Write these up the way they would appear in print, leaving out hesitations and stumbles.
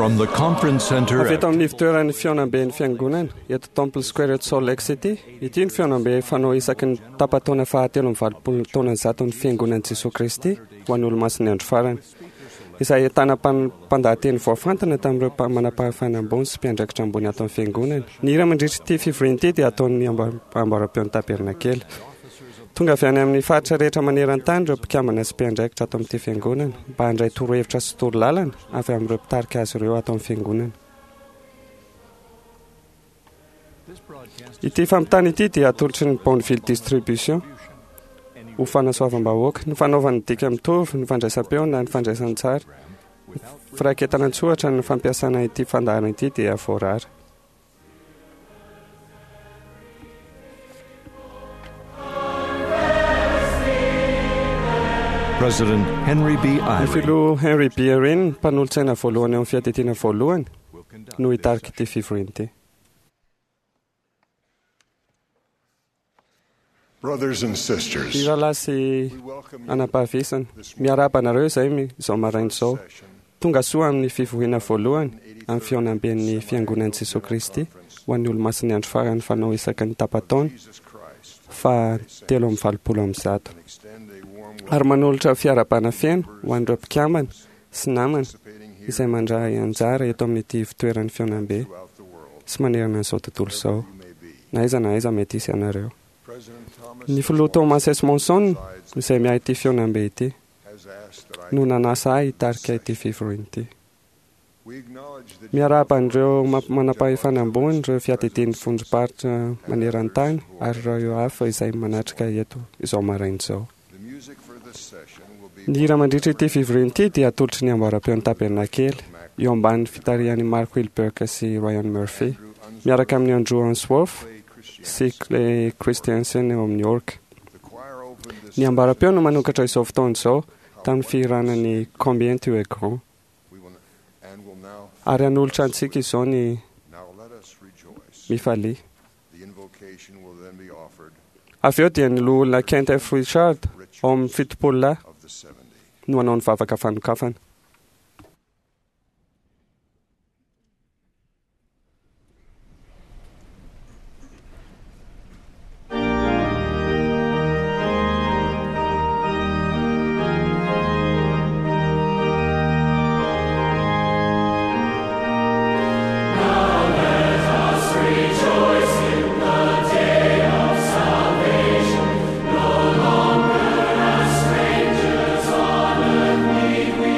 From the conference center Avy at eto amin'ny fitoeran'ny fihaonamben'ny fiangonana eto Temple Square eto Salt Lake City. Ity ny fihaonambe fanao isaky ny tapa-taona fahatelo amby 180 taona zato ny fiangonan'i Jesoa Kristy ho an'ny olomasin'ny andro farany. Izay ahitana mpandahateny voafantina tamin'ireo manam-pahefana ambony sy mpiandraikitra ambony ato amin'ny fiangonana. Ny hira mandritra ity fivoriana ity dia ataon'ny amboaram-peon'ny tabernakely. Tonga avy any amin'ny faritra rehetra maneran-tany ireo mpikambana sy mpiandraikitra ato amin'ity fiangonana mba handray torohevitra sy torolalana avy amin'ireo mpitarika azy ireo ato amin'ny fiangonana. Ity fampitana ity dia atolotry ny Bonneville Distribution ho fanasoavam-bahoaka. Ny fanaovana dika mitovy, ny fandraisam-peo na ny fandraisan-tsary, ny firaketana an-tsoratra ny fampiasana ity fandaharana ity dia voarara. President Henry B. Ny Eyring filoha Henry B. Eyring, mpanolotsaina voalohany ao amin'ny fiadidiana voalohany, no hitarika ity fivoriana ity. Brothers and sisters, Ny rahalahy sy we welcome you anam-pahavisana, miarahaba anareo izay izao maraina izao. Tonga soa amin'ny fivoriana voalohany amin'ny fihaonamben'ny fiangonan'i Jesoa Kristy ho an'ny olomasin'ny andro farany fanao isaky ny tapa-taona Jesus Christ fa 183. and extend a warm Ary manolotra fiarahabana feno ho an'ireo mpikambana sy namana participating here izay mandray anjara eto amin'ity fitoeran'ny fihaonambe throughout the world sy manerana an'izao tontolo izao. you may be. Na aiza na aiza mety hisy anareo. President Thomas Ny filoha Thomas S. Monson izay miahy ity fihaonambe ity has asked that I no nanasa ahy hitarika ity fivoriana ity. we acknowledge that Miarahaba an'ireo manam-pahefana ambony, ireo fiadidian'ny vondrom-paritra maneran-tany ary ireo hafa izay manatrika eto izao maraina izao. the music for this session will be Ny hira mandritra ity fivoriana ity dia atolotry ny amboaram-peon'ny tabernakely eo ambanin'ny fitarihan'i Mark Wilberg sy Ryan Murphy miaraka amin'ny Andrew Answorth Clay Christian. sy Clay Christiansen eo amin'ny org. The choir opened this Ny amboaram-peo no manokatra izao fotoana izao tamin'ny fihirana ny Combien tu es grand we will and will now ary hanolotra antsika izao ny now let us rejoice. mifalia. The invocation will then be offered Avy eo dia ny loholona Kent F. Richard ao amin'ny 70 lahy of the 70. no hanao ny vavaka fanokafana. Strangers on earth need we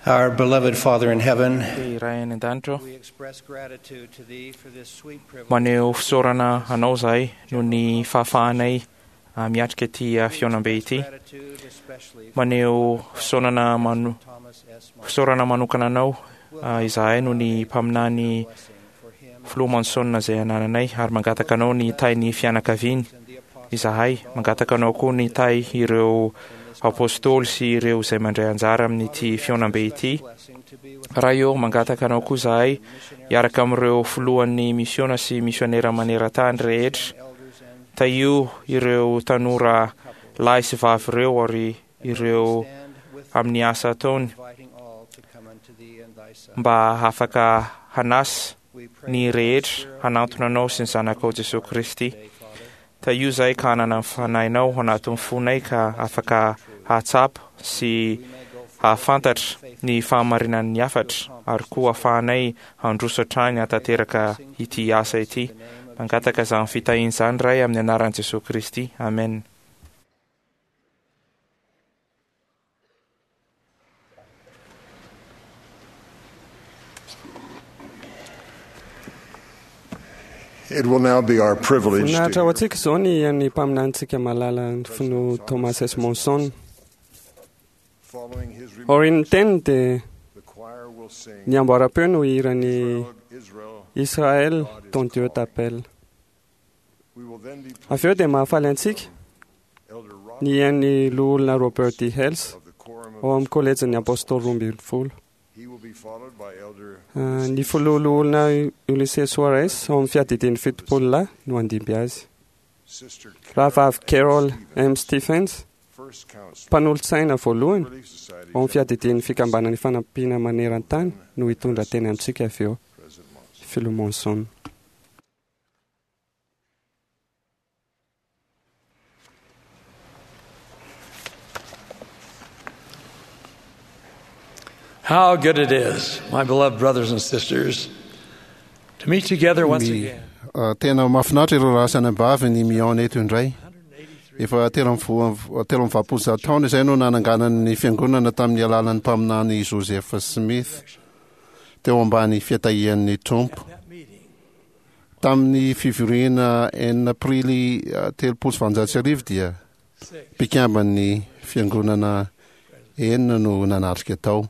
Our beloved Father in heaven, Ry Ray any an-danitra, we express gratitude to Thee for this sweet privilege. maneho fisaorana anao izahay noho ny fahafahanay miatrika ity fihaonambe ity. Gratitude especially for Maneho fisaorana mano Thomas S. Monson. fisaorana manokana anao izahay noho ny mpaminany Blessing for him Filoha Monson izay anananay ary mangataka anao ny hitahy ny fianakaviany and the apostles izahay. Mangataka anao koa ny hitahy ireo apôstôly sy ireo izay mandray anjara amin'ity fihaonambe ity. blessing to be with Ray ô, mangataka anao koa izahay hiaraka amin'ireo filohan'ny misiona sy misionera maneran-tany rehetra. elders and Tahio ireo tanora lahy sy vavy ireo ary ireo stand with amin'ny asa ataony inviting all to come unto Thee and Thy Son. mba afaka hanasa We pray ny that Thy rehetra Spirit hanantona anao sy ny zanakao Jesosy Kristy. today, Father, Tahio izahay ka hanana ny fanahinao ao anatin'ny fonay ka afaka hahatsapa sy we may go forth hahafantatra ny fahamarinan'ny hafatra ary koa ahafahanay handroso hatrany hahatanteraka ity asa ity. in the name of Mangataka izany fitahiana izany Ray amin'ny anaran'i Jesosy Kristy. Amen. It will now be our privilege Voninahitra to ho hear antsika izao ny an'ny mpaminanintsika malala ny filoha Thomas S. Monson. following his Aorian'ny remarks, teniny dia the choir will sing ny amboaram-peo no hiran'ny Israel, Israel, God is ton Dieu calling. t'appelle. We will then be Avy eo dia mahafaly antsika Elder Robert ny an'ny loholona Robert D. Hales of the Quorum of ao amin'ny kolejin'ny Apôstôly 12. He will be followed by Elder Ny filoha loholona Ulysses Suarez ao amin'ny fiadidian'ny 70 lahy no handimby azy. Sister Rahavavy Carol Carol M. Stephens, First Counselor, mpanolotsaina voalohany Relief Society ao amin'ny fiadidian'ny fikambanan'ny fanampiana maneran-tany no hitondra teny amintsika avy eo. President Monson. Filoha Monson. How good it is, my beloved brothers and sisters, to meet together once My- again. Tena mahafinaritra ireo raha sy anabavy ny mihaona eto indray. Efa 183 taona izay no nananganan'ny fiangonana tamin'ny alalan'ny mpaminany Joseph Smith teo ambany fiatahian'ny Tompo. That meeting Tamin'ny fivoriana 6 aprily 1830 dia six. mpikamban'ny fiangonana enina no nanatrika tao.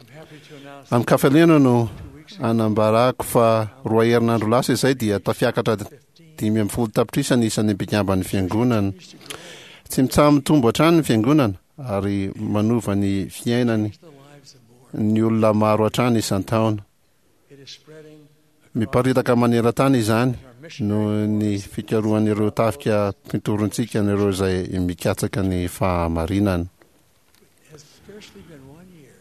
I'm happy to announce Amin'ny kafaliana no 2 weeks ago, anambarako fa roa herinandro lasa izay dia tafiakatra 15 15 tapitrisa ny isan'ny mpikamban'ny fiangonana. used to grow Tsy mitsaha-mitombo hatrany ny fiangonana ary manova ny fiainany the lives of more. ny olona maro hatrany isan-taona. It is spreading Miparitaka maneran-tany izany our mission noho ny fikarohan'ireo tafika mpitorontsika an'ireo izay mikatsaka ny fahamarinana. has scarcely been one year.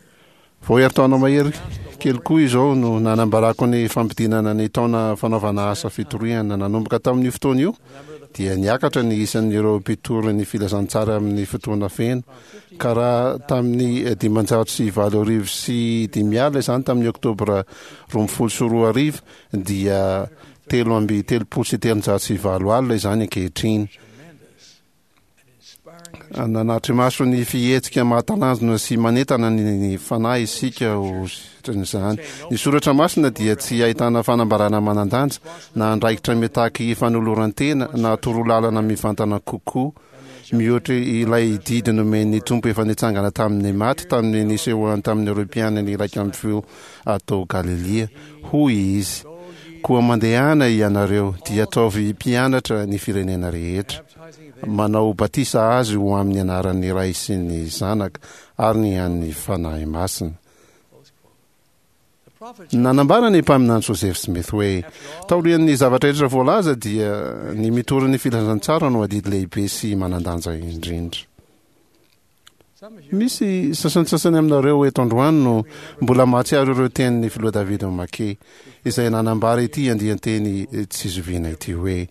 Vao herintaona mahery kely koa izao no nanambarako ny fampidinana ny taona fanaovana asa fitoriana. Nanomboka tamin'io fotoana io The number of the dia niakatra ny isan'ireo mpitory ny filazantsara amin'ny fotoana feno ka raha tamin'ny 2005 izany tamin'ny oktobra 2012 dia 333 800 izany ankehitriny. tremendous and inspiring Nanatri-maso ny fihetsika mahatalanjona sy manentana ny fanahy isika ho sitran'izany. Ny soratra masina dia tsy ahitana fanambarana manan-danja na andraikitra mitaky fanoloran-tena na torolalana mivantana kokoa mihoatra ilay didy nomen'ny Tompo efa nitsangana tamin'ny maty tamin'ny nisehoany tamin'ireo mpianany 11 atao Galilia. Hoy izy: koa mandehana ianareo dia ataovy mpianatra ny firenena rehetra baptizing them manao batisa azy ho amin'ny anaran'ny Ray sy ny Zanaka ary ny an'ny Fanahy Masina. close quote. The prophet Nanambara ny mpaminany Joseph Smith hoe taorian'ny zavatra rehetra voalaza dia ny mitory ny filazantsara no adidy lehibe sy manan-danja indrindra. some of you Misy sasantsasany aminareo eto androany no mbola mahatsiaro ireo tenin'ny filoha David Make izay nanambara ity andian-teny tsy zoviana ity hoe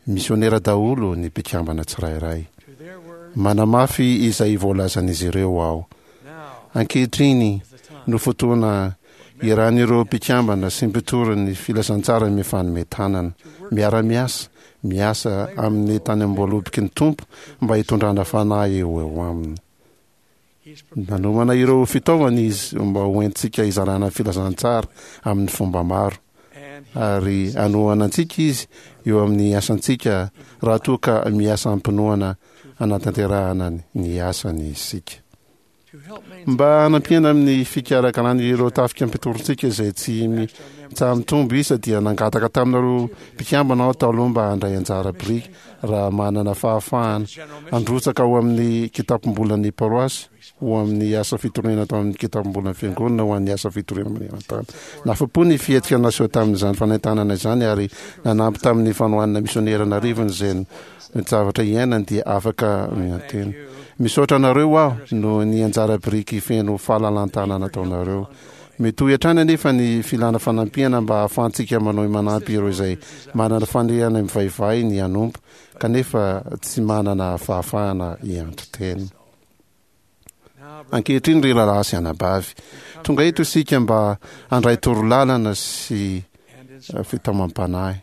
misionera daholo ny mpikambana tsirairay. to their word Manamafy izay voalazan'izy ireo aho. now Ankehitriny is the time no fotoana iarahan'ireo mpikambana sy mpitory ny filazantsara mifanome tanana, miara-miasa, miasa amin'ny tany am-boaloboky ny Tompo mba hitondrana fanahy eo eo aminy. Nanomana ireo fitaovana Izy mba ho entintsika hizarana ny filazantsara amin'ny fomba maro. Ary hanohana antsika Izy eo amin'ny asantsika raha toa ka miasa amim-pinoana hanatanterahana ny asany isika. Mba hanampiana amin'ny fikarakarana ireo tafika mpitorintsika izay tsy mitsaha-mitombo isa dia nangataka taminareo mpikambana aho taloha mba handray anjara biriky raha manana fahafahana handrotsaka ao amin'ny kitapom-bolan'ny paroasy ho amin'ny asa fitoriana atao amin'ny kitapom-bolan'ny fiangonana ho an'ny asa fitoriana maneran-tany. Nafa-po ny fihetsika naseho tamin'izany fanentanana izany ary nanampy tamin'ny fanohanana misionera an'arivony izay ny zavatra iainany dia afaka miantena. Misaotra anareo aho noho ny anjara biriky feno fahalalan-tanana ataonareo. Mitohy hatrany anefa ny filana fanampiana mba hahafahantsika manohy manampy ireo izay manana faniriana mivaivay ny hanompo kanefa tsy manana fahafahana hianto-tena. Ankehitriny ry rahalahy sy anabavy, tonga eto isika mba handray torolalana sy fitaomam-panahy.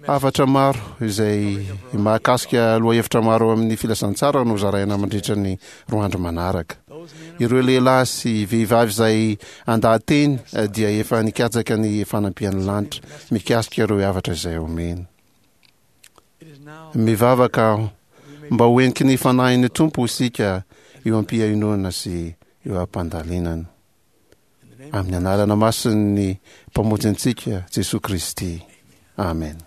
Hafatra maro izay mahakasika lohahevitra maro amin'ny filazantsara no zaraina mandritra ny roa andro manaraka. Ireo lehilahy sy vehivavy izay andaha-teny dia efa nikatsaka ny fanampian'ny lanitra mikasika ireo hafatra izay omeny. Mivavaka aho mba ho heniky ny fanahin'ny Tompo isika eo am-pihainoana sy eo am-pandalinana. Amin'ny anarana masin'ny Mpamonjy antsika, Jesoa Kristy. Amen.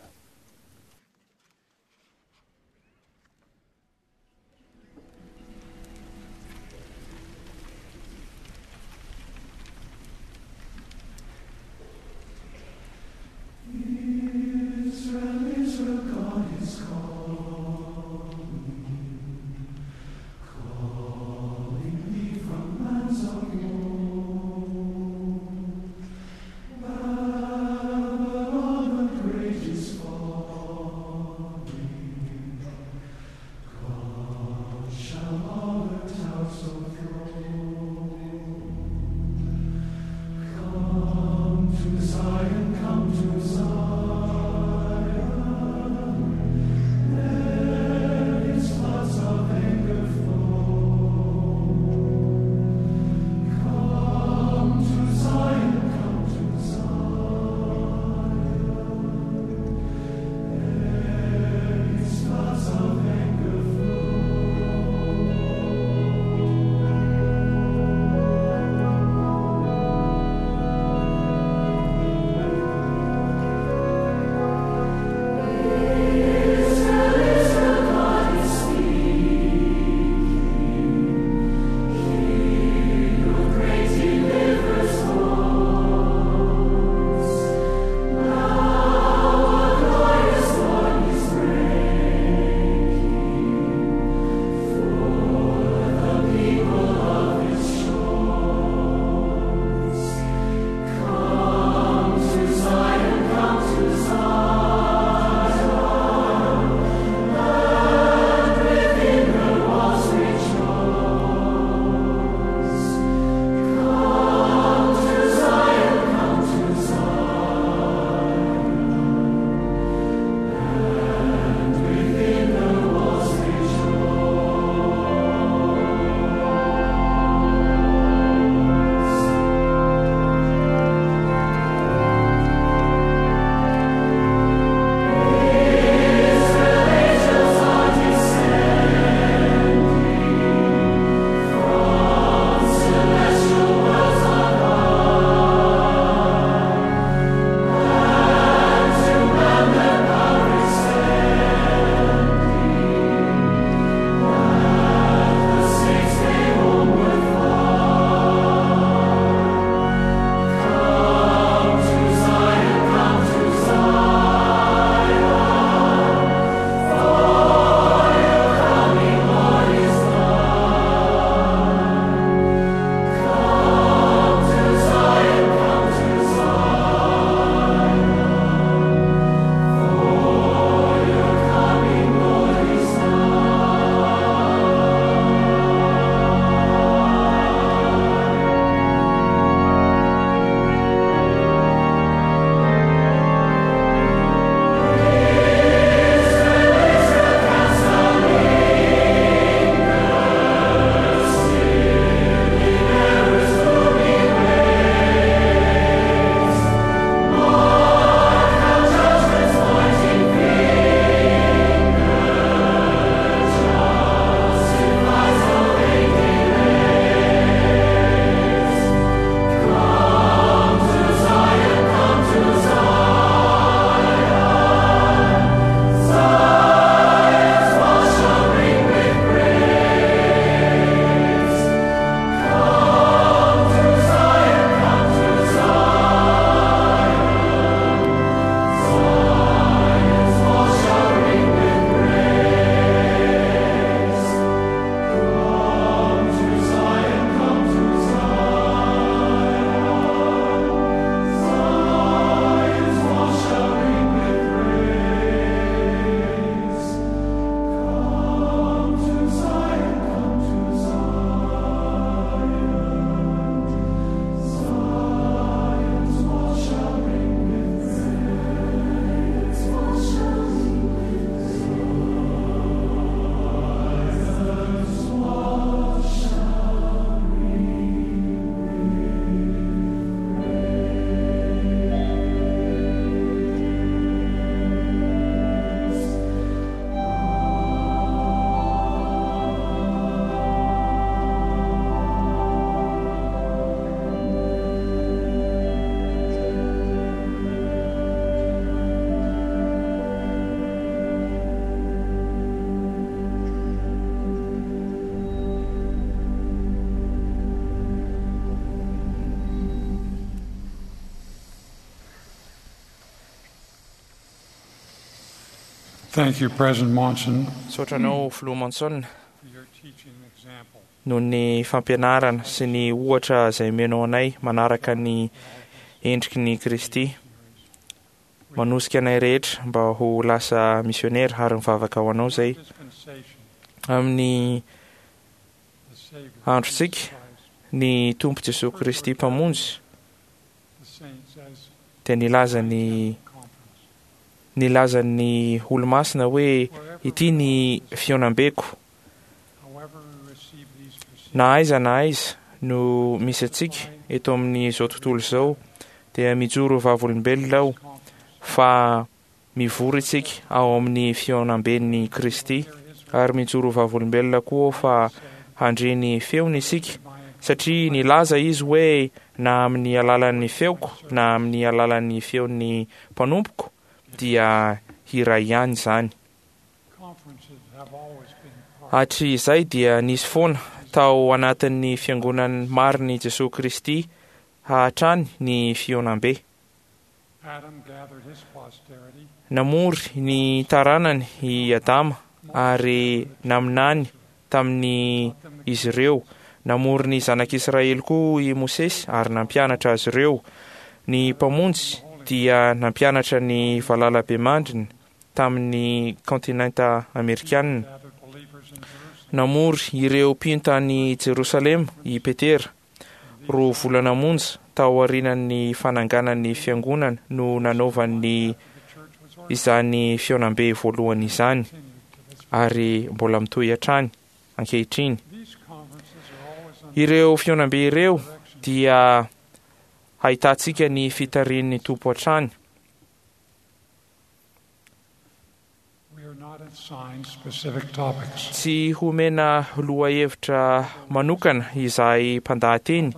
Thank you, President Monson, Misaotra anao Filoha Monson for your teaching example. noho ny fampianarana sy ny ohatra izay omenao anay manaraka ny endriky ny Kristy. Manosika anay rehetra mba ho lasa misionera ary mivavaka ho anao izay. Dispensation, Amin'ny the Savior, androntsika, Jesus Christ, ny Tompo Jesoa Kristy Mpamonjy the saints as dia nilaza ny conference. nilaza ny olomasina hoe ity ny fihaonambeko. However we receive these proceedings, Na aiza na aiza no misy antsika eto amin'izao tontolo izao dia mijoro vavolombelona aho fa mivory isika ao amin'ny fihaonamben'ny Kristy ary mijoro vavolombelona koa aho fa handre ny feony isika satria nilaza izy hoe na amin'ny alalan'ny feoko na amin'ny alalan'ny feon'ny mpanompoko dia hiray ihany izany. conferences have always been part Hatrizay dia nisy foana tao anatin'ny fiangonan'ny marin'i Jesoa Kristy hatrany ny fihaonambe. Adam gathered his posterity, Namory ny taranany i Adama ary naminany tamin'ny izy ireo. Namory ny zanak'Israely koa i Mosesy ary nampianatra azy ireo. Ny Mpamonjy dia nampianatra ny valalabemandriny tamin'ny kontinenta amerikanina. gathered believers in Jerusalem. Namory ireo mpino tany Jerosalema i Petera. Roa volana monja tao aorian'ny fananganan'ny fiangonana no nanaovany The church was organized izany fihaonambe voalohany izany ary mbola mitohy hatrany ankehitriny. These conferences are always under Ireo fihaonambe ireo dia ahitantsika ny fitarihin'ny Tompo hatrany. We are not assigned specific topics. Tsy homena lohahevitra manokana izahay mpandahateny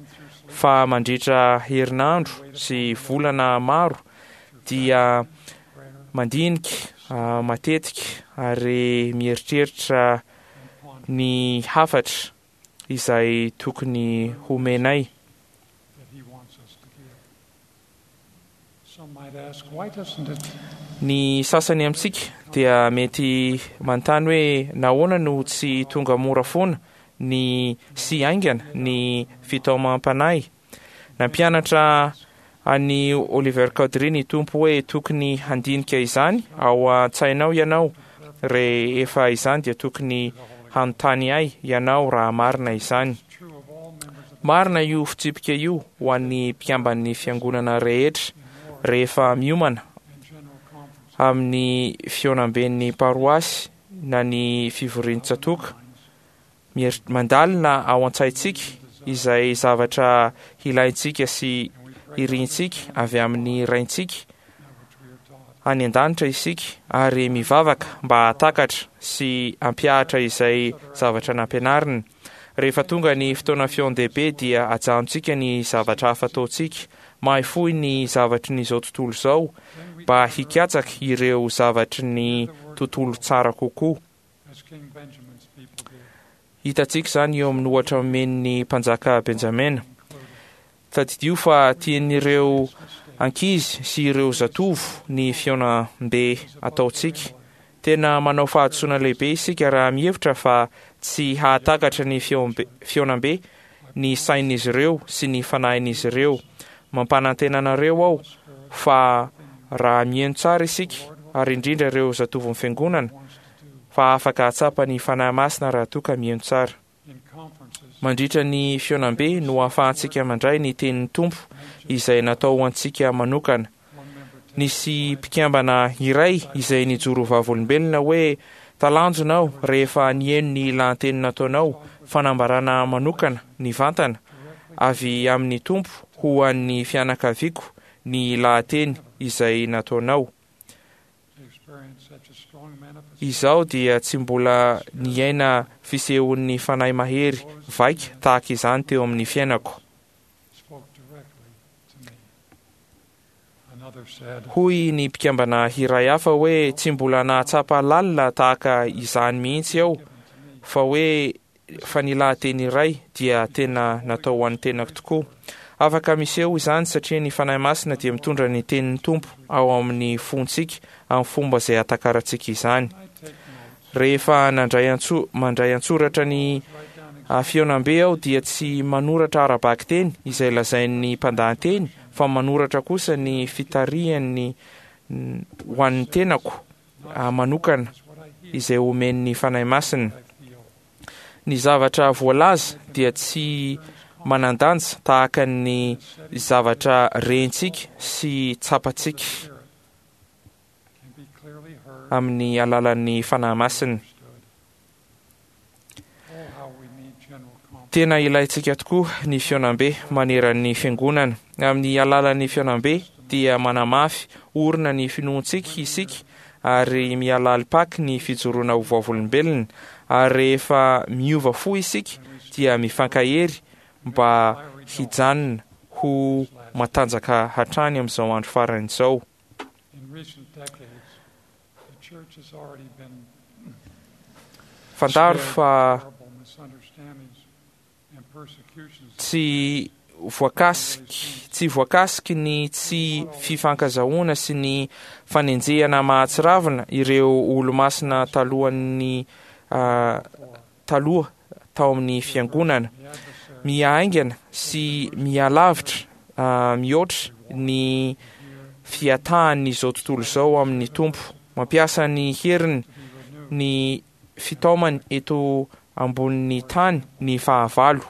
fa mandritra herinandro sy volana maro dia mandinika matetika ary mieritreritra ny hafatra izay tokony homenay. that he wants us to give. Some might ask, why doesn't it Ny sasany amintsika dia mety manontany hoe nahoana no tsy tonga mora foana ny sy haingana ny fitaomam-panahy. Nampianatra an'i Oliver Cowdery ny Tompo hoe tokony handinika izany ao an-tsainao ianao, rehefa izany dia tokony hanontany ahy ianao raha marina izany. true of all members of Marina io fitsipika io ho an'ny mpikamban'ny fiangonana rehetra rehefa miomana and general conference amin'ny fihaonamben'ny paroasy na ny fivorian-tsatoka. Mandalina ao an-tsaintsika izay zavatra ilaintsika sy irintsika avy amin'ny raintsika which we are taught. any an-danitra isika ary mivavaka mba hahatakatra sy hampihatra izay zavatra nampianariny. Rehefa tonga ny fotoana fihaon-dehibe dia ajanontsika ny zavatra hafa ataontsika, mahafoy ny zavatry ny izao tontolo izao mba hikatsaka ireo zavatry ny tontolo tsara kokoa. As King Benjamin's people did. Hitantsika izany eo amin'ny ohatra omen'ny mpanjaka Benjamina. Tadidio fa tian'ireo ankizy sy ireo zatovo ny fihaonambe ataontsika. Tena manao fahadisoana lehibe isika raha mihevitra fa tsy hahatakatra ny fihaonambe ny sain'izy ireo sy ny fanahin'izy ireo. Mampanantena anareo aho fa raha mihaino tsara isika ary indrindra ireo zatovon'ny fiangonana fa afaka hahatsapa ny fanahy masina raha toa ka mihaino tsara. In conferences, Mandritra ny fihaonambe no ahafahantsika mandray ny tenin'ny Tompo izay natao ho antsika manokana. one member Nisy mpikambana iray izay nijoro vavolombelona hoe talanjona aho rehefa nihaino ny lahateny nataonao fanambarana manokana nivantana avy amin'ny Tompo ho an'ny fianakaviako ny lahateny izay nataonao. to experience such a strong manifestation Izaho dia tsy mbola niaina fisehon'ny fanahy mahery vaika tahaka izany teo amin'ny fiainako. spoke directly to me. Another said, Hoy ny mpikambana iray hafa hoe tsy mbola nahatsapa lalina tahaka izany mihitsy aho fa hoe fa ny lahateny iray dia tena natao ho an'ny tenako tokoa. Afaka miseho izany satria ny Fanahy Masina dia mitondra ny tenin'ny Tompo ao amin'ny fontsika amin'ny fomba izay ahatakarantsika izany. Rehefa nandray antso mandray an-tsoratra ny fihaonambe aho dia tsy manoratra ara-bakiteny izay lazain'ny mpandahateny fa manoratra kosa ny fitarihany ho an'ny tenako manokana izay omen'ny Fanahy Masina. Ny zavatra voalaza dia tsy manan-danja tahaka ny zavatra rentsika sy tsapantsika amin'ny alalan'ny Fanahy Masina. Tena ilaintsika tokoa ny fihaonambe maneran'ny Fiangonana. Amin'ny alalan'ny fihaonambe dia manamafy orina ny finoantsika isika ary mihalalim-paky ny fijoroana ho vavolombelona, ary rehefa miova fo isika dia mifankahery mba hijanona ho matanjaka hatrany amin'izao andro farany izao. Fantaro fa tsy voakasiky tsy voakasiky ny tsy fifankazahoana sy ny fanenjehana mahatsiravina ireo olomasina talohan'ny taloha tao amin'ny fiangonana. Miha-haingana sy miha-lavitra mihoatra ny fiatahan'izao tontolo izao amin'ny Tompo. Mampiasa ny heriny ny fitaomany eto ambonin'ny tany ny fahavalo.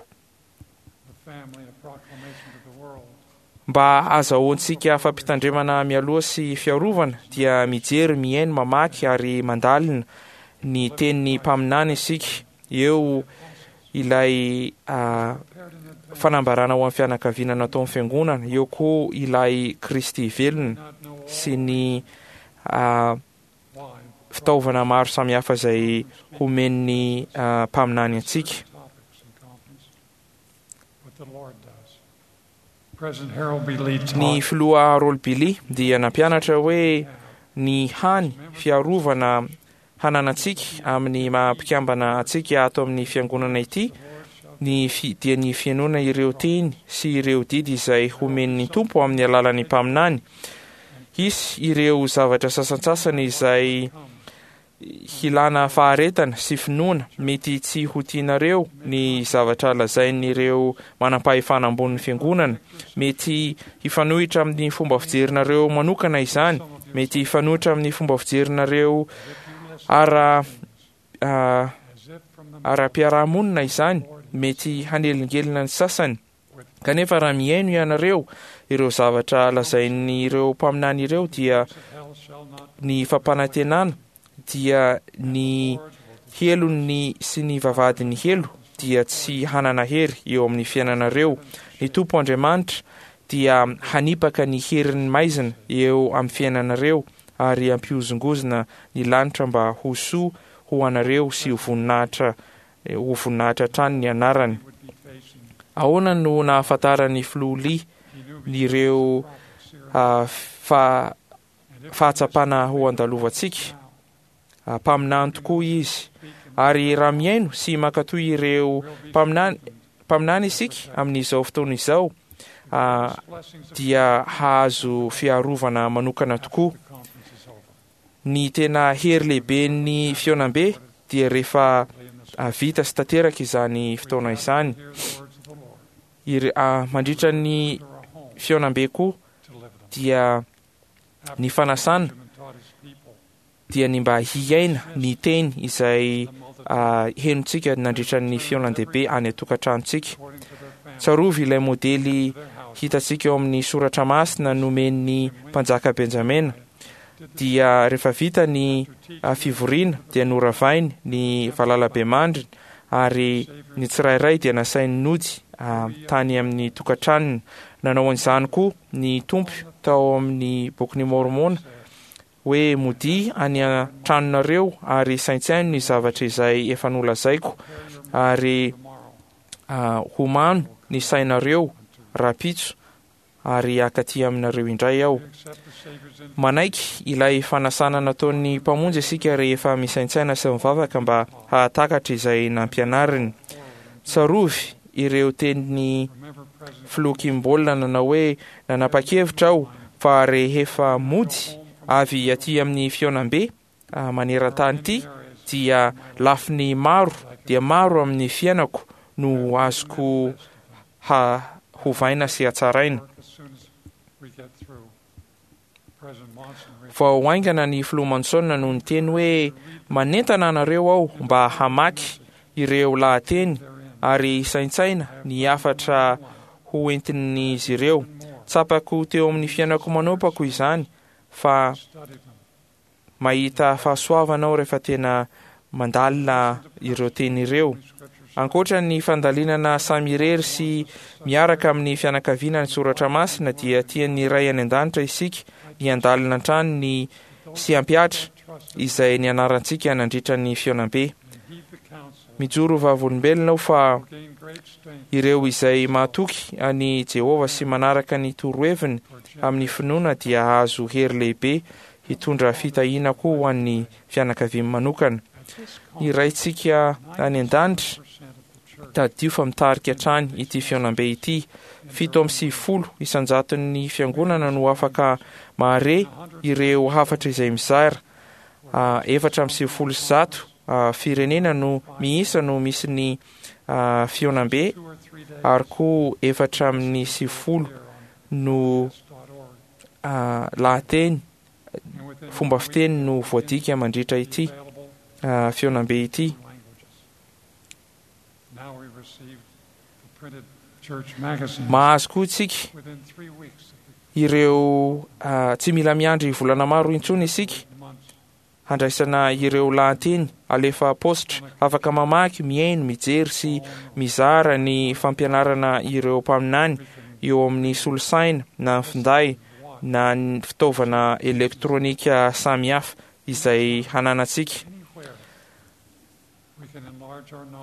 Mba hahazahoantsika fampitandremana mialoha sy fiarovana, dia mijery, mihaino, mamaky ary mandalina ny tenin'ny mpaminany isika. Eo ilay fanambarana ho an'ny fianakaviana nataon'ny Fiangonana, eo koa ilay Kristy velona sy ny fitaovana maro samihafa izay homen'ny mpaminany antsika. Ny filoha Harold B. Lee dia nampianatra hoe ny hany fiarovana hananantsika amin'ny maha mpikambana antsika ato amin'ny fiangonana ity ny dia ny fihainoana ireo teny sy ireo didy izay homen'ny Tompo amin'ny alalan'ny mpaminany. Hisy ireo zavatra sasantsasany izay hilana faharetana sy finoana, mety tsy ho tianareo ny zavatra lazain'ireo manampahefana ambonin'ny fiangonana, mety hifanohitra amin'ny fomba fijerinareo manokana izany, mety hifanohitra amin'ny fomba fijerinareo ara ara-piarahamonina izany, mety hanelingelina ny sasany. Kanefa raha mihaino ianareo ireo zavatra lazain'ireo mpaminany ireo dia ny fampanantenana dia ny helon'ny sy ny vavahadin'ny helo dia tsy hanana hery eo amin'ny fiainanareo. Ny Tompo Andriamanitra dia hanipaka ny herin'ny maizina eo amin'ny fiainanareo ary hampihozongozona ny lanitra mba ho soa ho anareo sy ho voninahitra ho voninahitra hatrany ny anarany. Ahoana no nahafantaran'ny filoha Lee ireo fa fahatsapana ho andalovantsika? Mpaminany tokoa izy. Ary raha mihaino sy mankatò ireo mpaminany mpaminany isika amin'izao fotoana izao, dia hahazo fiarovana manokana tokoa. Ny tena hery lehiben'ny fihaonambe dia rehefa vita sy tanteraka izany fotoana izany. Mandritra ny fihaonambe koa dia ny fanasana dia ny mba hiaina ny teny izay henontsika nandritra ny fihaonan-dehibe any an-tokantranontsika. Tsarovy ilay modely hitantsika eo amin'ny soratra masina nomen'ny mpanjaka Benjamina. Dia rehefa vita ny fivoriana dia noravainy ny valalabemandriny ary ny tsirairay dia nasainy nody tany amin'ny tokantranony. Nanao an'izany koa ny Tompo tao amin'ny Bokin'i Môrmôna hoe modia any an-tranonareo ary saintsaino ny zavatra izay efa nolazaiko ary homano ny sainareo rahampitso ary hakaty aminareo indray aho. Manaiky ilay fanasana nataon'ny Mpamonjy isika rehefa misaintsaina sy mivavaka mba hahatakatra izay nampianariny. Tsarovy ireo tenin'ny. Filoha Kimball nanao hoe, Nanapa-kevitra aho fa rehefa mody avy aty amin'ny fihaonambe maneran-tany ity dia lafiny maro dia maro amin'ny fiainako no azoko hovaina sy hatsaraina. Vao haingana ny Filoha Monson no niteny hoe, Manentana anareo aho mba hamaky ireo lahateny ary hisaintsaina ny hafatra ho entin'izy ireo. Tsapako teo amin'ny fiainako manopako izany fa mahita fahasoavana aho rehefa tena mandalina ireo teny ireo. Ankoatra ny fandalinana samy irery sy miaraka amin'ny fianakaviana ny soratra masina dia tian'ny Ray any An-danitra isika ny handalina hatrany ny sy hampihatra izay nianarantsika nandritra ny fihaonambe. Mijoro vavolombelona aho fa ireo izay mahatoky an'i Jehovah sy manaraka ny toroheviny amin'ny finoana dia hahazo hery lehibe hitondra fitahiana koa ho an'ny fianakaviany manokana. Ny Raintsika any An-danitra, tadidio fa mitarika hatrany ity fihaonambe ity. 97 isan-jaton'ny fiangonana no afaka mahare ireo hafatra izay mizara. 194 firenena no miisa no misy ny fihaonambe ary koa 94 no lahateny fomba fiteny no voadika mandritra ity fihaonambe ity. Mahazo koa isika ireo tsy mila miandry volana maro intsony isika handraisana ireo lahateny alefa paositra. Afaka mamaky, mihaino, mijery sy mizara ny fampianarana ireo mpaminany eo amin'ny solosaina na ny finday na ny fitaovana elektronika samihafa izay hananantsika.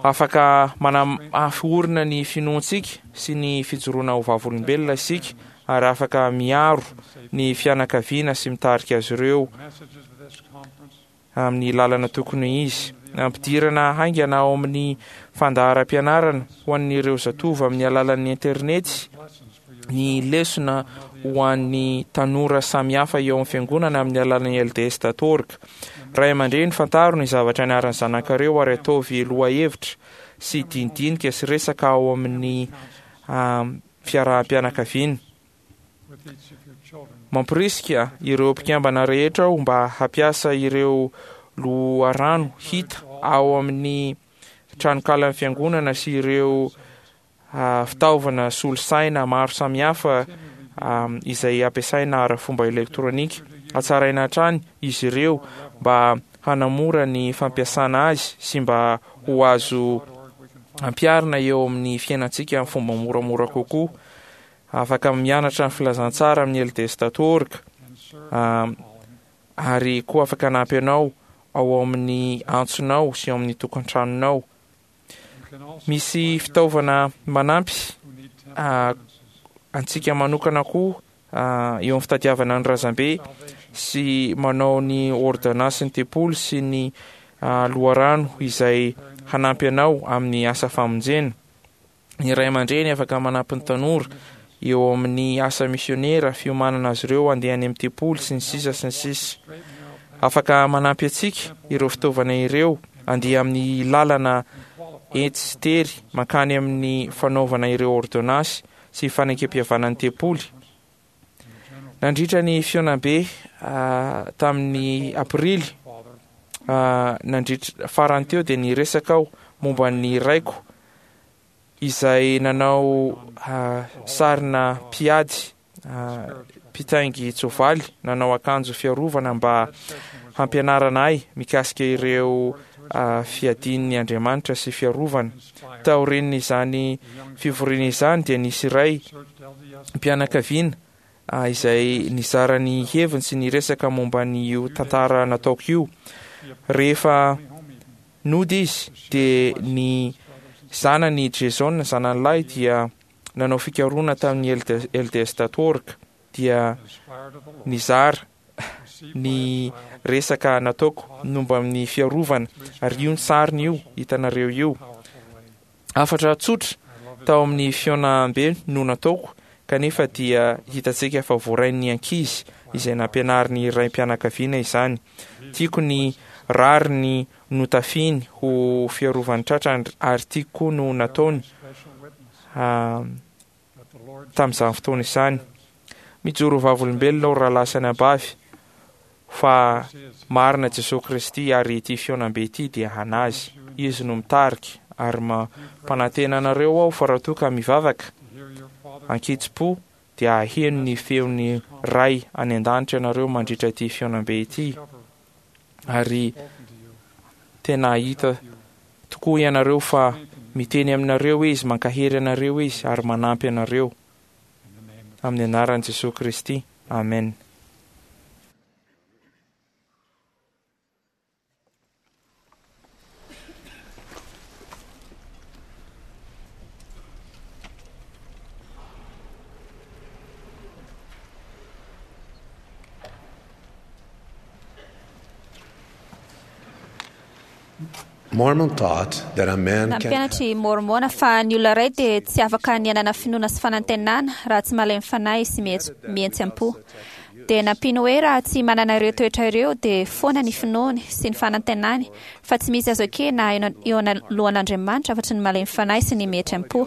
Afaka manamafy orina ny finoantsika sy ny fijoroana ho vavolombelona isika ary afaka miaro ny fianakaviana sy mitarika azy ireo amin'ny lalana tokony izy. Ampidirana haingana ao amin'ny fandaharam-pianarana ho an'ireo zatovo amin'ny alalan'ny internety ny lesona ho an'ny tanora samihafa eo amin'ny fiangonana amin'ny alalan'ny LDS dot org. Ray aman-dreny, fantaro ny zavatra niaran'ny zanakareo ary ataovy lohahevitra sy dinidinika sy resaka ao amin'ny fiaraham-pianakaviana. Mamporisika ireo mpikambana rehetra aho mba hampiasa ireo loharano hita ao amin'ny tranokalan'ny fiangonana sy ireo fitaovana solosaina maro samihafa izay ampiasaina ara-fomba elektronika. Hatsaraina hatrany izy ireo mba hanamora ny fampiasana azy sy mba ho azo ampiharina eo amin'ny fiainantsika amin'ny fomba moramora kokoa. Afaka mianatra ny filazantsara amin'ny lds.org ary koa afaka hanampy anao ao amin'ny antsonao sy ao amin'ny tokantranonao. Misy fitaovana manampy antsika manokana koa eo amin'ny fitadiavana ny razambe sy manao ny ôrdônansin'ny tempoly sy ny loharano izay hanampy anao amin'ny asa famonjena. Ny ray aman-dreny afaka manampy ny tanora eo amin'ny asa misionera, fiomanana azy ireo handeha any amin'ny tempoly, sy ny sisa sy ny sisa. Afaka manampy antsika ireo fitaovana ireo handeha amin'ny lalana etsy sy tery mankany amin'ny fanaovana ireo ôrdônansy sy fanekempihavanan'ny tempoly. Nandritra ny fihaonambe tamin'ny Aprily nandritra farany teo dia niresaka aho momba ny raiko izay nanao sarina mpiady mpitaingin-tsoavaly nanao akanjo fiarovana mba hampianarana ahy mikasika ireo fiadian'ny Andriamanitra sy fiarovana. Taorian'izany fivoriana izany dia nisy iray mpianakaviana izay nizara ny heviny sy niresaka momba an'io tantara nataoko io. Rehefa nody izy dia ny zanany Jason, zanany lahy, dia nanao fikarohana tamin'ny LDS dot org dia nizara ny resaka nataoko momba ny fiarovana ary io ny sariny io hitanareo io. Hafatra tsotra Tao amin'ny fihaonambe no nataoko, kanefa dia hitantsika fa voarain'ny ankizy izay nampianarin'ny raim-pianakaviana izany. Tiako ny rariny notafiany ho fiarovan'ny tratrany ary tiako koa no nataony tamin'izany fotoana izany. Mijoro ho vavolombelona aho rahalahy sy anabavy fa marina Jesoa Kristy ary ity fihaonambe ity dia hanazy. Izy no mitarika ary mampanantena anareo aho fa raha toa ka mivavaka ankitsipo dia haheno ny feon'ny Ray any an-danitra ianareo mandritra ity fihaonambe ity ary tena hahita tokoa ianareo fa miteny aminareo Izy, mankahery anareo Izy ary manampy anareo. Amin'ny anaran'i Jesoa Kristy, amen. Mormon taught that a man can Nampianatra i Môrmôna fa ny olona iray dia tsy afaka ny hanana finoana sy fanantenana raha tsy malemy fanahy sy mihetseham-po. Dia nampiany hoe raha tsy manana ireo toetra ireo dia foana ny finoany sy ny fanantenany fa tsy misy azo ekena eo anoloan'Andriamanitra afa-tsy ny malemy fanahy sy ny mihetseham-po.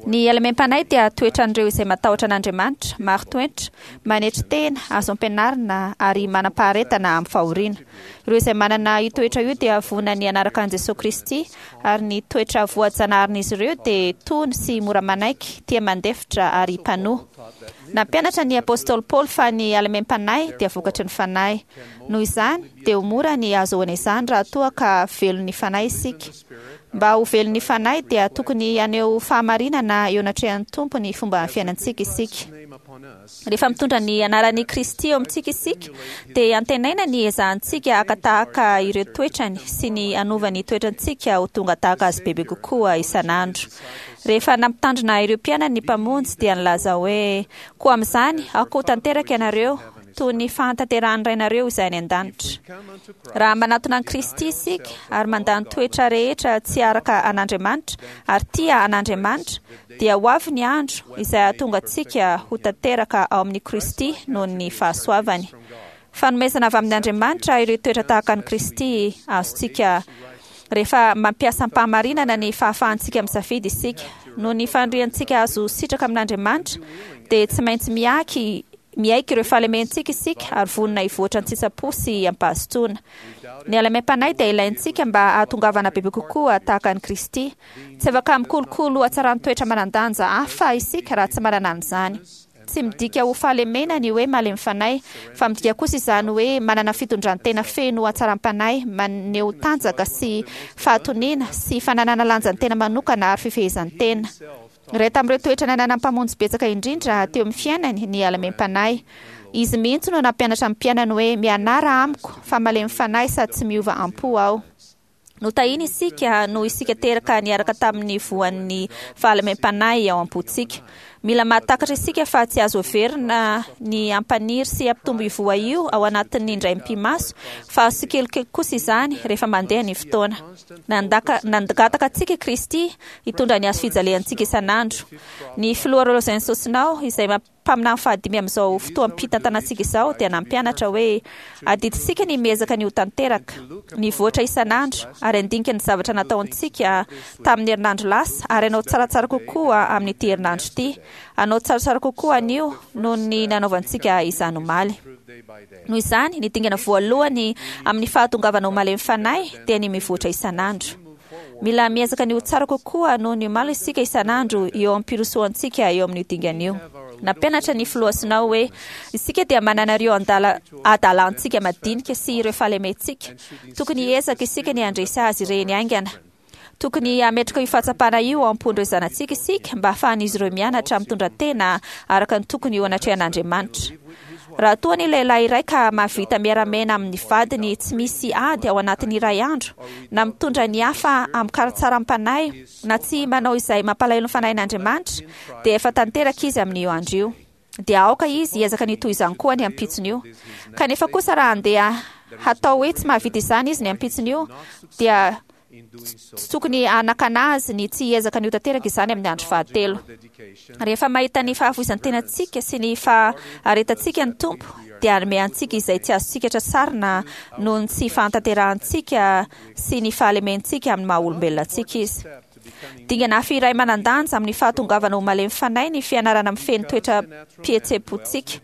Ny halemem-panahy dia toetran'ireo izay matahotra an'Andriamanitra, marin-toetra, manetry tena, azo ampianarina ary manam-paharetana amin'ny fahoriana. Ireo izay manana io toetra io dia vonona ny hanaraka an'i Jesoa Kristy, ary ny toetra voajanaharin'izy ireo dia tony sy mora manaiky, tia mandefitra ary mpanoa. Nampianatra ny apostoly Paoly fa ny halemem-panahy dia vokatry ny Fanahy. Noho izany, dia ho mora ny hahazoana izany raha toa ka velon'ny Fanahy isika. Mba ho velon'ny Fanahy dia tokony haneho fahamarinana eo anatrehan'ny Tompo ny fomba fiainantsika isika. Rehefa mitondra ny anaran'i Kristy eo amintsika isika dia antenaina ny hiezahantsika haka tahaka ireo toetrany sy ny hanova ny toetrantsika ho tonga tahaka Azy bebe kokoa isan'andro. Rehefa nampitandrina ireo mpianany ny Mpamonjy dia nilaza hoe, Koa amin'izany, aoka ho tanteraka ianareo, toy ny fahatanterahan'ny Rainareo izay any an-danitra. Raha manatona an'i Kristy isika ary mandà ny toetra rehetra tsy araka an'Andriamanitra ary tia an'Andriamanitra, dia ho avy ny andro izay hahatonga antsika ho tanteraka ao amin'i Kristy noho ny fahasoavany. Fanomezana avy amin'Andriamanitra ireo toetra tahaka an'i Kristy azontsika rehefa mampiasa am-pahamarinana ny fahafahantsika misafidy isika. Noho ny faniriantsika hahazo sitraka amin'Andriamanitra, dia tsy maintsy miaky Miaiky ireo fahalementsika isika ary vonona hivoatra an-tsitsapo sy am-pahazotoana. Ny halemem-panahy dia ilaintsika mba hahatongavana bebe kokoa tahaka an'i Kristy. Tsy afaka mikolokolo hatsaran-toetra manan-danja hafa isika raha tsy manana an'izany. Tsy midika ho fahalemena ny hoe malemy fanahy, fa midika kosa izany hoe manana fitondran-tena feno hatsaram-panahy, maneho tanjaka sy fahatoniana, sy fananana lanjan-tena manokana ary fifehezan-tena. Iray tamin'ireo toetra nananan'ny Mpamonjy betsaka indrindra teo amin'ny fiainany ny halemem-panahy. Izy mihitsy no nampianatra ny mpianany hoe, Mianara amiko, fa malemy fanahy sady tsy miova am-po aho. Notahiny isika noho isika teraka niaraka tamin'ny voan'ny fahalemem-panahy ao am-pontsika. Mila mahatakatra isika fa tsy azo heverina ny hampaniry sy hampitombo io voa io ao anatin'ny indray mipi-maso, fa azo tsikelikely kosa izany rehefa mandeha ny fotoana. Nandaka, nangataka antsika i Kristy hitondra ny hazo fijaliantsika isan'andro. Ny Filoha Rosen Sosnao, izay mpaminany fahadimy amin'izao fotoam-pitantanantsika izao, dia nampianatra hoe, Adidintsika ny miezaka ny ho tanteraka, mivoatra isan'andro, ary handinika ny zavatra nataontsika tamin'ny herinandro lasa, ary hanao tsaratsara kokoa amin'ity herinandro ity, hanao tsaratsara kokoa anio noho ny nanaovantsika izany omaly. Noho izany, ny dingana voalohany amin'ny fahatongavana ho malemy fanahy dia ny mivoatra isan'andro. Mila miezaka ny ho tsara kokoa noho ny omaly isika isan'andro eo am-pirosoantsika eo amin'io dingana io. Nampianatra ny Filoha Snow hoe, Isika dia manana ireo adalantsika madinika sy ireo fahalementsika. Tokony hiezaka isika ny handresy azy ireny haingana. Tokony hametraka io fahatsapana io ao am-pon'ireo zanatsika isika mba hahafahan'izy ireo mianatra mitondra tena araka ny tokony eo anatrehan'Andriamanitra. Raha toa ny lehilahy iray ka mahavita miara-miaina amin'ny vadiny tsy misy ady ao anatin'ny iray andro, na mitondra ny hafa amin-karatsaram-panahy, na tsy manao izay mampalahelo ny fanahin'Andriamanitra, dia efa tanteraka izy amin'io andro io. Dia aoka izy hiezaka ny hitohy izany koa ny ampitson'io. Kanefa kosa raha handeha hatao hoe tsy mahavita izany izy ny ampitson'io, dia. Tsy tokony hanakana azy ny tsy hiezaka ny ho tanteraka izany amin'ny andro fahatelo. Rehefa mahita ny fahafoizan-tenantsika sy ny faharetantsika ny Tompo, dia hanome antsika izay tsy azontsika tratrarina noho ny tsy fahatanterahantsika sy ny fahalementsika amin'ny maha-olombelona antsika Izy. Dingana hafa iray manan-danja amin'ny fahatongavana ho malemy fanahy ny fianarana mifehy ny toetram-pihetseham-pontsika.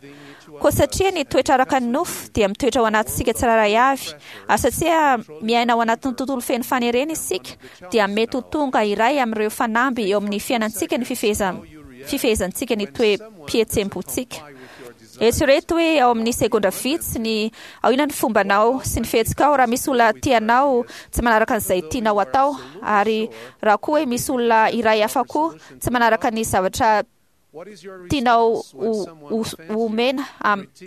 Koa satria ny toetra araka ny nofo dia mitoetra ao anatintsika tsirairay avy, ary satria miaina ao anatin'ny tontolo feno fanerena isika, dia mety ho tonga iray amin'ireo fanamby eo amin'ny fiainantsika ny fifehezantsika ny toe-pihetseham-pontsika. Eritrereto hoe ao amin'ny segondra vitsy ny ao inona ny fombanao sy ny fihetsikao raha misy olona tianao tsy manaraka an'izay tianao atao, ary raha koa hoe misy olona iray hafa koa tsy manaraka ny zavatra tianao omena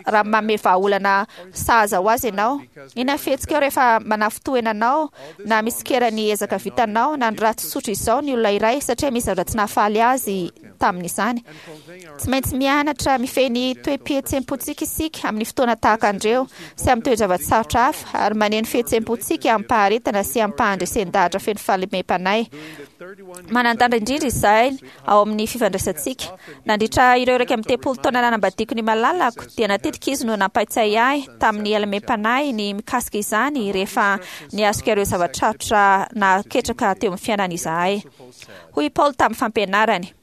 raha manome vahaolana sahaza ho azy ianao? Inona ny fihetsikao rehefa manafintohina anao na mitsikera ny ezaka vitanao na ny ratsy tsotra izao ny olona iray satria misy zavatra tsy nahafaly azy tamin'izany? Tsy maintsy mianatra mifehy ny toe-pihetseham-pontsika isika amin'ny fotoana tahaka an'ireo sy amin'ny toe-java-tsarotra hafa, ary maneho ny fihetseham-pontsika amim-paharetana sy amim-pahandresen-dahatra feno fahalemem-panahy. Manan-danja indrindra izany ao amin'ny fifandraisantsika. Nandritra ireo 31 taona nanambadiako ny malalako, dia natetika izy no nampaitsahy ahy tamin'ny halemem-panahy ny mikasika izany rehefa niatrika ireo zava-tsarotra nahaketraka teo amin'ny fiainana izahay. Hoy i Paoly tamin'ny fampianarany,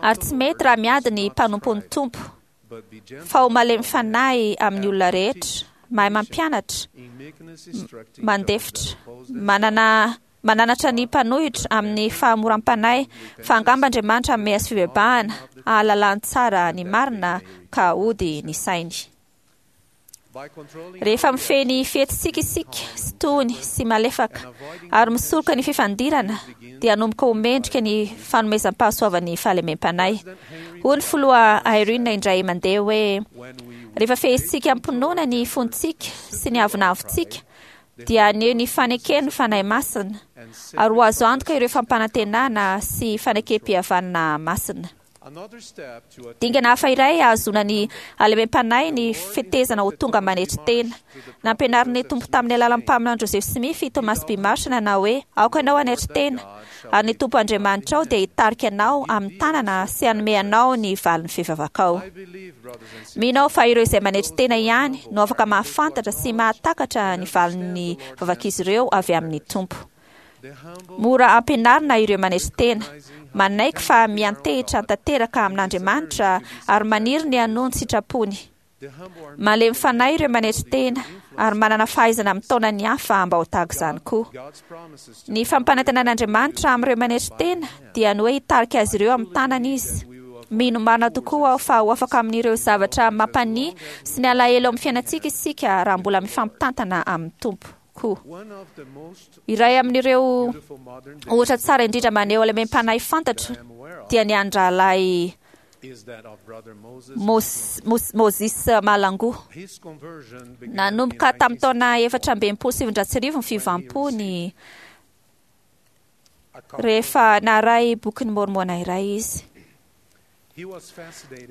Ary tsy mety raha miady ny mpanompon'ny Tompo, fa ho malemy fanahy amin'ny olona rehetra, mahay mampianatra, mandefitra, manana Mananatra ny mpanohitra amin'ny fahamoram-panahy fa angamba Andriamanitra hanome azy fibebahana, hahalalany tsara ny marina ka hody ny sainy. Rehefa mifehy ny fihetsitsika isika sy tony sy malefaka ary misoroka ny fifandirana dia hanomboka ho mendrika ny fanomezam-pahasoavan'ny fahalemem-panahy. Hoy ny filoha Irene indray mandeha hoe, Rehefa fehezintsika am-pinoana ny fontsika sy ny avonavontsika dia haneho ny fanekeny ny Fanahy Masina ary ho azo antoka ireo fampanantenana sy fanekem-pihavanana masina. Dingana hafa iray hahazoana ny halemem-panahy ny fetezana ho tonga manetry tena. Nampianarin'ny Tompo tamin'ny alalan'ny mpaminany Joseph Smith i Thomas B. Marsh nanao hoe, Aoka ianao hanetry tena, ary ny Tompo Andriamanitrao dia hitarika anao amin'ny tanana sy hanome anao ny valin'ny fivavakao. Mino aho fa ireo izay manetry tena ihany no afaka mahafantatra sy mahatakatra ny valin'ny vavak'izy ireo avy amin'ny Tompo. Mora ampianarina ireo manetry tena, manaiky fa miantehitra tanteraka amin'Andriamanitra ary maniry ny hanoa ny sitrapony. Malemy fanahy ireo manetry tena ary manana fahaizana mitaona ny hafa mba ho tahaka izany koa. Ny fampanantenan'Andriamanitra amin'ireo manetry tena dia ny hoe hitarika azy ireo amin'ny tanany Izy. Mino marina tokoa aho fa ho afaka amin'ireo zavatra mampania sy ny alahelo amin'ny fiainantsika isika raha mbola mifampitantana amin'ny Tompo koa. Iray amin'ireo ohatra tsara indrindra maneho halemem-panahy fantatro dia ny an'ny rahalahy Moses Mahlangu. Nanomboka tamin'ny taona 1964 ny fiovam-pony rehefa naharay bokin'i Môrmôna iray izy.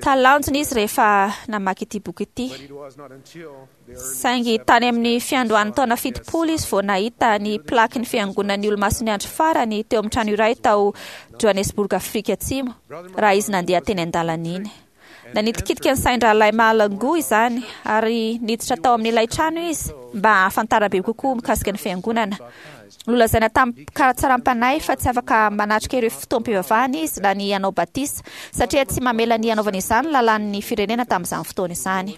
Talanjona izy rehefa namaky ity boky ity. Saingy tany amin'ny fiandohan'ny taona 70 izy vao nahita ny plakin'ny Fiangonan'ny Olomasin'ny Andro Farany teo amin'ny trano iray tao Johannesburg, Afrika Atsimo, raha izy nandeha teny an-dalana iny. Nanitikitika ny sain-drahalahy Mahlangu izany, ary niditra tao amin'ilay trano izy mba hahafantarana bebe kokoa mikasika ny Fiangonana. Nolazaina tamin-katsaram-panahy fa tsy afaka manatrika ireo fotoam-pivavahana izy na ny hanao batisa, satria tsy mamela ny hanaovana izany ny lalàn'ny firenena tamin'izany fotoana izany.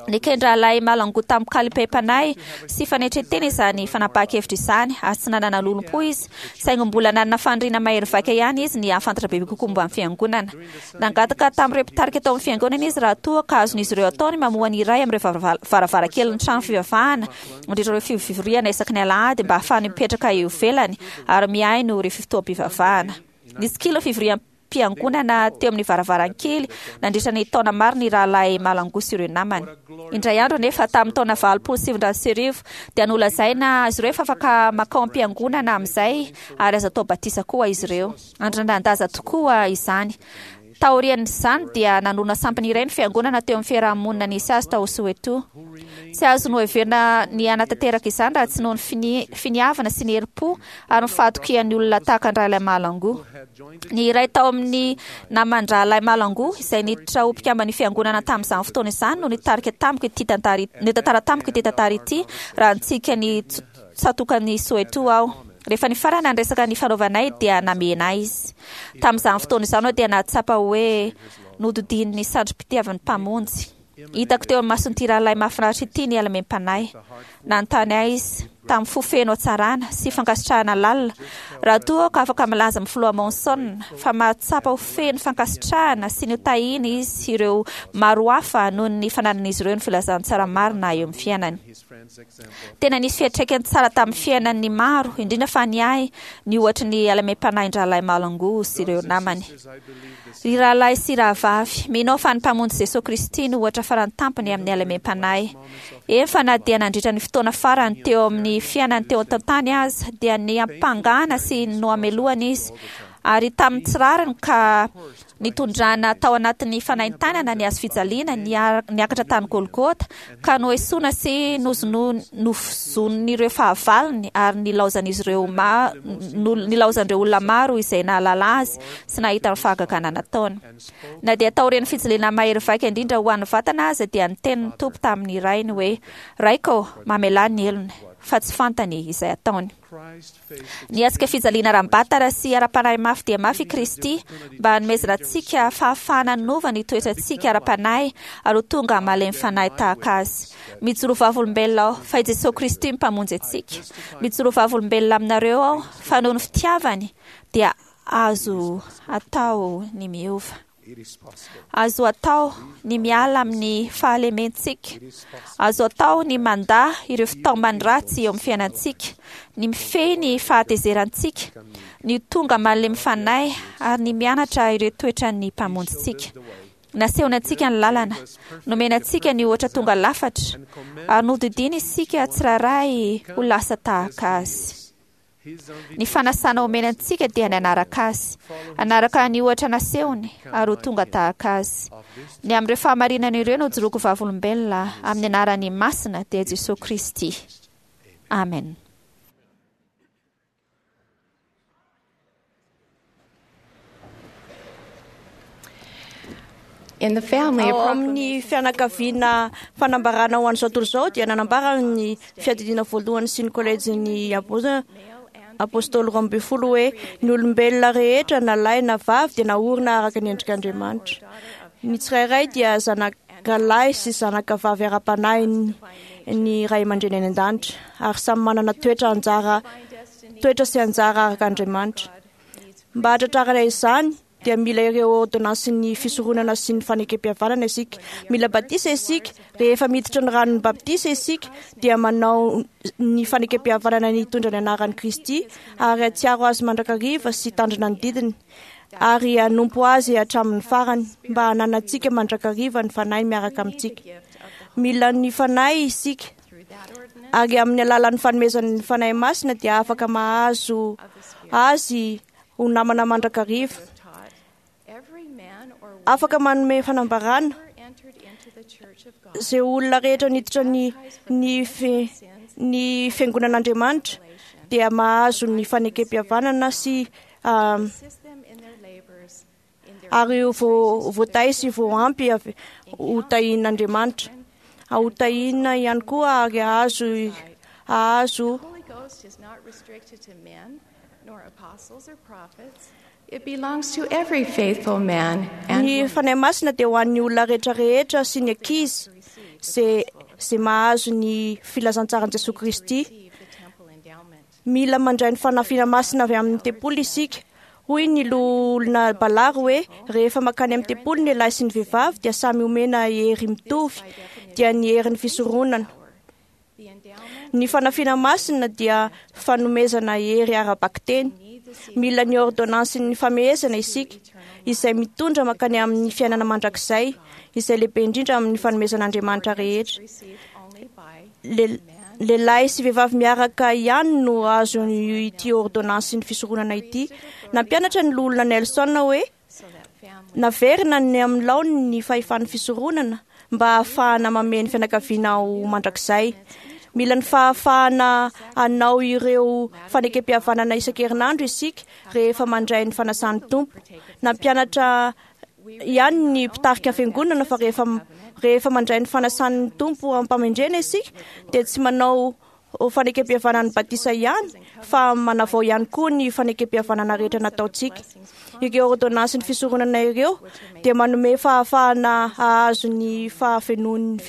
Neken-drahalahy Mahlangu tamin-kalipem-panahy sy fanetren-tena izany fanapahan-kevitra izany, ary tsy nanana lolompo izy, saingy mbola nanana faniriana mahery vaika ihany izy ny hahafantatra bebe kokoa momba ny Fiangonana. Nangataka tamin'ireo mpitarika tao amin'ny Fiangonana izy raha toa ka azon'izy ireo atao ny mamoha ny iray amin'ireo varavarankelin'ny trano fivavahana mandritra ireo fivoriana isaky ny alahady mba hahafahany mipetraka eo ivelany ary mihaino ireo fotoam-pivavahana. Nitsikilo ny fivoriam-piangonana teo amin'ny varavarankely nandritra ny taona maro ny Rahalahy Mahlangu sy ireo namany. Indray andro anefa, tamin'ny taona 1980, dia nolazaina azy ireo fa afaka mankao am-piangonana amin'izay ary azo atao batisa koa izy ireo. Andrandrain-daza tokoa izany. Taorian'izany dia nanorina sampana iray ny fiangonana teo amin'ny fiarahamonina nisy azy tao Soweto. Tsy azo noheverina ny hanatanteraka izany raha tsy noho ny finiavana sy ny herim-po ary ny fahatokian'ny olona tahaka an-dRahalahy Mahlangu. Ny iray tao amin'ny naman-dRahalahy Mahlangu izay niditra ho mpikamban'ny fiangonana tamin'izany fotoana izany no nitarika tamiko ity tantara nitantara tamiko ity tantara ity raha nitsika ny tsatokan'i Soweto aho. Rehefa nifarana ny resaka nifanaovanay dia namena ahy izy. Tamin'izany fotoana izany aho dia nahatsapa hoe nodidin'ny sandrim-pitiavan'ny Mpamonjy. Hitako teo amin'ny mason'ity rahalahy mahafinaritra ity ny halemem-panahy. Nanontany ahy izy, tamin'ny fo feno hatsarana sy fankasitrahana lalina, raha toa aho ka afaka milaza amin'ny filoha Monson fa mahatsapa ho feno fankasitrahana sy notahiny izy ireo maro hafa noho ny fananan'izy ireo ny filazantsara marina eo amin'ny fiainany. Tena nisy fiantraikany tsara tamin'ny fiainan'ny maro, indrindra fa ny ahy, ny ohatry ny halemem-panahin-dRahalahy Mahlangu sy ireo namany. Ry rahalahy sy rahavavy, mino aho fa ny Mpamonjy Jesoa Kristy no ohatra farany tampony amin'ny halemem-panahy. Eny fa na dia nandritra ny fotoana farany teo amin'ny fiainany teo an-tany aza, dia niampangana sy nohamelohana izy, ary tamin'ny tsy rariny ka nitondrana tao anatin'ny fanaintainana ny hazo fijaliana niakatra tany Golgota, ka noesoina sy novozonin'ireo fahavalony ary nilaozan'izy ireo nilaozan'ireo olona maro izay nahalala azy sy nahita ny fahagagana nataony. Na dia taorian'ny fijaliana mahery vaika indrindra ho an'ny vatana aza dia niteny ny Tompo tamin'ny Rainy hoe, Raiko, mamelà ny helony, fa tsy fantany izay ataony. Niatrika fijaliana ara-batana sy ara-panahy mafy dia mafy i Kristy mba hanomezana antsika fahafahana hanova ny toetrantsika ara-panahy ary ho tonga malemy fanahy tahaka Azy. Mijoro vavolombelona aho fa i Jesoa Kristy no Mpamonjy antsika. Mijoro vavolombelona aminareo aho fa noho ny fitiavany dia azo atao ny miova. Azo atao ny miala amin'ny fahalementsika. Azo atao ny mandà ireo fitaomany ratsy eo amin'ny fiainantsika, ny mifehy ny fahatezerantsika, ny ho tonga malemy fanahy ary ny mianatra ireo toetran'ny Mpamonjintsika. Nasehony antsika ny lalana, nomeny antsika ny ohatra tonga lafatra, ary nodidiany isika tsirairay ho lasa tahaka Azy. Ny fanasana omena antsika dia ny hanaraka Azy, hanaraka ny ohatra nasehony ary ho tonga tahaka Azy. Ny amin'ireo fahamarinana ireo no ijoroako vavolombelona amin'ny anarany masina dia Jesoa Kristy. Amen. Ao amin'ny fianakaviana fanambarana ho an'izao tontolo izao dia nanambara ny fiadidiana voalohany sy ny kolejin'ny apôstôly 12 hoe ny olombelona rehetra na lahy na vavy dia naorina araka ny endrik'Andriamanitra. Ny tsirairay dia zanaka lahy sy zanaka vavy ara-panahy ny ray aman-dreny any an-danitra ary samy manana toetra anjara toetra sy anjara araka Andriamanitra. Mba hahatratrarana izany dia mila ireo ôrdônansin'ny fisoronana sy ny fanekempihavanana isika. Mila batisa isika. Rehefa miditra ny ranon'ny batisa isika dia manao ny fanekempihavanana ny hitondra ny anaran'i Kristy ary hahatsiaro azy mandrakariva sy hitandrina ny didiny ary hanompo azy hatramin'ny farany mba hananantsika mandrakariva ny Fanahy miaraka amintsika. Mila ny Fanahy isika ary amin'ny alalan'ny fanomezan'ny Fanahy Masina dia afaka mahazo azy ho namana mandrakariva. Afaka manome fanambarana izay olona rehetra niditra ny ny ny fiangonan'Andriamanitra dia mahazo ny fanekempihavanana sy ary voatahy sy voampy avy ho tahian'Andriamanitra. Ho tahiana ihany koa ary hahazo hahazo Ny Fanahy Masina dia ho an'ny olona rehetra rehetra sy ny ankizy izay izay mahazo ny filazantsaran'i Jesoa Kristy. Mila mandray ny fanafiana masina avy amin'ny tempoly isika. Hoy ny loholona Ballard hoe rehefa mankany amin'ny tempoly ny lehilahy sy ny vehivavy dia samy omena hery mitovy, dia ny herin'ny fisoronana. Ny fanafiana masina dia fanomezana hery ara-bakiteny. Mila ny ôrdônansin'ny famehezana isika, izay mitondra mankany amin'ny fiainana mandrakizay, izay lehibe indrindra amin'ny fanomezan'Andriamanitra rehetra. Lehilahy sy vehivavy miaraka ihany no azo ity ôrdônansin'ny fisoronana ity. Nampianatra ny loholona Nelson hoe. Naverina ny amin'ny laoniny ny fahefan'ny fisoronana mba hahafahana mamehy ny fianakaviana ho mandrakizay. Mila ny fahafahana hanao ireo fanekempihavanana isan-kerinandro isika rehefa mandray ny fanasan'ny Tompo. Nampianatra ihany ny mpitarika fiangonana fa rehefa rehefa mandray ny fanasan'ny Tompo am-pamendrena isika dia tsy manao fanekempihavanan'ny batisa ihany fa manavao ihany koa ny fanekempihavanana rehetra nataontsika. Ireo ôrdônansin'ny fisoronana ireo dia manome fahafahana hahazo ny fahafenoan'ny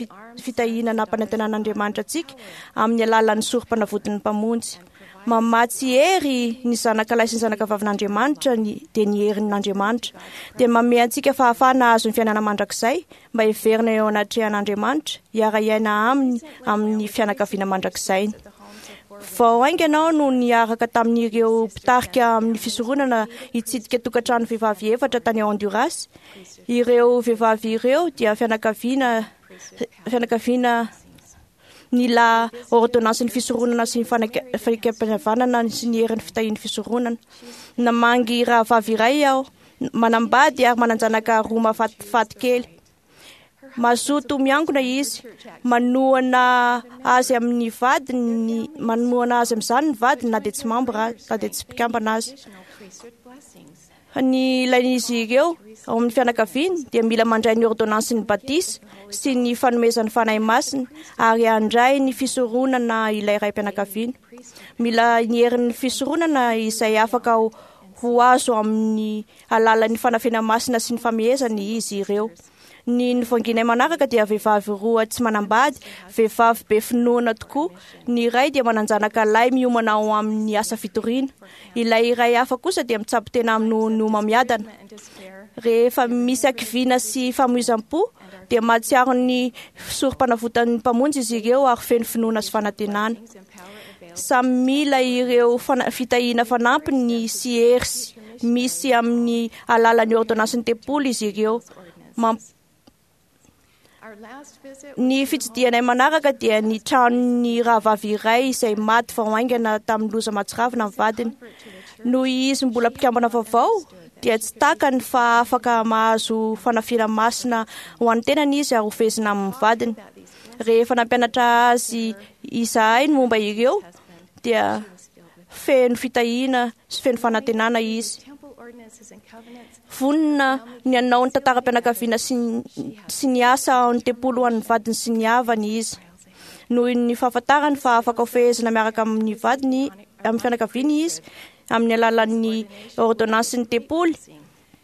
fitahiana nampanantenan'Andriamanitra antsika amin'ny alalan'ny sorom-panavotin'ny Mpamonjy. Mamatsy hery ny zanaka lahy sy ny zanaka vavin'Andriamanitra ny dia ny herin'Andriamanitra. Dia manome antsika fahafahana hahazo ny fiainana mandrakizay mba hiverina eo anatrehan'Andriamanitra, hiara-hiaina aminy amin'ny fianakaviana mandrakizainy. Vao haingana aho no niaraka tamin'ireo mpitarika amin'ny fisoronana hitsidika tokantrano vehivavy efatra tany Honduras. Ireo vehivavy ireo dia fianakaviana fianakaviana nila ôrdônansin'ny fisoronana sy ny fanekempihavanana sy ny herin'ny fitahian'ny fisoronana. Namangy rahavavy iray aho, manambady ary manan-janaka roa mahafatifaty kely. Mazoto miangona izy, manohana azy amin'ny vadiny, manohana azy amin'izany ny vadiny na dia tsy mambra, na dia tsy mpikambana azy. Ny ilain'izy ireo ao amin'ny fianakaviany dia mila mandray ny ôrdônansin'ny batisa sy ny fanomezan'ny Fanahy Masina ary handray ny fisoronana ilay raim-pianakaviana. Mila ny herin'ny fisoronana izay afaka ho azo amin'ny alalan'ny fanafena masina sy ny famehezana izy ireo. Ny novanginay manaraka dia vehivavy roa tsy manambady, vehivavy be finoana tokoa. Ny iray dia manan-janaka lahy miomana ho amin'ny asa fitoriana. Ilay iray hafa kosa dia mitsabo tena amin'ny homamiadana. Rehefa misy hakiviana sy famoizam-po dia mahatsiaro ny sorom-panavotan'ny Mpamonjy izy ireo ary feno finoana sy fanantenana. Samy mila ireo fitahiana fanampiny sy hery misy amin'ny alalan'ny ôrdônansin'ny tempoly izy ireo. Ny fitsidihanay manaraka dia ny tranon'ny rahavavy iray izay maty vao haingana tamin'ny loza mahatsiravina ny vadiny. Noho izy mbola mpikambana vaovao dia tsy takany fa afaka mahazo fanafiana masina ho an'ny tenany izy ary hofehezina amin'ny vadiny. Rehefa nampianatra azy izahay ny momba ireo dia feno fitahiana sy feno fanantenana izy. Vonona ny hanao ny tantaram-pianakaviana sy ny asa ao ny tempoly ho an'ny vadiny sy ny havany izy. Noho ny fahafantarany fa afaka hofehezina miaraka amin'ny vadiny amin'ny fianakaviany izy amin'ny alalan'ny ôrdônansin'ny tempoly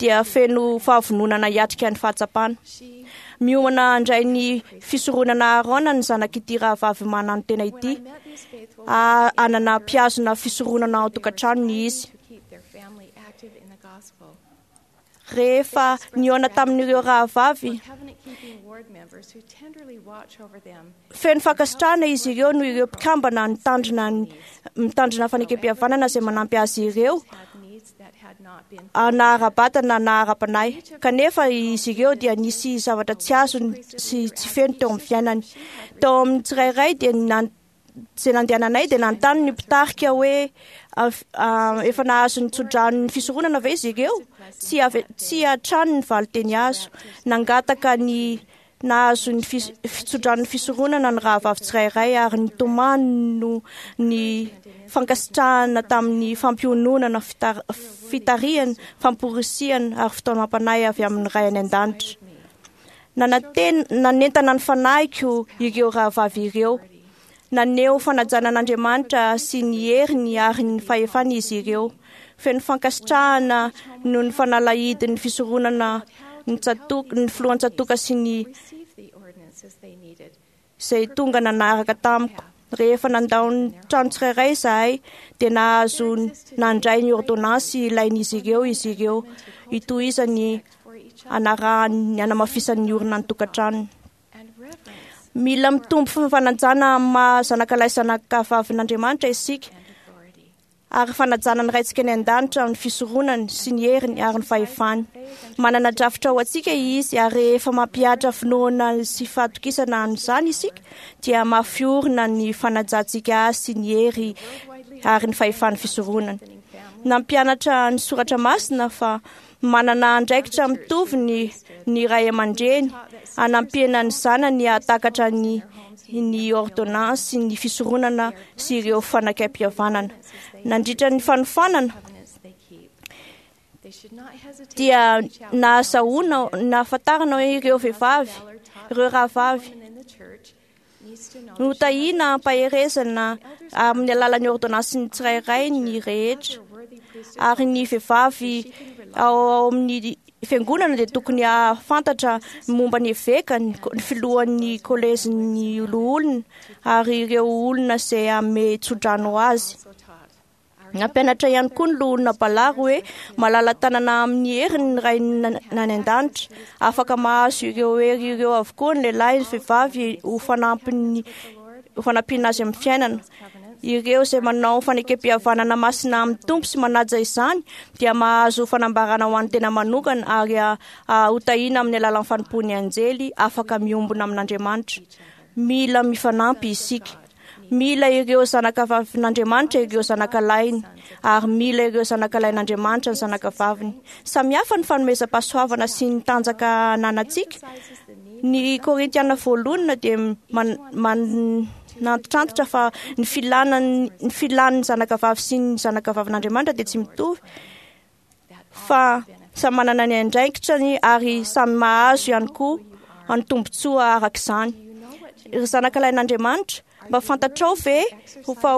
dia feno fahavononana hiatrika ny fahatsapana. Miomana handray ny fisoronana Aharôna ny zanak'ity rahavavy mananotena ity. Hanana mpihazona fisoronana ao an-tokantranony izy. Rehefa nihaona tamin'ireo rahavavy, feno fankasitrahana izy ireo noho ireo mpikambana nitandrina mitandrina fanekempihavanana izay manampy azy ireo na ara-batana na ara-panahy. Kanefa izy ireo dia nisy zavatra tsy azony sy tsy feno teo amin'ny fiainany. Tao amin'ny tsirairay dia izay nandehananay dia nanontany ny mpitarika hoe efa nahazo ny tsodranon'ny fisoronana ve izy ireo? Tsy avy tsy hatrany ny valinteny azo. Nangataka ny nahazo ny fitsodranon'ny fisoronana ny rahavavy tsirairay ary nitomany no ny fankasitrahana tamin'ny fampiononana, fitarihana, famporisihana ary fitaomam-panahy avy amin'ny Ray any an-danitra. Nanantena, nanentana ny fanahiko ireo rahavavy ireo. Naneho fanajana an'Andriamanitra sy ny heriny ary ny fahefany izy ireo. Feno fankasitrahana noho ny fanalahidin'ny fisoronana ny tsatoka, ny filohan-tsatoka sy ny izay tonga nanaraka tamiko. Rehefa nandao ny trano tsirairay izahay dia nahazo nandray ny ôrdônansy ilain'izy ireo izy ireo hitohizany hanarahany hanamafisany ny orina ny tokantranony. Mila mitombo fanajana amin'ny maha zanakalahy sy zanakavavin'Andriamanitra isika ary fanajana ny Raintsika any an-danitra amin'ny fisoronany sy ny heriny ary ny fahefany. Manana drafitra ho antsika Izy ary rehefa mampihatra finoana sy fahatokisana an'izany isika dia mafy orina ny fanajantsika Azy sy ny hery ary ny fahefan'ny fisoronany. Nampianatra ny soratra masina fa Manana andraikitra mitovy ny ny ray aman-dreny hanampiana ny zanany hahatakatra ny ny ordonnance ny fisoronana sy ireo fanekempihavanana. Nandritra ny fanofanana dia nahazahoana nahafantarana hoe ireo vehivavy, ireo rahavavy notahiana ampaherezana amin'ny alalan'ny ordonnance-ny tsirairay ny rehetra ary ny vehivavy ao amin'ny fiangonana dia tokony hahafantatra momba ny eveka, ny filohan'ny kolejin'ny loholona ary ireo olona izay hanome tsodrano azy. Nampianatra ihany koa ny loholona Balary hoe malala-tanana amin'ny heriny ny Ray any an-danitra. Afaka mahazo ireo hery ireo avokoa ny lehilahy sy vehivavy ho fanampiny ho fanampiana azy amin'ny fiainana. Ireo izay manao fanekempihavanana masina amin'ny Tompo sy manaja izany dia mahazo fanambarana ho an'ny tena manokana ary hotahiana amin'ny alalan'ny fanompoan'ny anjely afaka miombona amin'Andriamanitra. Mila mifanampy isika. Mila ireo zanakavavin'Andriamanitra ireo zanakalahiny, ary mila ireo zanakalahin'Andriamanitra ny zanakavaviny. Samy hafa ny fanomezam-pahasoavana sy ny tanjaka ananantsika. Ny Korintiana voalohany dia manantitrantitra fa ny filana ny filan'ny zanakavavy sy ny zanakavavin'Andriamanitra dia tsy mitovy, fa samy manana ny andraikitrany ary samy mahazo ihany koa ny tombontsoa araka izany. Ry zanakalahin'Andriamanitra, mba fantatrao ve fa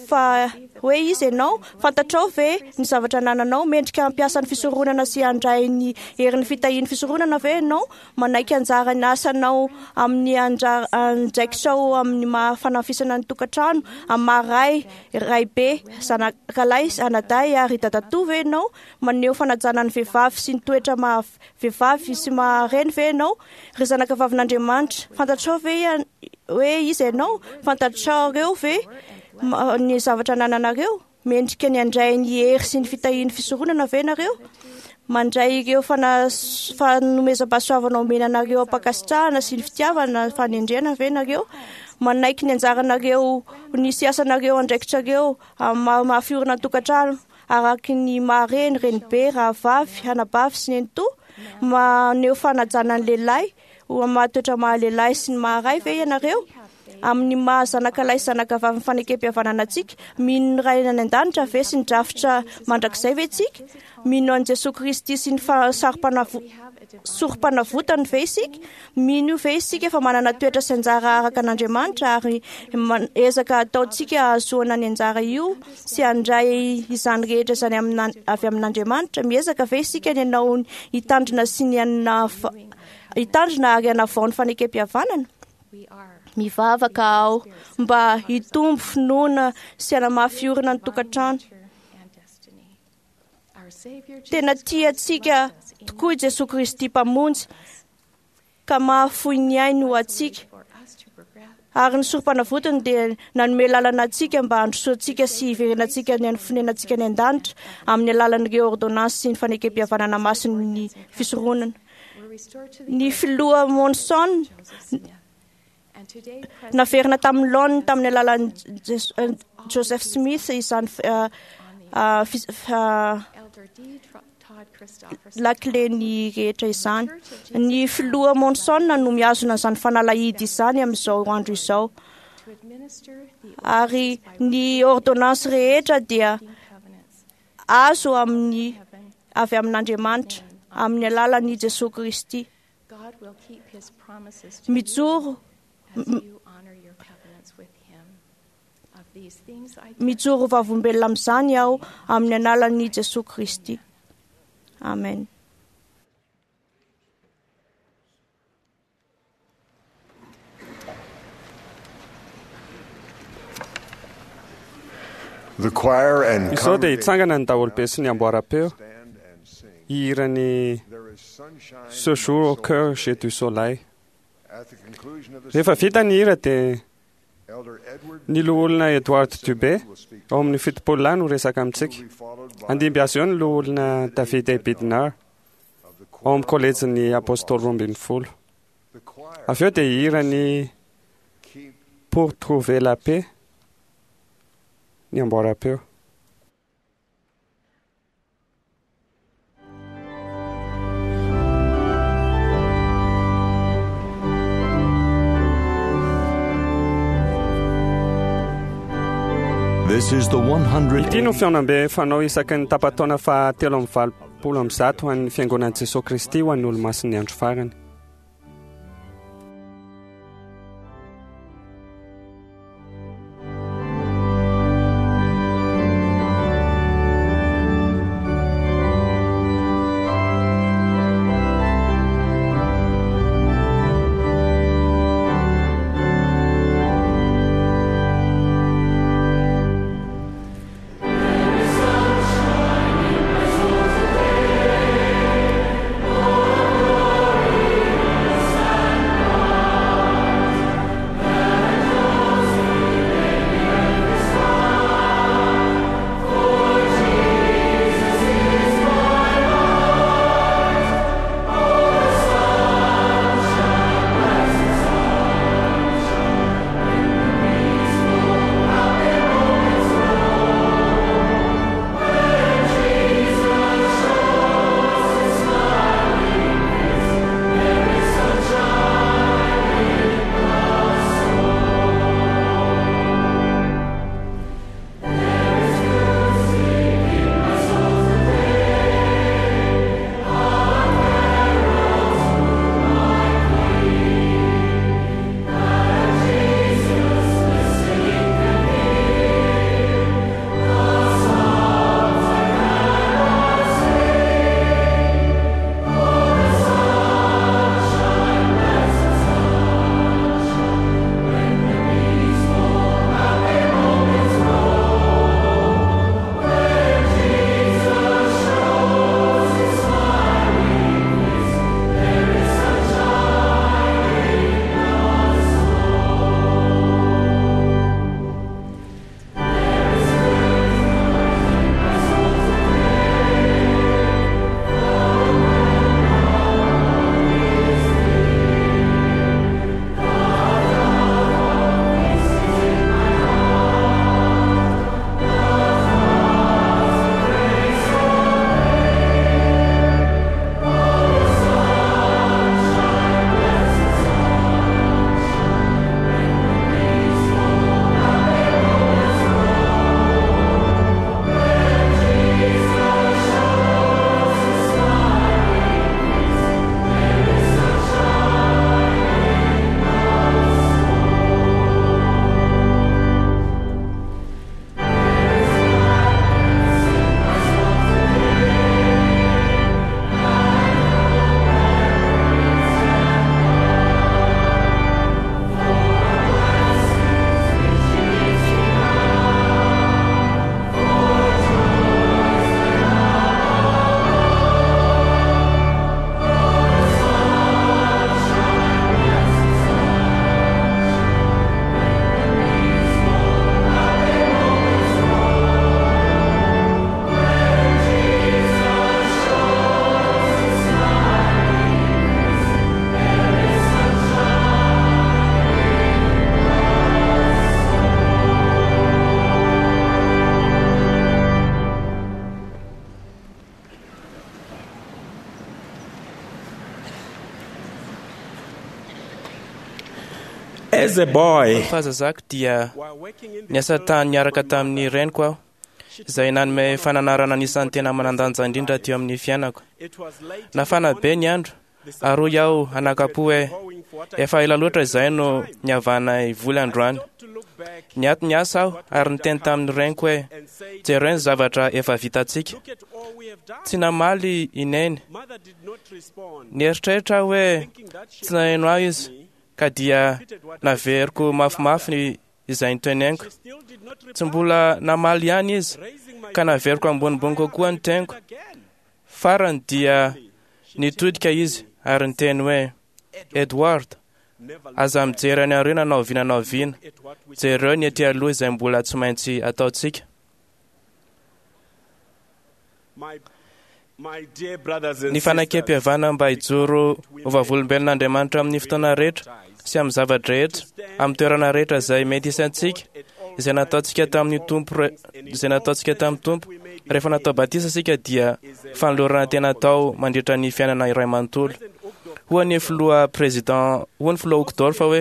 fa hoe iza ianao? Fantatrao ve ny zavatra anananao? Mendrika hampiasa ny fisoronana sy handray ny herin'ny fitahian'ny fisoronana ve ianao? Manaiky anjara ny asanao amin'ny andraikitrao amin'ny maha fanafisana ny tokantrano, amin'ny maha ray, raibe, zanakalahy, anadahy ary dadatoa ve ianao? Maneho fanajana ny vehivavy sy ny toetra maha vehivavy sy maha reny ve ianao? Ry zanakavavin'Andriamanitra, fantatrao ve hoe iza ianao? Fantatrareo ve ny zavatra anananareo? Mendrika ny handray ny hery sy ny fitahian'ny fisoronana ve ianareo? Mandray ireo fanomezam-pahasoavana omena anareo am-pankasitrahana sy ny fitiavana fanendrena ve ianareo? Manaiky ny anjaranareo ny sy asanareo andraikitrareo amin'ny maha fiorina ny tokantrano araka ny maha reny, renibe, rahavavy, anabavy sy nenitoa? Maneho fanajana ny lehilahy ho amin'ny maha toetra maha lehilahy sy ny maha ray ve ianareo? Amin'ny maha zanakalahy sy zanakavavin'ny fanekempihavanana antsika, mino ny Ray any an-danitra ve sy ny drafitra mandrakizay ve isika? Mino an'i Jesoa Kristy sy ny sorom-panavotany ve isika? Mino ve isika fa manana toetra sy anjara araka an'Andriamanitra ary ezaka ataontsika hahazoana ny anjara io sy handray izany rehetra izany avy amin'Andriamanitra? Miezaka ve isika ny hanao hitandrina sy ny hitandrina ary hanavao ny fanekempihavanana? Mivavaka aho mba hitombo finoana sy hanamafy orina ny tokantrano. Tena tia antsika tokoa i Jesoa Kristy Mpamonjy ka mahafoy ny ainy ho antsika. Ary ny sorom-panavotany dia nanome lalana antsika mba handrosoantsika sy hiverenantsika ny fonenantsika any an-danitra amin'ny alalan'ireo ordonnance sy ny fanekempihavanana masin'ny fisoronana. Ny filoha Monson naverina tamin'ny laoniny tamin'ny alalan'i Joseph Smith izany lakileny rehetra izany. Ny filoha Monson no mihazona izany fanalahidy izany amin'izao andro izao. Ary ny ordonnance rehetra dia azo amin'ny avy amin'Andriamanitra amin'ny alalan'i Jesoa Kristy. Mijoro mijoro vavolombelona amin'izany aho amin'ny alalan'i Jesoa Kristy. Amen. The choir and Izao dia hitsangana ny daholobe sy ny amboaram-peo hihira ny Ce jour au cœur j'ai du soleil. Rehefa vita ny hira dia ny loholona Edward Dubé ao amin'ny 70 lahy no resaka amintsika. Handimby azy eo ny loholona David A. Bidnar ao amin'ny kolejin'ny Apôstôly 12. Avy eo dia hihira ny Pour trouver la paix ny amboaram-peo. This is the 100. Ity no fihaonambe fanao isaky ny tapa-taona faha 183 ho an'ny Fiangonan'i Jesoa Kristy ho an'ny Olomasin'ny Andro Farany. As a boy, Fahazazako dia niasa tany niaraka tamin'ny reniko aho, izay nanome fananarana anisan'ny tena manan-danja indrindra teo amin'ny fiainako. Nafana be ny andro, ary hoy aho anakapo hoe efa ela loatra izay no niavanay voly androany. Niato niasa aho ary niteny tamin'ny reniko hoe jereo ny zavatra efa vitantsika. Tsy namaly i Neny. Nieritreritra aho hoe tsy naheno ahy izy, ka dia naveriko mafimafy ny izay niteneniko. Tsy mbola namaly ihany izy, ka naveriko ambonimbony kokoa ny teniko. Farany dia nitodika izy ary niteny hoe Edward, aza mijery any aoriana na oviana na oviana. Jereo ny ety aloha izay mbola tsy maintsy ataontsika. my dear brothers and Ny fanekempihavanana mba hijoro ho vavolombelon'Andriamanitra amin'ny fotoana rehetra sy amin'ny zava-drehetra, amin'ny toerana rehetra izay mety isantsika, izay nataontsika tamin'ny Tompo re- izay nataontsika tamin'ny Tompo rehefa natao batisa isika dia fanolorana tena atao mandritra ny fiainana iray manontolo. Hoy ny filoha président, hoy ny filoha Uchtdorf hoe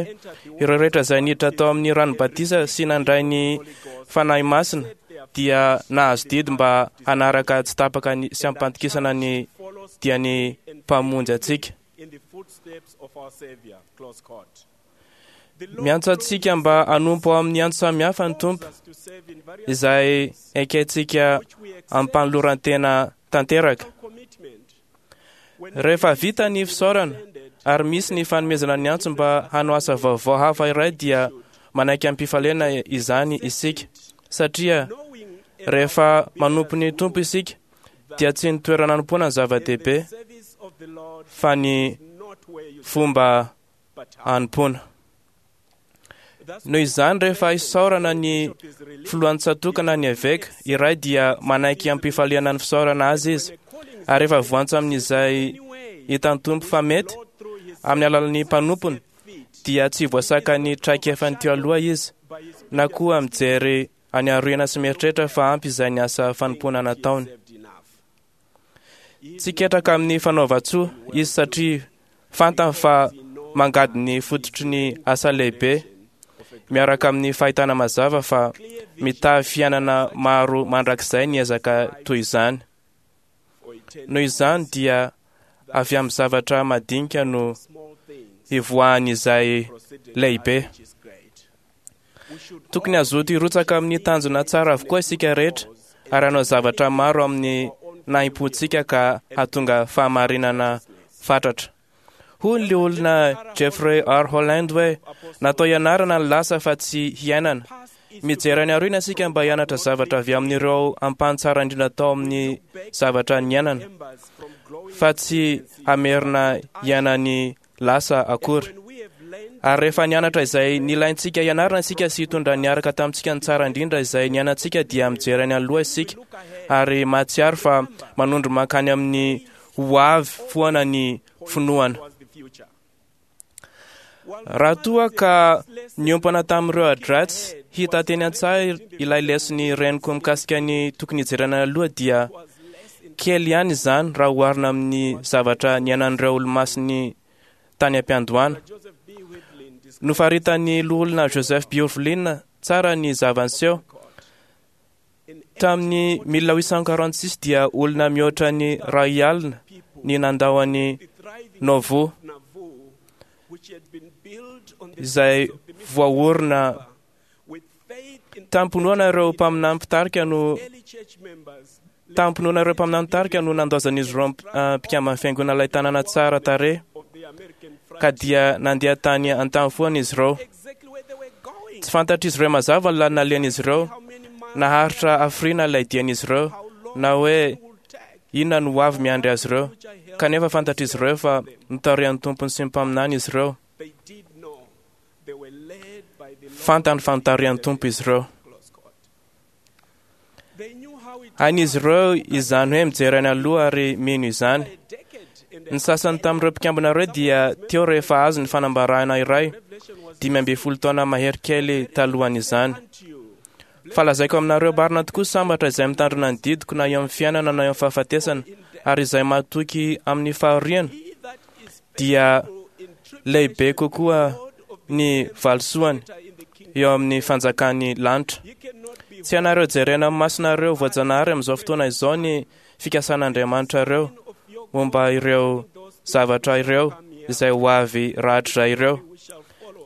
ireo rehetra izay niditra tao amin'ny rano batisa sy nandray ny Fanahy Masina dia nahazo didy mba hanaraka tsy tapaka ny sy ampantokisana ny dian'ny Mpamonjy antsika. Miantso antsika mba hanompo ao amin'ny antso samihafa ny Tompo, izay ekentsika am-panoloran-tena tanteraka. Rehefa vita ny fisaorana ary misy ny fanomezana ny antso mba hanao asa vaovao hafa iray dia manaiky am-pifaliana izany isika, satria rehefa manompo ny Tompo isika dia tsy ny toerana anompoana no zava-dehibe fa ny fomba anompoana. Noho izany, rehefa isaorana ny filohan'ny tsatòka na ny eveka iray dia manaiky am-pifaliana ny fisaorana azy izy, ary rehefa voantso amin'izay hitan'ny Tompo fa mety, amin'ny alalan'ny mpanompony, dia tsy voasakan'ny traikefany teo aloha izy, na koa mijery any aoriana sy mieritreritra fa ampy izay ny asa fanompoana nataony. Tsy ketraka amin'ny fanaovan-tsoa izy satria fantany fa mangady ny fototry ny asa lehibe miaraka amin'ny fahitana mazava fa mitavy fiainana maro mandrakizay ny ezaka toy izany. Noho izany dia avy amin'ny zavatra madinika no hivoahan'izay lehibe. Tokony hazoto hirotsaka amin'ny tanjona tsara avokoa isika rehetra ary hanao zavatra maro amin'ny nahim-pontsika ka hahatonga fahamarinana fatratra. Hoy ny loholona Jeffrey R. Holland hoe, Natao hianarana ny lasa fa tsy hiainana. Mijery any aoriana isika mba hianatra zavatra avy amin'ireo ampahany tsara indrindra tao amin'ny zavatra niainana, fa tsy hamerina hiaina ny lasa akory. Ary rehefa nianatra izay nilaintsika hianarana isika sy hitondra niaraka tamintsika ny tsara indrindra izay niainantsika dia mijery any aloha isika ary mahatsiaro fa manondro mankany amin'ny ho avy foana ny finoana. Raha toa ka niompana tamin'ireo adratsy hita teny an-tsaha ilay leson'ny reniko mikasika ny tokony hijerena aloha dia Kely ihany izany raha oharina amin'ny zavatra niainan'ireo Olomasin'ny tany am-piandohana. Nofaritan'ny Loholona Joseph B. Urvlin tsara ny zava-niseho. Tamin'ny 1846 dia olona mihoatra ny iray alina ny nandao an'i Nauvoo, izay voaorina Tamim-pinoana ireo mpaminany mpitarika no Tamim-pinoana ireo mpaminany mpitarika no nandaozan'izy ireo mpikamban'ny fiangonana ilay tanàna tsara tarehy, ka dia nandeha tany an-tany foana izy ireo. Tsy fantatr'izy ireo mazava ny lalana nalehan'izy ireo, naharitra hafiriana ilay dian'izy ireo, na hoe inona no hoavy miandry azy ireo, kanefa fantatr'izy ireo fa notarihan'ny Tompony sy ny mpaminany izy ireo. Fantany fa notarihan'ny Tompo izy ireo. Hain'izy ireo izany hoe mijery any aloha ary mino izany. Ny sasany tamin'ireo mpikambana ireo dia teo rehefa azo ny fanambarana iray, 15 taona mahery kely talohan'izany. Fa lazaiko aminareo marina tokoa, sambatra izay mitandrina ny didiko na eo amin'ny fiainana na eo amin'ny fahafatesana, ary izay mahatoky amin'ny fahoriana dia lehibe kokoa ny valisoany eo amin'ny fanjakan'ny lanitra. Tsy ianareo jerena amin'ny masonareo voajanahary amin'izao fotoana izao ny fikasan'Andriamanitrareo momba ireo zavatra ireo izay ho avy rahatrizay ireo,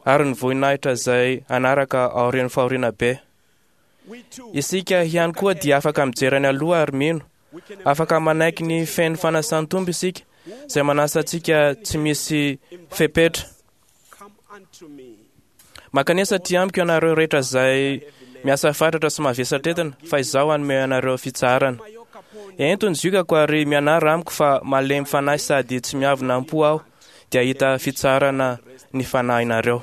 ary ny voninahitra izay hanaraka aorian'ny fahoriana be. Isika ihany koa dia afaka mijery any aloha ary mino. Afaka manaiky ny feno fanasan'ny Tompo isika, izay manasa antsika tsy misy fepetra. Mankanesa aty amiko ianareo rehetra izay miasa fatratra sy mavesatra entina, fa izaho hanome anareo fitsaharana. Ento ny ziokako ary mianara amiko fa malemy fanahy sady tsy miavona am-po aho, dia hahita fitsaharana ny fanahinareo.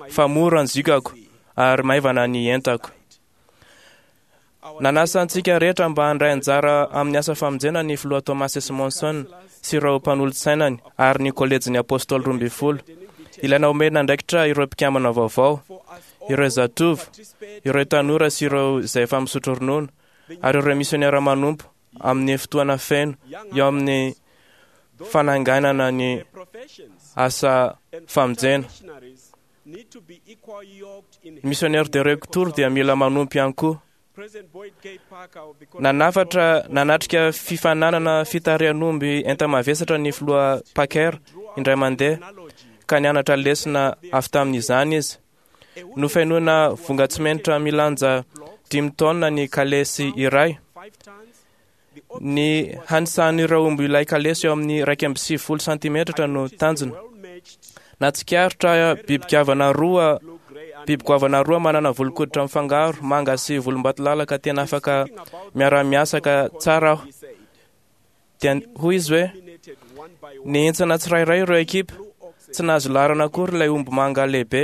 Fa mora ny ziokako ary maivana ny entako. Nanasa antsika rehetra mba handray anjara amin'ny asa famonjena ny Filoha Thomas S. Monson sy ireo mpanolotsainany ary ny Kolejin'ny Apôstôly Roambinifolo. Ilaina omena andraikitra ireo mpikambana vaovao, ireo zatovo, ireo tanora sy ireo izay efa misotro ronono, ary ireo misionera manompo amin'ny fotoana feno eo amin'ny fananganana ny asa famonjena. Ny missionnaire de retour dia mila manompo ihany koa. Nanafatra nanatrika fifaninanana fitarihan'omby enta-mavesatra ny filoha Packer indray mandeha ka nianatra lesona avy tamin'izany izy. Nofenoina vongan-tsimenitra milanja dimy taonina ny kalesy iray. Ny hanisan'ireo omby ilay kalesy eo amin'ny 91 santimetatra no tanjona. Nahatsikaritra biby goavana roa biby goavana roa manana volon-koditra mifangaro manga sy volombatolalaka tena afaka miara-miasa ka tsara aho. Dia hoy izy hoe, Nihintsana tsirairay ireo ekipa, tsy nahazo laharana akory ilay omby manga lehibe.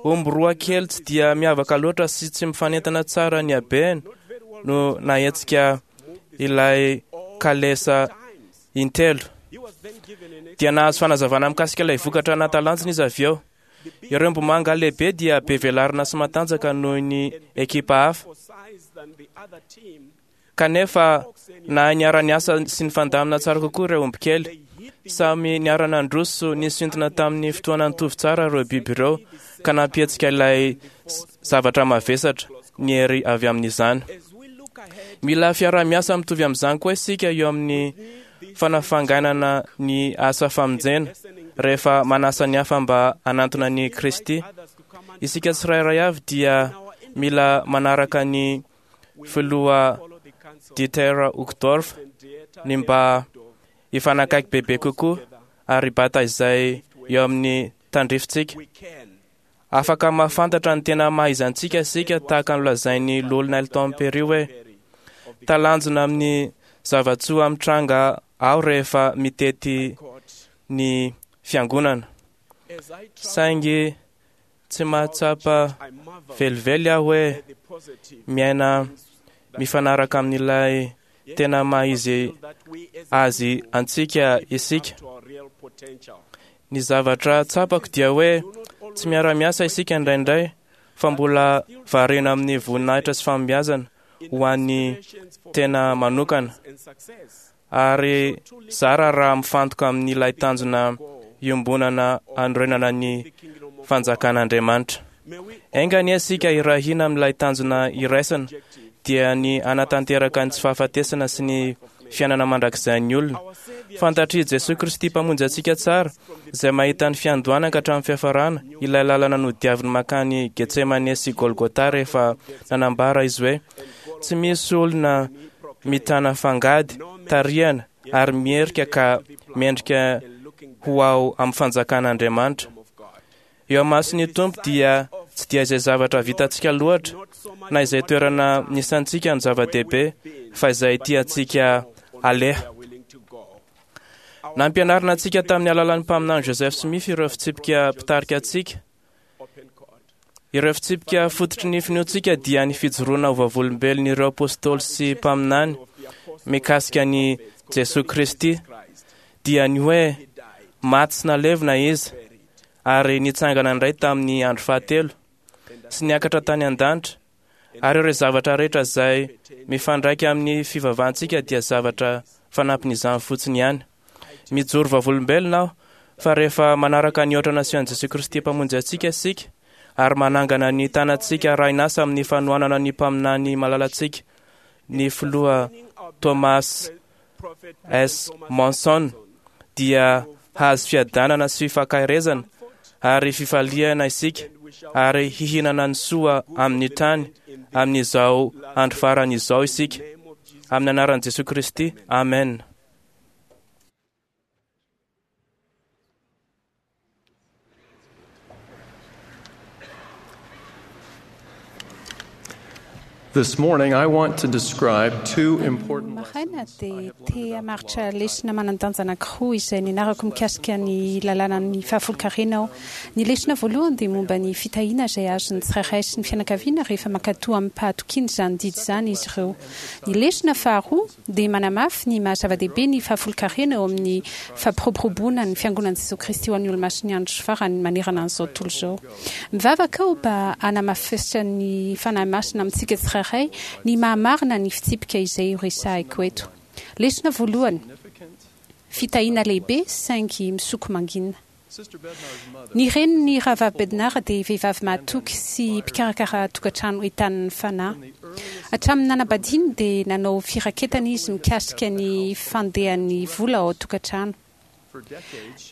Omby roa kely tsy dia miavaka loatra sy tsy mifanentana tsara ny habeny no nahetsika ilay kalesa intelo. Dia nahazo fanazavana mikasika ilay vokatra nahatalanjona izy avy eo. Ireo omby manga lehibe dia be velarana sy matanjaka noho ny ekipa hafa. Kanefa, nahay niara-niasa sy nifandamina tsara kokoa ireo omby kely. Samy niara-nandroso nisintona tamin'ny fotoana nitovy tsara ireo biby ireo, ka nampihetsika ilay zavatra mavesatra ny hery avy amin'izany. Mila fiaraha-miasa mitovy amin'izany koa isika eo amin'ny fanafanganana ny asa famonjena, rehefa manasa ny hafa mba hanantona an'i Kristy. Isika tsirairay avy dia mila manaraka ny filoha Dieter Uchtdorf ny mba hifanakaiky bebe kokoa ary hibata izay eo amin'ny tandrifintsika. Afaka mahafantatra ny tena maha izy antsika isika tahaka ny lazain'ny Loholona Elton Perry hoe, Talanjona amin'ny zava-tsoa mitranga aho rehefa mitety ny fiangonana. Saingy tsy mahatsapa velively aho hoe miaina mifanaraka amin'ilay tena maha izy azy antsika isika. Ny zavatra tsapako dia hoe tsy miara-miasa isika indraindray fa mbola variana amin'ny voninahitra sy fahombiazana ho an'ny tena manokana ary zara raha mifantoka amin'ilay tanjona iombonana hanorenana ny fanjakan'Andriamanitra. Enga anie isika hiray hina amin'ilay tanjona iraisana, dia ny hanatanteraka ny tsy fahafatesana sy ny fiainana mandrakizain'ny olona. Fantatr'i Jesoa Kristy Mpamonjy antsika tsara, izay mahita ny fiandohana ka hatramin'ny fiafarana, ilay lalana nodiaviny mankany Getsemane sy Golgota rehefa nanambara Izy hoe, Tsy misy olona mitana fangady, tarihana ary mierika ka mendrika ho ao amin'ny fanjakan'Andriamanitra. Eo imason'ny Tompo dia tsy dia izay zavatra vitantsika loatra na izay toerana nisantsika no zava-dehibe fa izay tiantsika aleha. Nampianarina antsika tamin'ny alalan'ny mpaminany Joseph Smith ireo fitsipika mpitarika antsika. Ireo fitsipika fototry ny finoantsika dia ny fijoroana ho vavolombelon'ireo apôstôly sy mpaminany mikasika an'i Jesoa Kristy, dia ny hoe maty sy nalevina Izy ary nitsangana indray tamin'ny andro fahatelo sy niakatra tany an-danitra, ary ireo zavatra rehetra izay mifandraika amin'ny fivavahantsika dia zavatra fanampin'izany fotsiny ihany. Mijoro vavolombelona aho fa rehefa manaraka ny ohatra nasehon'i Jesoa Kristy Mpamonjy antsika isika ary manangana ny tanantsika arahin'asa amin'ny fanohanana ny mpaminany malalantsika, ny Filoha Thomas S. Monson, dia hahazo fiadanana sy fankaherezana ary fifaliana isika ary hihinana ny soa amin'ny tany amin'izao andro farany izao isika. Amin'ny anaran'i Jesoa Kristy, amena. This morning I want to describe two important Maraina dia te hamaritra lesona manan-danja anankiroa izay nianarako mikasika ny lalànan'ny fahafolonkarena aho. Ny lesona voalohany dia momba ny fitahiana izay azon'ny tsirairay sy ny fianakaviana rehefa mankatò amim-pahatokiana izany didy izany izy ireo. Ny lesona faharoa dia manamafy ny maha zava-dehibe ny fahafolonkarena eo amin'ny fampiroboroboana ny Fiangonan'i Jesoa Kristy ho an'ny Olomasin'ny Andro Farany manerana an'izao tontolo izao. Mivavaka aho mba hanamafisan'ny Fanahy Masina amintsika tsirairay ny maha-marina ny fitsipika izay horesahiko eto. Lesona voalohany, Fitahiana lehibe saingy misoko mangina. Ny renin'ny Rahavavy Bednar dia vehivavy mahatoky sy mpikarakara tokantrano entanin'ny fanahy. Hatramin'ny nanambadiany dia nanao firaketana izy mikasika ny fandehan'ny vola ao an-tokantrano.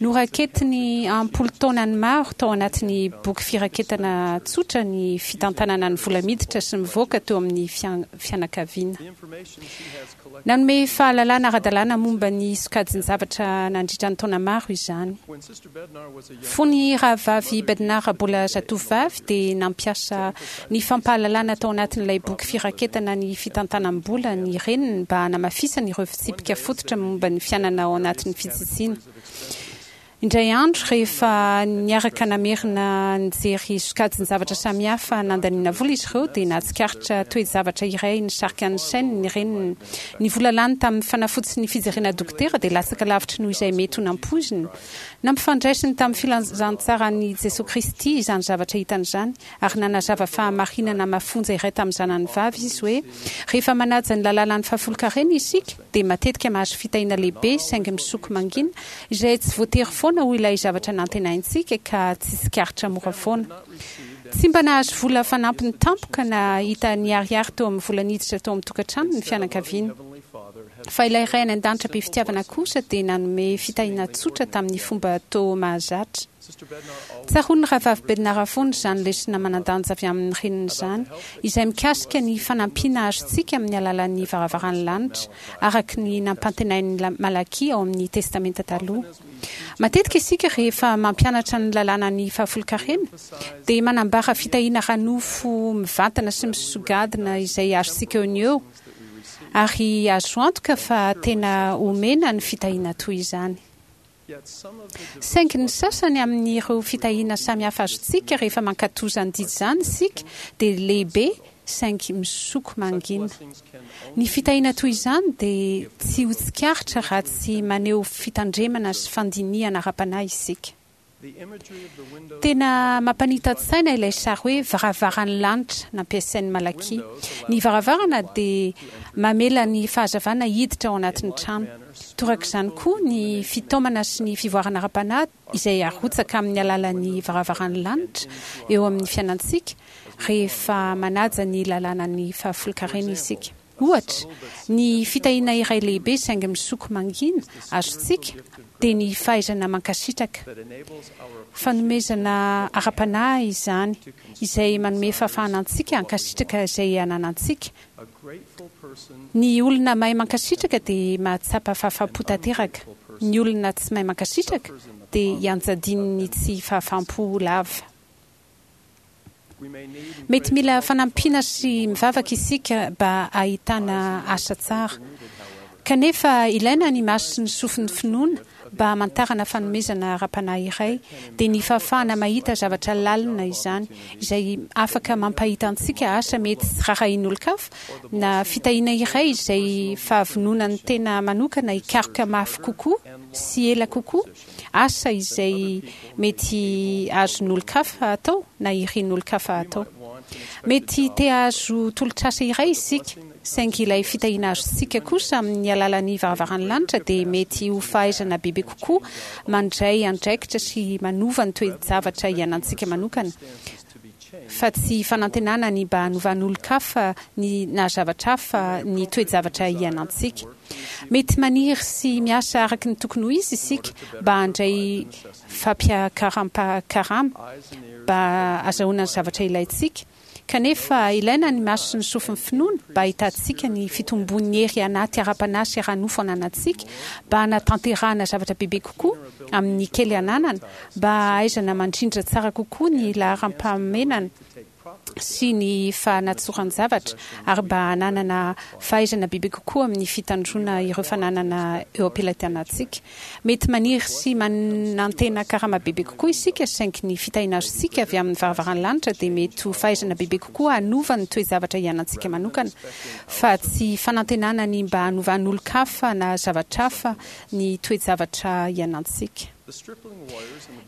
Noraketiny am-polo taonany maro tao anatin'ny boky firaketana tsotra ny fitantanana ny vola miditra sy mivoaka teo amin'ny fianakaviana. Nanome fahalalana ara-dalàna momba ny sokajin-javatra nandritra ny taona maro izany. Fony Rahavavy Bednar mbola zatovovavy, dia nampiasa ny fampahalalana tao anatin'ilay boky firaketana ny fitantanam-bola ny reniny mba hanamafisany ireo fitsipika fototra momba ny fiainana ao anatin'ny fitsitsiana. Indray andro, rehefa niaraka namerina nijery sokajin-javatra samihafa nandaniana vola izy ireo, dia nahatsikaritra toe-javatra iray nisarika ny sainy ny reniny. Ny vola lany tamin'ny fanafody sy ny fijerena dokotera dia latsaka lavitry noho izay mety ho nampoiziny. Nampifandraisiny tamin'ny filazantsaran'i Jesoa Kristy izany zavatra hitany izany, ary nanazava fahamarinana mafonja iray tamin'ny zanany vavy izy hoe, Rehefa manaja ny lalànan'ny fahafolonkarena isika, dia matetika mahazo fitahiana lehibe saingy misoko mangina, izay tsy voatery foana ho ilay zavatra nantenaintsika ka tsy tsikaritra mora foana. Tsy mba nahazo vola fanampiny tampoka na hita niharihary teo amin'ny vola niditra tao amin'ny tokantrano ny fianakaviana. Fa ilay Ray any An-danitra be fitiavana kosa dia nanome fitahiana tsotra tamin'ny fomba toa mahazatra. Tsaroan'ny Rahavavy Bednar foana izany lesona manan-danja avy amin'ny reniny izany, izay mikasika ny fanampiana azontsika amin'ny alalan'ny varavaran'ny lanitra, araka ny nampantenain'i Malakia ao amin'ny Testamenta Taloha. Matetika isika rehefa mampianatra ny lalànan'ny fahafolonkarena dia manambara fitahiana ara-nofo mivantana sy misogadina izay azontsika eo no eo, ary azo antoka fa tena omena ny fitahiana toy izany. Saingy ny sasany amin'ireo fitahiana samihafa azontsika rehefa mankatò izany didy izany isika dia lehibe saingy misoko mangina. Ny fitahiana toy izany dia tsy ho tsikaritra raha tsy maneho fitandremana sy fandinihana ara-panahy isika. Tena mampanita-tsaina ilay sary hoe varavaran'ny lanitra nampiasain'i Malakia. Ny varavarana dia mamela ny fahazavana hiditra ao anatin'ny trano. Torak'izany koa ny fitaomana sy ny fivoarana ara-panahy izay arotsaka amin'ny alalan'ny varavaran'ny lanitra eo amin'ny fiainantsika rehefa manaja ny lalànan'ny fahafolonkarena isika. Ohatra, ny fitahiana iray lehibe saingy misoko mangina azontsika dia ny fahaizana mankasitraka. Fanomezana ara-panahy izany izay manome fahafahana antsika hankasitraka izay ananantsika Ny olona mahay mankasitraka dia mahatsapa fahafaham-po tanteraka. Ny olona tsy mahay mankasitraka dia ianjadian'ny tsy fahafaham-po lava. Mety mila fanampiana sy mivavaka isika mba hahitana asa tsara. Kanefa ilaina ny maso sy ny sofin'ny finoana mba hamantarana fanomezana ara-panahy iray, dia ny fahafahana mahita zavatra lalina izany, izay afaka mampahita antsika asa mety tsy rarahin'olon-kafa, na fitahiana iray izay fahavononan'ny tena manokana hikaroka mafy kokoa sy ela kokoa, asa izay mety azon'olon-kafa atao na irin'olon-kafa atao. Mety te hahazo tolotr'asa iray isika, saingy ilay fitahiana azontsika kosa amin'ny alalan'ny varavaran'ny lanitra dia mety ho fahaizana bebe kokoa mandray andraikitra sy manova ny toe-javatra iainantsika manokana, fa tsy fanantenana ny mba hanovan'olon-kafa ny na zavatra hafa ny toe-javatra iainantsika. Mety maniry sy miasa araka ny tokony ho izy isika mba handray fampiakaram-karama mba hazahoana ny zavatra ilaintsika, kanefa ilaina ny maso sy ny sofin'ny finoana mba hahitantsika ny fitombon'ny hery anaty ara-panahy sy ara-nofo ananantsika mba hanatanterahana zavatra bebe kokoa amin'ny kely ananana, mba hahaizana mandrindra tsara kokoa ny laharam-pahamenana. sy ny fanatsoran-javatra ary mba hananana fahaizana bebe kokoa amin'ny fitandroana ireo fananana eo am-pelatanantsika. Mety maniry sy manantena karama bebe kokoa isika, saingy ny fitahiana azontsika avy amin'ny varavaran'ny lanitra dia mety ho fahaizana bebe kokoa hanova ny toe-javatra iainantsika manokana, fa tsy fanantenana ny mba hanovan'olon-kafa na zavatra hafa ny toe-javatra iainantsika.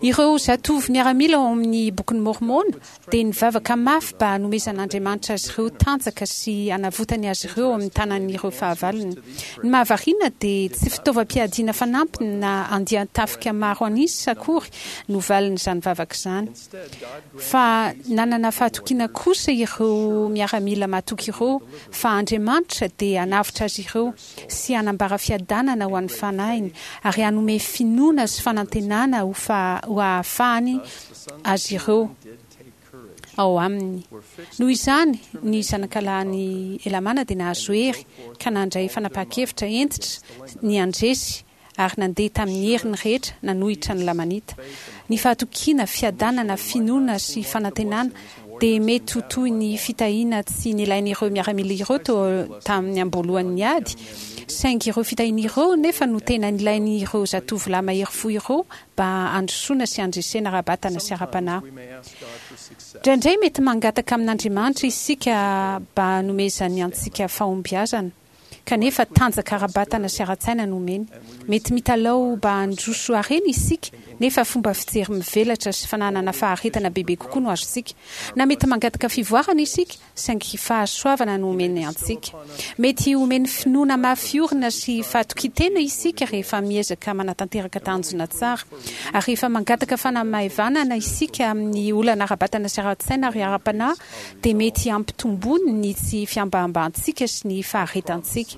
Ireo zatovo miaramila ao amin'ny Bokin'i Môrmôna dia nivavaka mafy mba hanomezan'Andriamanitra azy ireo tanjaka sy hanavotany azy ireo amin'ny tanan'ireo fahavalony. Ny mahavariana dia tsy fitaovam-piadiana fanampiny na andian-tafika maro an'isa akory no valin'izany vavaka izany. Fa nanana fahatokiana kosa ireo miaramila matoky ireo fa Andriamanitra dia hanavotra azy ireo sy hanambara fiadanana ho an'ny fanahiny ary hanome finoana sy fanantenana ho hahafahany azy ireo ao aminy. Noho izany, ny zanakalahin'i Helamàna dia nahazo hery ka nandray fanapahan-kevitra hentitra ny handresy ary nandeha tamin'ny heriny rehetra nanohitra ny Lamanita. Ny fahatokiana, fiadanana, finoana sy fanantenana dia mety ho toy ny fitahiana tsy nilain'ireo miaramila ireo teo tamin'ny am-boalohan'ny ady, saingy ireo fitahiana ireo nefa no tena nilain'ireo zatovolahy mahery fo ireo mba handrosoana sy handresena ara-batana sy ara-panahy. Indraindray mety mangataka amin'Andriamanitra isika mba hanomezany antsika fahombiazana. kanefa tanjaka ara-batana sy ara-tsaina no omeny. Mety mitalaho mba handroso harena isika, nefa fomba fijery mivelatra sy fananana faharetana bebe kokoa no azontsika. Na mety mangataka fivoarana isika, saingy fahasoavana no omeny antsika. Mety homeny finoana mafy orina sy fahatokian-tena isika rehefa miezaka manatanteraka tanjona tsara. Ary rehefa mangataka fanamaivanana isika amin'ny olana ara-batana sy ara-tsaina ary ara-panahy, dia mety hampitombony ny tsy fihambahambahantsika sy ny faharetantsika.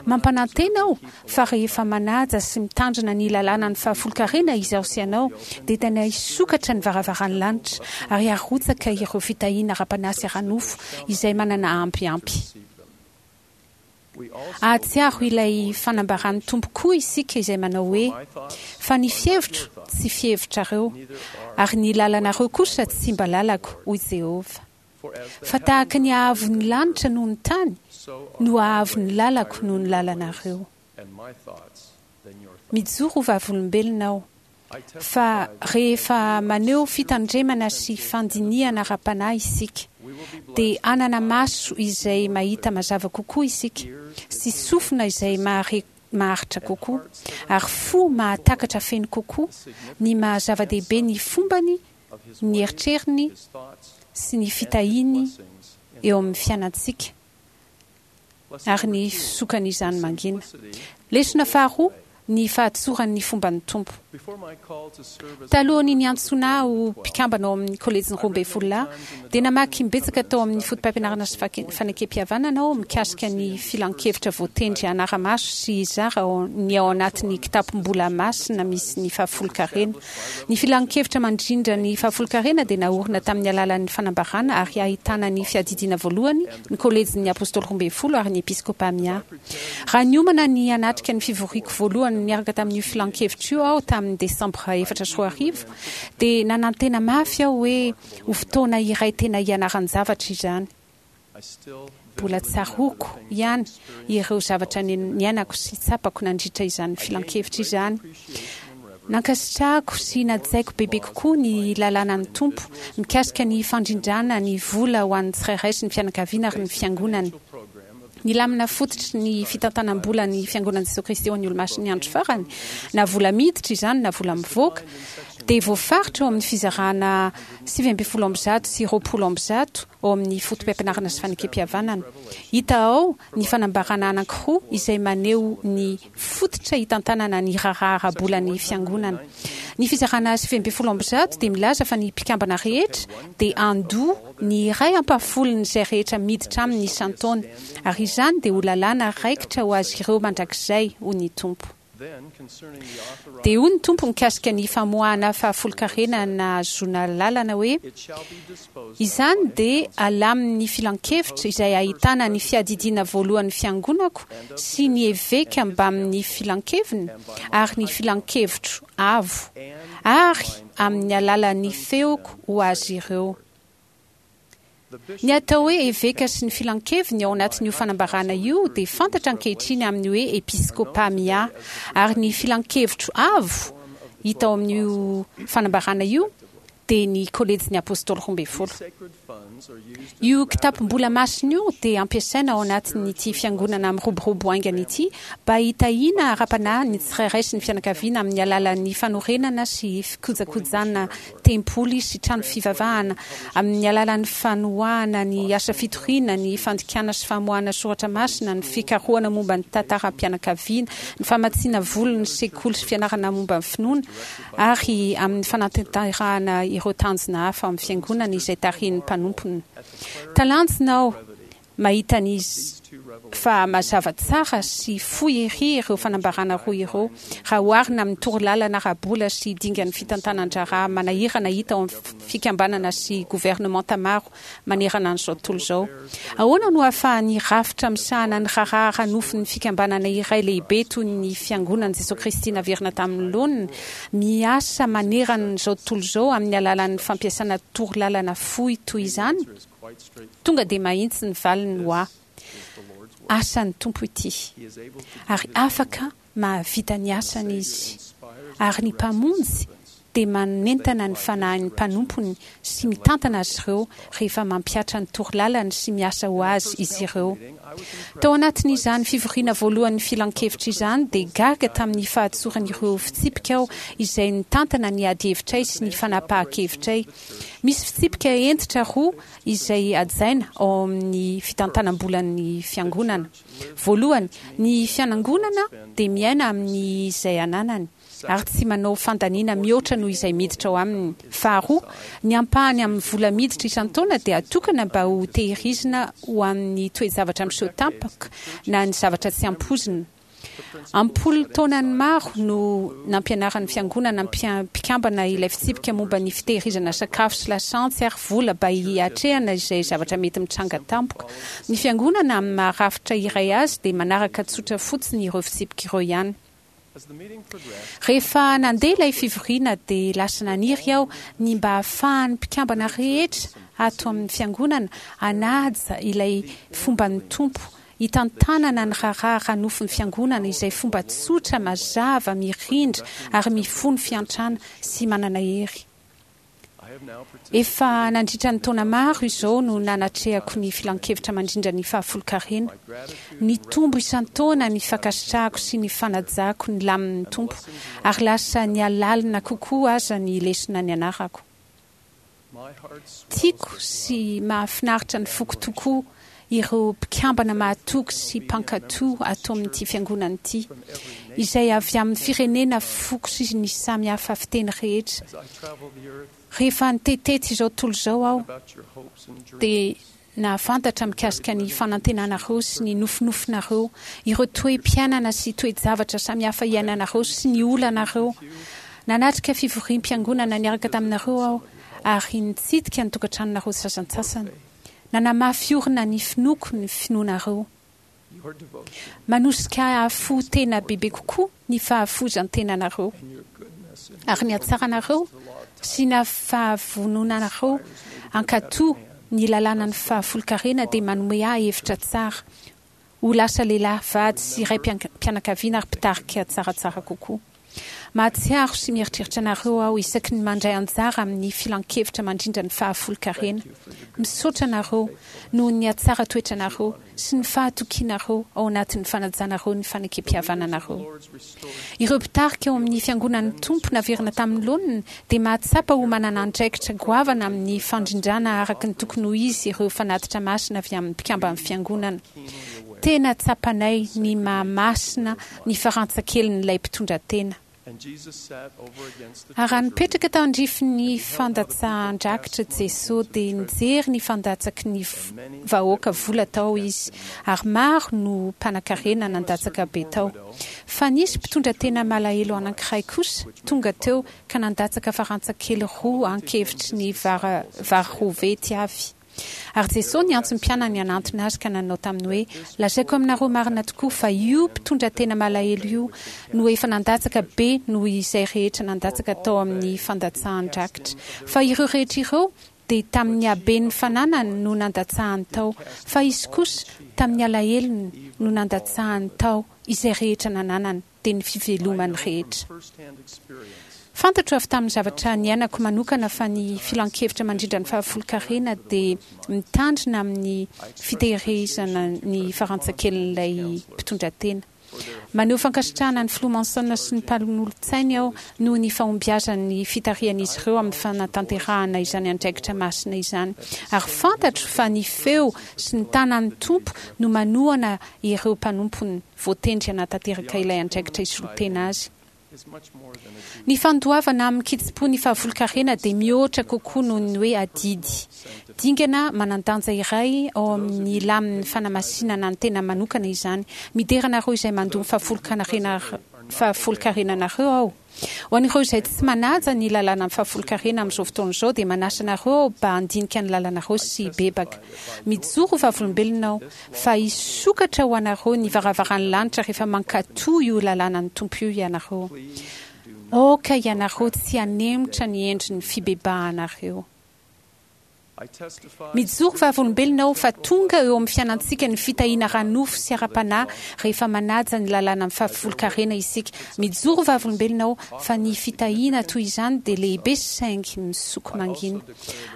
Mampanantena aho fa rehefa manaja sy mitandrina ny lalànan'ny fahafolonkarena izaho sy ianao, dia tena hisokatra ny varavaran'ny lanitra ary harotsaka ireo fitahiana ara-panahy sy ara-nofo izay manana ampy ampy. Hahatsiaro ilay fanambaran'ny Tompo koa isika izay manao hoe, Fa ny fihevitro tsy fihevitrareo, ary ny lalanareo kosa tsy mba lalako, hoy Jehovah. Fa tahaka ny haavon'ny lanitra noho ny tany no haavon'ny lalako noho ny lalanareo. Mijoro ho vavolombelona aho fa rehefa maneho fitandremana sy fandinihana ara-panahy isika, dia hanana maso izay mahita mazava kokoa isika, sy sofina izay mahare maharitra kokoa, ary fo mahatakatra feno kokoa ny maha-zava-dehibe ny fombany, ny eritreriny sy ny fitahiany eo amin'ny fiainantsika. ary ny fisokan'izany mangina. Lesona faharoa, ny fahatsoran'ny fomban'ny Tompo. Talohan'ny niantsoana ahy ho mpikambana ao amin'ny Kolejin'ny Roambinifolo Lahy, dia namaky imbetsaka tao amin'ny Fotopampianarana sy Fanekempihavanana aho mikasika ny filankevitra voatendry hanara-maso sy hizara ny ao anatin'ny kitapom-bola masina misy ny fahafolonkarena. Ny filankevitra mandrindra ny fahafolonkarena dia naorina tamin'ny alalan'ny fanambarana ary ahitana ny Fiadidiana Voalohany, ny Kolejin'ny Apôstôly Roambinifolo ary ny Episkôpà Miahy. Raha niomana ny hanatrika ny fivoriako voalohany niaraka tamin'io filankevitra io aho tamin'ny Desambra 2004, dia nanantena mafy aho hoe ho fotoana iray tena hianaran-javatra izany. Mbola tsaroako ihany ireo zavatra niainako sy tsapako nandritra izany filankevitra izany. Nankasitrahako sy najaiko bebe kokoa ny lalànan'ny Tompo mikasika ny fandrindrana ny vola ho an'ny tsirairay sy ny fianakaviana ary ny Fiangonany. Ny lamina fototry ny fitantanam-bola ny Fiangonan'i Jesoa Kristy ho an'ny Olomasin'ny Andro Farany, na vola miditra izany na vola mivoaka, dia voafaritra ao amin'ny fizarana 119 sy 120 ao amin'ny Fotopampianarana sy Fanekempihavanana. Hita ao ny fanambarana anankiroa izay maneho ny fototra hitantanana ny raharaha ara-bolan'ny Fiangonana. Ny fizarana 119 dia milaza fa ny mpikambana rehetra dia handoa ny iray ampahafolon'izay rehetra miditra aminy isan-taona, ary izany dia ho lalàna raikitra ho azy ireo mandrakizay, hoy ny Tompo. Dia hoy ny Tompo mikasika ny famoahana fahafolonkarena nahazoana lalana hoe, Izany dia alamin'ny filankevitra izay ahitana ny fiadidiana voalohan'ny Fiangonako sy ny eveka mbamin'ny filankeviny ary ny filankevitro avo, ary amin'ny alalan'ny feoko ho azy ireo. Ny atao hoe eveka sy ny filankeviny ao anatin'io fanambarana io dia fantatra ankehitriny amin'ny hoe episkôpà miahy, ary ny filankevitro avo hita ao amin'io fanambarana io dia ny Kolejin'ny Apôstôly Roambinifolo. Io kitapom-bola masina io dia ampiasaina ao anatin'ity Fiangonana miroborobo haingana ity mba hitahiana ara-panahy ny tsirairay sy ny fianakaviana amin'ny alalan'ny fanorenana sy fikojakojana tempoly sy trano fivavahana, amin'ny alalan'ny fanoahana ny asa fitoriana, ny fandikana sy famoahana soratra masina, ny fikarohana momba ny tantaram-pianakaviana, ny famatsiana vola ny sekoly sy fianarana momba ny finoana, ary amin'ny fanatanterahana ireo tanjona hafa ao amin'ny Fiangonana izay tarihin'ny mpanompony. Talanjona aho mahita ny fa mazava tsara sy fohy ery ireo fanambarana roa ireo raha oharina amin'ny torolalana ara-bola sy dingan'ny fitantanan-draharaha manahirana hita ao amin'ny fikambanana sy governemanta maro manerana an'izao tontolo izao. Ahoana no ahafahan'ny rafitra misahana ny raharaha ara-nofon'ny fikambanana iray lehibe toy ny Fiangonan'i Jesoa Kristy naverina tamin'ny laoniny miasa manerana an'izao tontolo izao amin'ny alalan'ny fampiasana torolalana fohy toy izany? Tonga dia mahitsy ny valiny ho ahy. Asan'ny Tompo ity. Ary afaka mahavita ny asany Izy. Ary ny Mpamonjy dia manentana ny fanahin'ny mpanompony sy mitantana azy ireo rehefa mampihatra ny torolalany sy miasa ho Azy izy ireo. Tao anatin'izany fivoriana voalohan'ny filankevitra izany dia gaga tamin'ny fahatsoran'ireo fitsipika aho izay nitantana ny adihevitray sy ny fanapahan-kevitray. Misy fitsipika hentitra roa izay hajaina ao amin'ny fitantanam-bolan'ny Fiangonana. Voalohany, ny fianangonana dia miaina amin'ny izay ananany ary tsy manao fandaniana mihoatra noho izay miditra ao aminy. Faharoa, ny ampahany amin'ny vola miditra isan-taona dia atokana mba ho tehirizina ho amin'ny toe-javatra miseho tampoka na ny zavatra tsy ampoizina. Am-polo taonany maro no nampianaran'ny Fiangonana mpikambana ilay fitsipika momba ny fitehirizana sakafo sy lasantsy ary vola mba hiatrehana izay zavatra mety mitranga tampoka. Ny Fiangonana, amin'ny maha rafitra iray azy, dia manaraka tsotra fotsiny ireo fitsipika ireo ihany. Rehefa nandeha ilay fivoriana dia lasa naniry aho ny mba hahafahan'ny mpikambana rehetra ato amin'ny Fiangonana hanaja ilay fomban'ny Tompo hitantanana ny raharaha ara-nofon'ny Fiangonana izay fomba tsotra, mazava, mirindra ary mifono fiantrana sy manana hery. Efa nandritra ny taona maro izao no nanatrehako ny Filankevitra Mandrindra ny Fahafolonkarena. Nitombo isan-taona ny fankasitrahako sy ny fanajako ny lamin'ny Tompo, ary lasa nihalalina kokoa aza ny lesona nianarako. Tiako sy mahafinaritra ny foko tokoa ireo mpikambana mahatoky sy mpankatò ato amin'ity Fiangonana ity, izay avy amin'ny firenena, foko sy ny samy hafa fiteny rehetra. Rehefa nitetitety izao tontolo izao aho, dia nahafantatra mikasika ny fanantenanareo sy ny nofinofinareo, ireo toe-piainana sy toe-javatra samihafa iainanareo sy ny olanareo. Nanatrika fivoriam-piangonana niaraka taminareo aho ary nitsidika ny tokantranonareo sasantsasany. Nanamafy orina ny finoako ny finoanareo. Manosika ahy hahafoy tena bebe kokoa ny fahafoizan-tenanareo. Ary ny hatsaranareo sy ny fahavononanareo hankatò ny lalànan'ny fahafolonkarena dia manome ahy hevitra tsara ho lasa lehilahy, vady sy raim-pianakaviana ary mpitarika tsaratsara kokoa. Mahatsiaro sy mieritreritra anareo aho isaky ny mandray anjara amin'ny filankevitra mandrindra ny fahafolonkarena. Misaotra anareo noho ny hatsara toetranareo sy ny fahatokianareo ao anatin'ny fanajanareo ny fanekempihavananareo. Ireo mpitarika ao amin'ny Fiangonan'ny Tompo naverina tamin'ny laoniny dia mahatsapa ho manana andraikitra goavana amin'ny fandrindrana araka ny tokony ho izy ireo fanatitra masina avy amin'ny mpikamban'ny Fiangonana. Tena tsapanay ny maha masina ny farantsakelin'ilay mpitondra tena. Ary raha nipetraka tandrifin'ny fandatsahan-drakitra Jeso dia nijery ny fandatsaky ny vahoaka vola tao Izy, ary maro no mpanakarena nandatsaka be tao. Fa nisy mpitondra tena malahelo anankiray kosa tonga teo ka nandatsaka farantsakely roa ankevitry ny vary roa vety avy. Ary Jesoa niantso ny mpianany hanantona Azy ka nanao taminy hoe, Lazaiko aminareo marina tokoa fa io mpitondra tena malahelo io no efa nandatsaka be noho izay rehetra nandatsaka tao amin'ny fandatsahan-drakitra. Fa ireo rehetra ireo dia tamin'ny haben'ny fananany no nandatsahany tao, fa izy kosa tamin'ny alahelony no nandatsahany tao izay rehetra nananany. dia ny fivelomany rehetra. Fantatro avy tamin'ny zavatra niainako manokana fa ny filankevitra mandrindra ny fahafolonkarena dia mitandrina amin'ny fitehirizana ny farantsakelin'ilay mpitondratena. Maneho fankasitrahana ny Filoha Monson sy ny mpanolotsainy aho noho ny fahombiazan'ny fitarihan'izy ireo amin'ny fanatanterahana izany andraikitra masina izany. Ary fantatro fa ny feo sy ny tanan'ny Tompo no manohana ireo mpanompony voatendry hanatanteraka ilay andraikitra hisolo tena azy. Ny fandoavana amin-kitsim-po ny fahavolon-karena dia mihoatra kokoa noho ny hoe adidy. Dingana manan-danja iray ao amin'ny lamin'ny fanamasinana ny tena manokana izany. Midera anareo izay mandoa ny fahafolon-karenanareo aho. Ho an'ireo izay tsy manaja ny lalànan'ny fahafolon-karena amin'izao fotoana izao dia manasa anareo aho mba handinika ny lalanareo sy hibebaka. Mijoro ho vavolombelona aho fa hisokatra ho anareo ny varavaran'ny lanitra rehefa mankatò io lalànan'ny Tompo io ianareo. Aoka ianareo tsy hanemotra ny endrin'ny fibebahanareo. Mijoro vavolombelona aho fa tonga eo amin'ny fiainantsika ny fitahiana ara-nofo sy ara-panahy rehefa manaja ny lalàna amin'ny fahafolonkarena isika. Mijoro vavolombelona aho fa ny fitahiana toy izany dia lehibe saingy misoko mangina.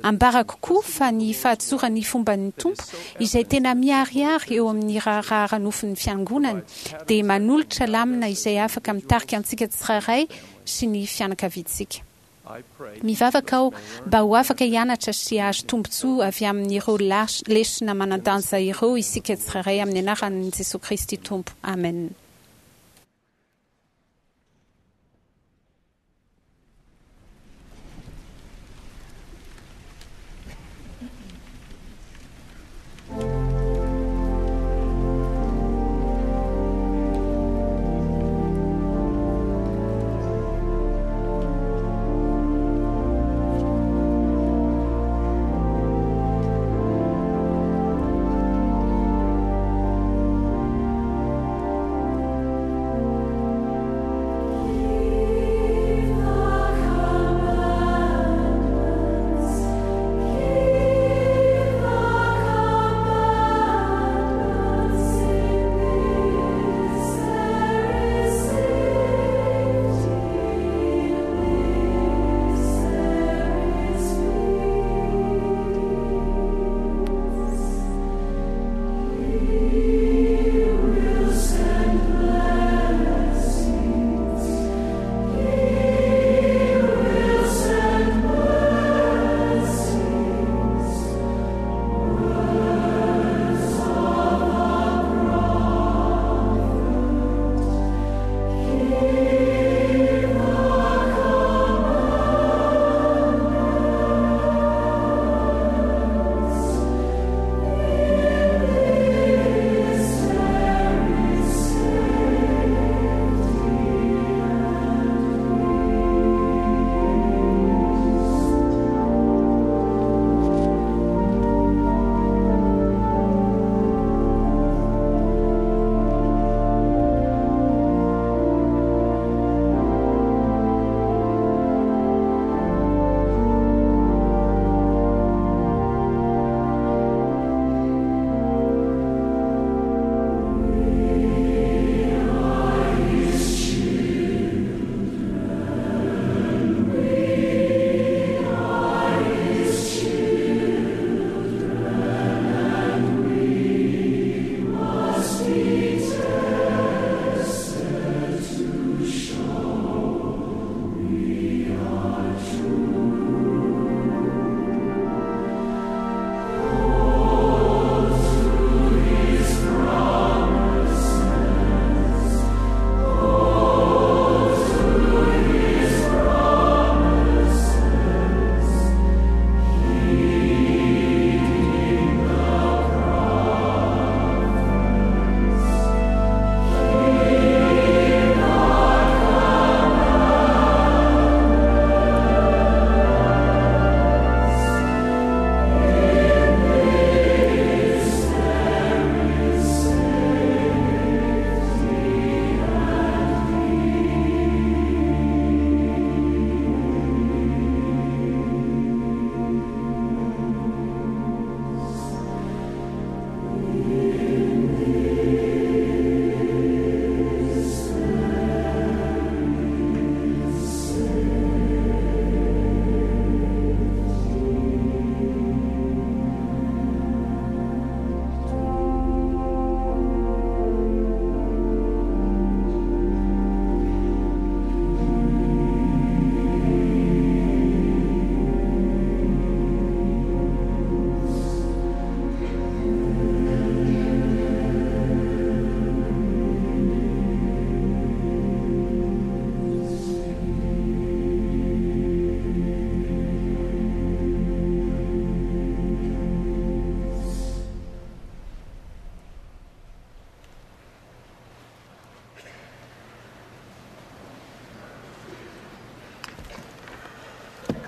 Ambarako koa fa ny fahatsoran'ny fomban'ny Tompo, izay tena miharihary eo amin'ny raharaha ara-nofon'ny Fiangonany, dia manolotra lamina izay afaka mitarika antsika tsirairay sy ny fianakaviantsika. Mivavaka aho mba ho afaka hianatra sy hahazo tombontsoa avy amin'ireo lesona manan-danja ireo isika tsirairay amin'ny anaran'i Jesoa Kristy Tompo, amena.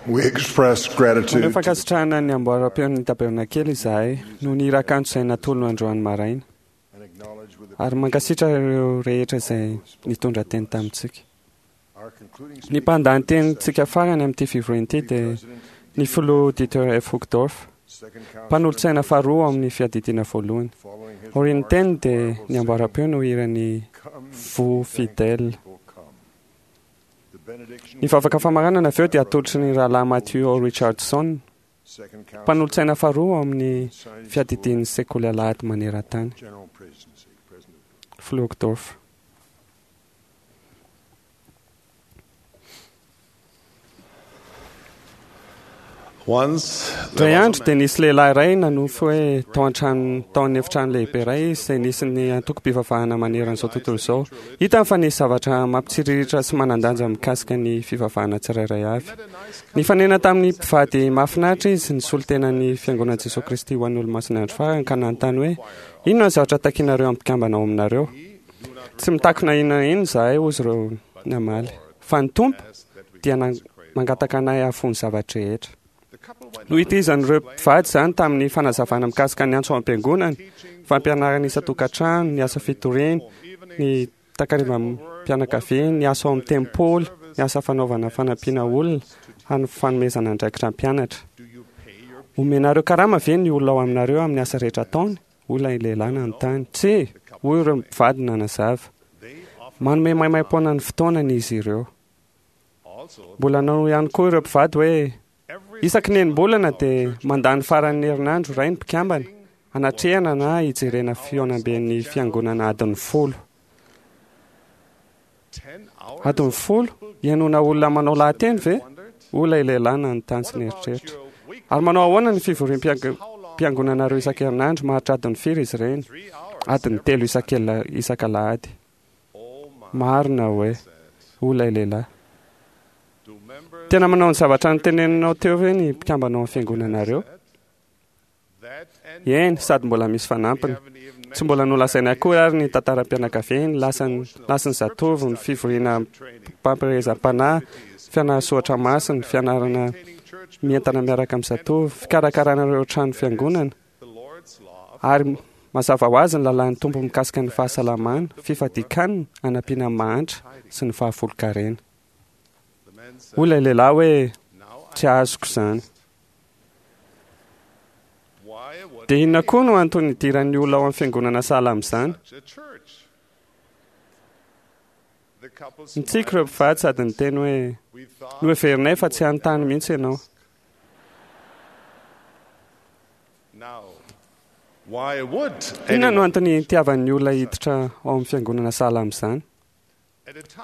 We express gratitude Maneho fankasitrahana ny amboaram-peon'ny tabernakely izahay noho ny hira kanto izay natolony androany maraina. Ary mankasitraka ireo rehetra izay nitondra teny tamintsika. Ny mpandahan-tenintsika farany amin'ity fivoriana ity dia ny filoha Dieter F. Uchtdorf, mpanolotsaina faharoa ao amin'ny fiadidiana voalohany. Aorian'ny teniny dia ny amboaram-peo no hiran'ny Vous Fidèles. Ny vavaka famaranana avy eo dia atolotry ny rahalahy Matthew O. Richardson, mpanolotsaina faharoa ao amin'ny fiadidian'ny sekoly alahady maneran-tany. Filoha Uchtdorf. Once Indray andro dia nisy lehilahy iray nanofy hoe tao an-trano tao amin'ny efitrano lehibe iray izy izay nisy ny antokom-pivavahana manerana izao tontolo izao. Hitany fa nisy zavatra mampitsiriritra sy manan-danja mikasika ny fivavahana tsirairay avy. Nifanena tamin'ny mpivady mahafinaritra izy, nisolo tena ny Fiangonan'i Jesoa Kristy ho an'ny Olomasin'ny Andro Farany ka nanontany hoe, Inona ny zavatra takinareo amin'ny mpikambana ao aminareo? Tsy mitaky na inona na inona izahay, hoy izy ireo namaly, fa ny Tompo dia mangataka anay hahafoy ny zava-drehetra. Nohitizan'ireo mpivady izany tamin'ny fanazavana mikasika ny antso ao am-piangonana, fampianarana isan-tokantrano, ny asa fitoriana, ny takarivam-pianakaviana, ny asa ao amin'ny tempoly, ny asa fanaovana fanampiana olona, ary ny fanomezana andraikitra mpianatra. Omenareo karama ve ny olona ao aminareo amin'ny asa rehetra ataony? Hoy ilay lehilahy nanontany. Tsia, hoy ireo mpivady nanazava. Manome maimaim-poana ny fotoanany izy ireo. Mbola nanao ihany koa ireo mpivady hoe, Isaky ny enim-bolana dia mandany faran'ny herinandro iray ny mpikambana, hanatrehana na hijerena fihaonamben'ny fiangonana adiny folo. Adiny folo? Hihainoana olona manao lahateny ve? Hoy ilay lehilahy nanontany sy nieritreritra. Ary manao ahoana ny fivoriam-piangonanareo isan-kerinandro? Maharitra adiny firy izy ireny? Adiny telo isak'alahady. Marina hoe? Hoy ilay lehilahy. Tena manao ny zavatra noteneninao teo ve ny mpikambana ao amin'ny fiangonanareo? Eny, sady mbola misy fanampiny. Tsy mbola nolazaina akory ary ny tantaram-pianakaviany, lasan'ny lasin'ny zatovo, ny fivoriana mpampielezam-panahy, fianarasoratra masina, fianarana mientana miaraka amin'ny zatovo, fikarakarana ireo trano fiangonana, ary mazava ho azy ny lalàn'ny Tompo mikasika ny fahasalamana, fifadian-kanina, hanampiana ny mahantra, sy ny fahafolon-karena. Hoy ilay lehilahy hoe, Tsy azoko izany. Dia inona koa no antony hidiran'ny olona ao amin'ny fiangonana sahala amin'izany? Nitsiky ireo mpivady sady niteny hoe, Noheverinay fa tsy hanontany mihitsy ianao. Inona no antony hitiavan'ny olona hiditra ao amin'ny fiangonana sahala amin'izany?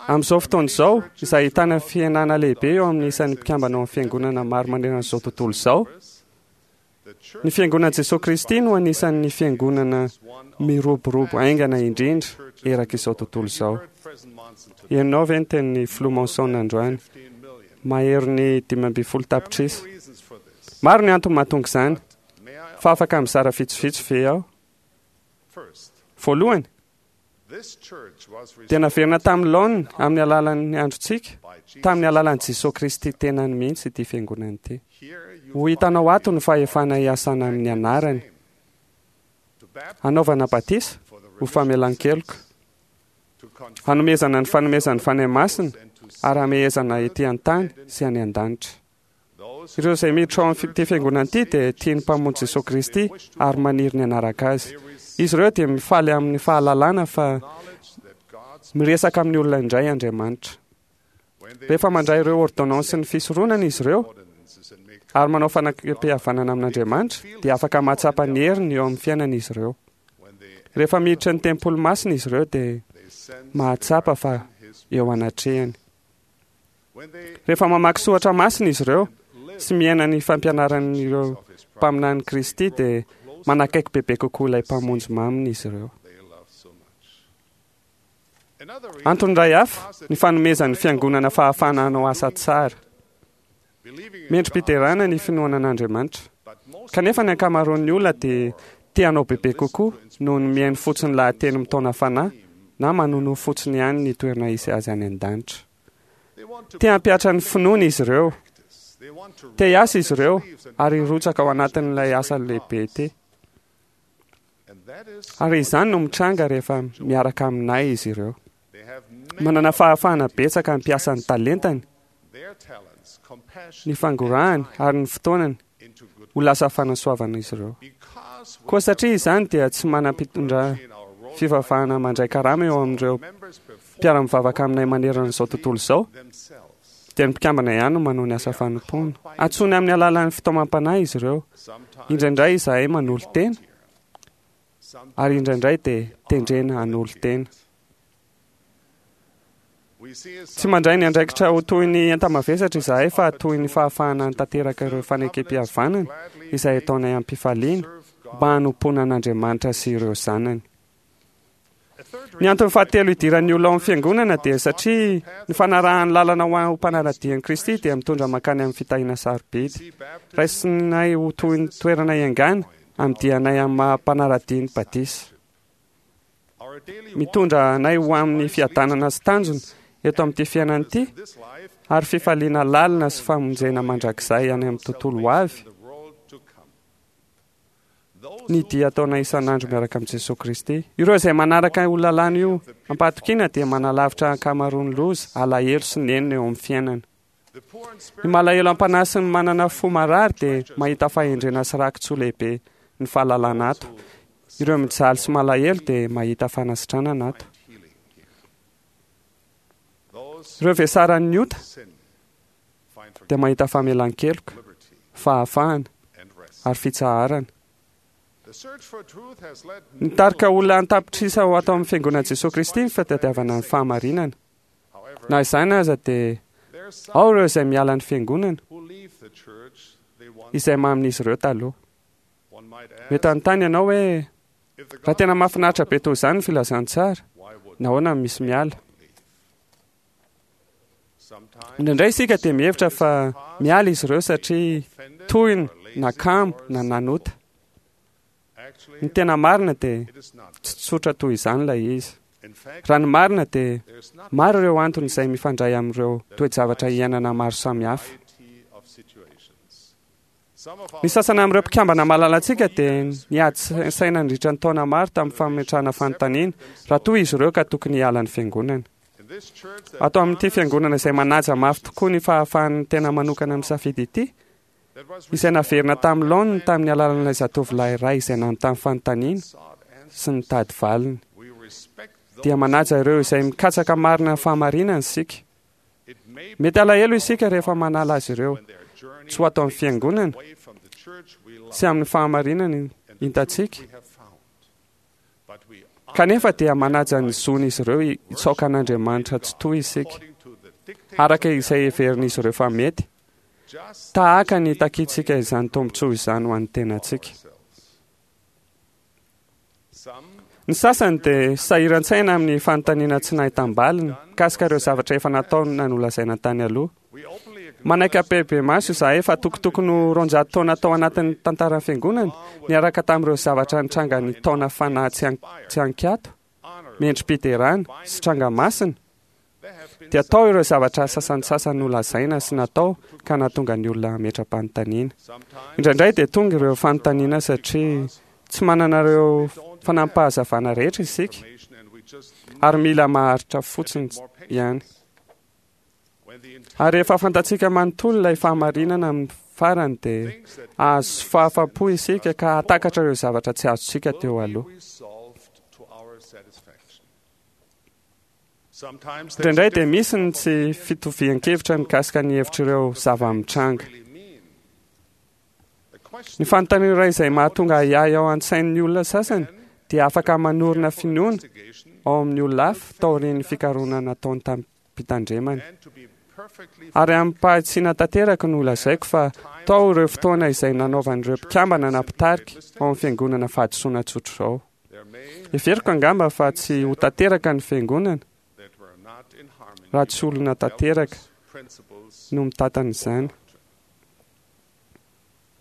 Amin'izao fotoana izao, izay ahitana fihenana lehibe eo amin'ny isan'ny mpikambana ao amin'ny fiangonana maro manerana izao tontolo izao, ny Fiangonan'i Jesoa Kristy no anisan'ny fiangonana miroborobo haingana indrindra erak' izao tontolo izao. Henonao ve ny tenin'ny Filoha Monson androany? Maherin'ny 15 tapitrisa. Maro ny antony mahatonga izany, fa afaka mizara vitsivitsy ve aho? Voalohany, dia naverina tamin'ny laoniny amin'ny alalan'ny androntsika, tamin'ny alalan'i Jesoa Kristy tenany mihitsy ity fiangonana ity. Ho hitanao ato ny fahefana hiasana amin'ny anarany, hanaovana batisa ho famelan-keloka, hanomezana ny fanomezan'ny Fanahy Masina ary hamehezana ety an-tany sy any an-danitra. Ireo izay miditra ao amin'ity fiangonana ity dia tia ny Mpamonjy Jesoa Kristy ary maniry ny hanaraka Azy. Izy ireo dia mifaly amin'ny fahalalana fa miresaka amin'ny olona indray Andriamanitra. Rehefa mandray ireo ôrdônansin'ny fisoronana izy ireo ary manao fanakempihavanana amin'Andriamanitra, dia afaka mahatsapa ny heriny eo amin'ny fiainany izy ireo. Rehefa miditra ny tempoly masina izy ireo dia mahatsapa fa eo anatrehany. Rehefa mamaky soratra masina izy ireo sy miaina ny fampianaran'ireo mpaminany Kristy dia manakaiky bebe kokoa ilay Mpamonjy maminy izy ireo. Antony iray hafa ny fanomezan'ny Fiangonana fahafahana hanao asa tsara. Mendri-piderana ny finoana an'Andriamanitra. Kanefa ny ankamaroan'ny olona dia te hanao bebe kokoa noho ny mihaino fotsiny lahateny mitaona fanahy na manonofy fotsiny ihany ny toerana hisy azy any an-danitra. Te hampihatra ny finoany izy ireo. Te hiasa izy ireo ary hirotsaka ao anatin'ilay asa lehibe ity. Ary izany no mitranga rehefa miaraka aminay izy ireo. Manana fahafahana betsaka hampiasa ny talentany, ny fangorahany ary ny fotoanany ho lasa fanasoavana izy ireo. Koa satria izany dia tsy manam-pitondra fivavahana mandray karama eo amin'ireo mpiara-mivavaka aminay manerana izao tontolo izao, dia ny mpikambana ihany no manao ny asa fanompoana. Antsoiny amin'ny alalan'ny fitaomam-panahy izy ireo. Indraindray izahay manolo-tena, ary indraindray dia tendrena hanolo-tena. Tsy mandray ny andraikitra ho toy ny enta-mavesatra izahay fa toy ny fahafahana hanatanteraka ireo fanekem-pihavanana izay ataonay am-pifaliana mba hanompoana an'Andriamanitra sy ireo zanany. Ny antony fahatelo idiran'ny olona ao amin'ny fiangonana dia satria ny fanarahany lalana ho ho mpanara-dia an'i Kristy dia mitondra mankany amin'ny fitahiana sarobidy. Raisinay ho toy ny toerana iangana amin'ny dianay amin'ny maha mpanara-dia ny batisa. Mitondra anay ho amin'ny fiadanana sy tanjona eto amin'ity fiainana ity ary fifaliana lalina sy famonjena mandrakizay any amin'ny tontolo ho avy ny dia ataonay isan'andro miaraka amin'i Jesoa Kristy. Ireo izay manaraka io lalàna io am-pahatokiana dia manalavitra ankamaroan'ny loza, alahelo sy nenina eo amin'ny fiainana. Ny malahelo am-panahy sy ny manana fo marary dia mahita fahendrena sy raki-tsoa lehibe ny fahalalana ato. Ireo mijaly sy malahelo dia mahita fanasitranana ato. Ireo vesaran'ny ota dia mahita famelan-keloka, fahafahana ary fitsaharana. Nitarika olona an-tapitrisa ho ato amin'ny Fiangonan'i Jesoa Kristy ny fitadiavana ny fahamarinana. Na izany aza dia ao ireo izay miala ny Fiangonana, izay mamin'izy ireo taloha. Mety hanontany ianao hoe, Raha tena mahafinaritra be toy izany ny filazantsara, nahoana no misy miala? Indraindray isika dia mihevitra fa miala izy ireo satria tohina na kamo na nanota. Ny tena marina dia tsy tsotra toy izany ilay izy. Raha ny marina dia maro ireo antony izay mifandray amin'ireo toe-javatra iainana maro samihafa. Ny sasany amin'ireo mpikambana malalantsika dia niady saina nandritra ny taona maro tamin'ny fametrahana fanontaniana raha toa izy ireo ka tokony hiala ny fiangonana. Ato amin'ity fiangonana izay manaja mafy tokoa ny fahafahan'ny tena manokana misafidy ity, izay naverina tamin'ny laoniny tamin'ny alalan'ilay zatovolahy iray izay nanontany fanontaniana sy nitady valiny, dia manaja ireo izay mikatsaka marina ny fahamarinana isika. Mety alahelo isika rehefa manala azy ireo tsy ho ato amin'ny fiangonana sy amin'ny fahamarinana hitantsika. Kanefa dia manaja ny zon'izy ireo hitsaoka an'Andriamanitra tsitoha isika, araka izay heverin'izy ireo fa mety, tahaka ny itakiantsika izany tombontsoa izany ho an'ny tenantsika. Ny sasany dia sahiran-tsaina amin'ny fanontaniana tsy nahitam-baliny mikasika ireo zavatra efa nataony na nolazaina tany aloha. Manaiky ampahibemaso izahay fa tokotokony ho 200 taona tao anatin'ny tantaran'ny Fiangonana, niaraka tamin'ireo zavatra nitranga ny taona fanahy tsy an-kiato, mendri-piderana, sy tranga masina, dia tao ireo zavatra sasantsasany nolazaina sy natao ka nahatonga ny olona hametra-panontaniana. Indraindray dia tonga ireo fanontaniana satria tsy manana ireo fanampahazavana rehetra isika ary mila maharitra fotsiny ihany. Ary rehefa fantatsika manontolo ilay fahamarinana amin'ny farany dia hahazo fahafapo isika ka hahatakatra ireo zavatra tsy azontsika teo aloha. Indraindray dia misy ny tsy fitovian-kevitra mikasika ny hevitr'ireo zava-mitranga. Ny fanontaniana iray izay mahatonga ahiahy ao an-tsain'ny olona sasany dia afaka manorina finoana ao amin'ny olona hafa taorian'ny fikarohana nataony tamim-pitandremana. Ary amim-pahatsiana tanteraka no lazaiko fa tao ireo fotoana izay nanaovan'ireo mpikambana na mpitarika ao amin'ny fiangonana fahadisoana tsotr'izao. Heveriko angamba fa tsy ho tanteraka ny fiangonana raha tsy olona tanteraka no mitantana izany.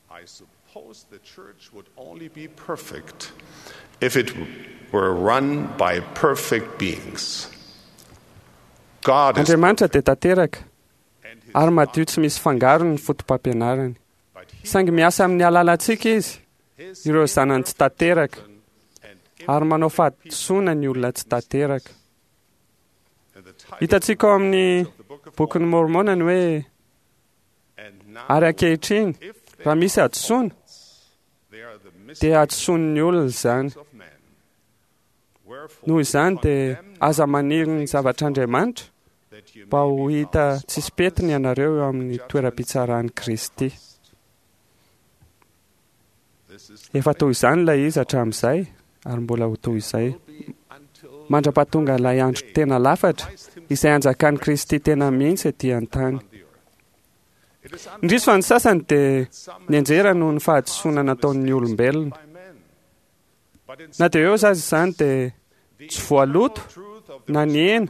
I suppose the church would only be perfect if it were run by perfect beings. God is Andriamanitra dia tanteraka and ary madio tsy misy fangarony ny fotopampianarany. Saingy miasa amin'ny alalantsika izy, ireo zanany tsy tanteraka, ary manao fahadisoana ny olona tsy tanteraka. Hitantsika ao amin'ny Bokin'i Môrmôna ny hoe, Ary ankehitriny, raha misy hadisoana, dia hadisoan'ny olona izany. Noho izany dia aza maniry ny zavatr'Andriamanitra mba ho hita tsisy pentina ianareo eo amin'ny toeram-pitsaran'i Kristy. Efa toy izany ilay izy hatramin'izay ary mbola ho toy izay mandra-pahatonga ilay andro tena lafatra izay hanjakan'i Kristy tena mihitsy ety an-tany. Indrisy fa ny sasany dia nianjera noho ny fahadisoana nataon'ny olombelona. Na dia eo aza izany dia tsy voaloto na nihena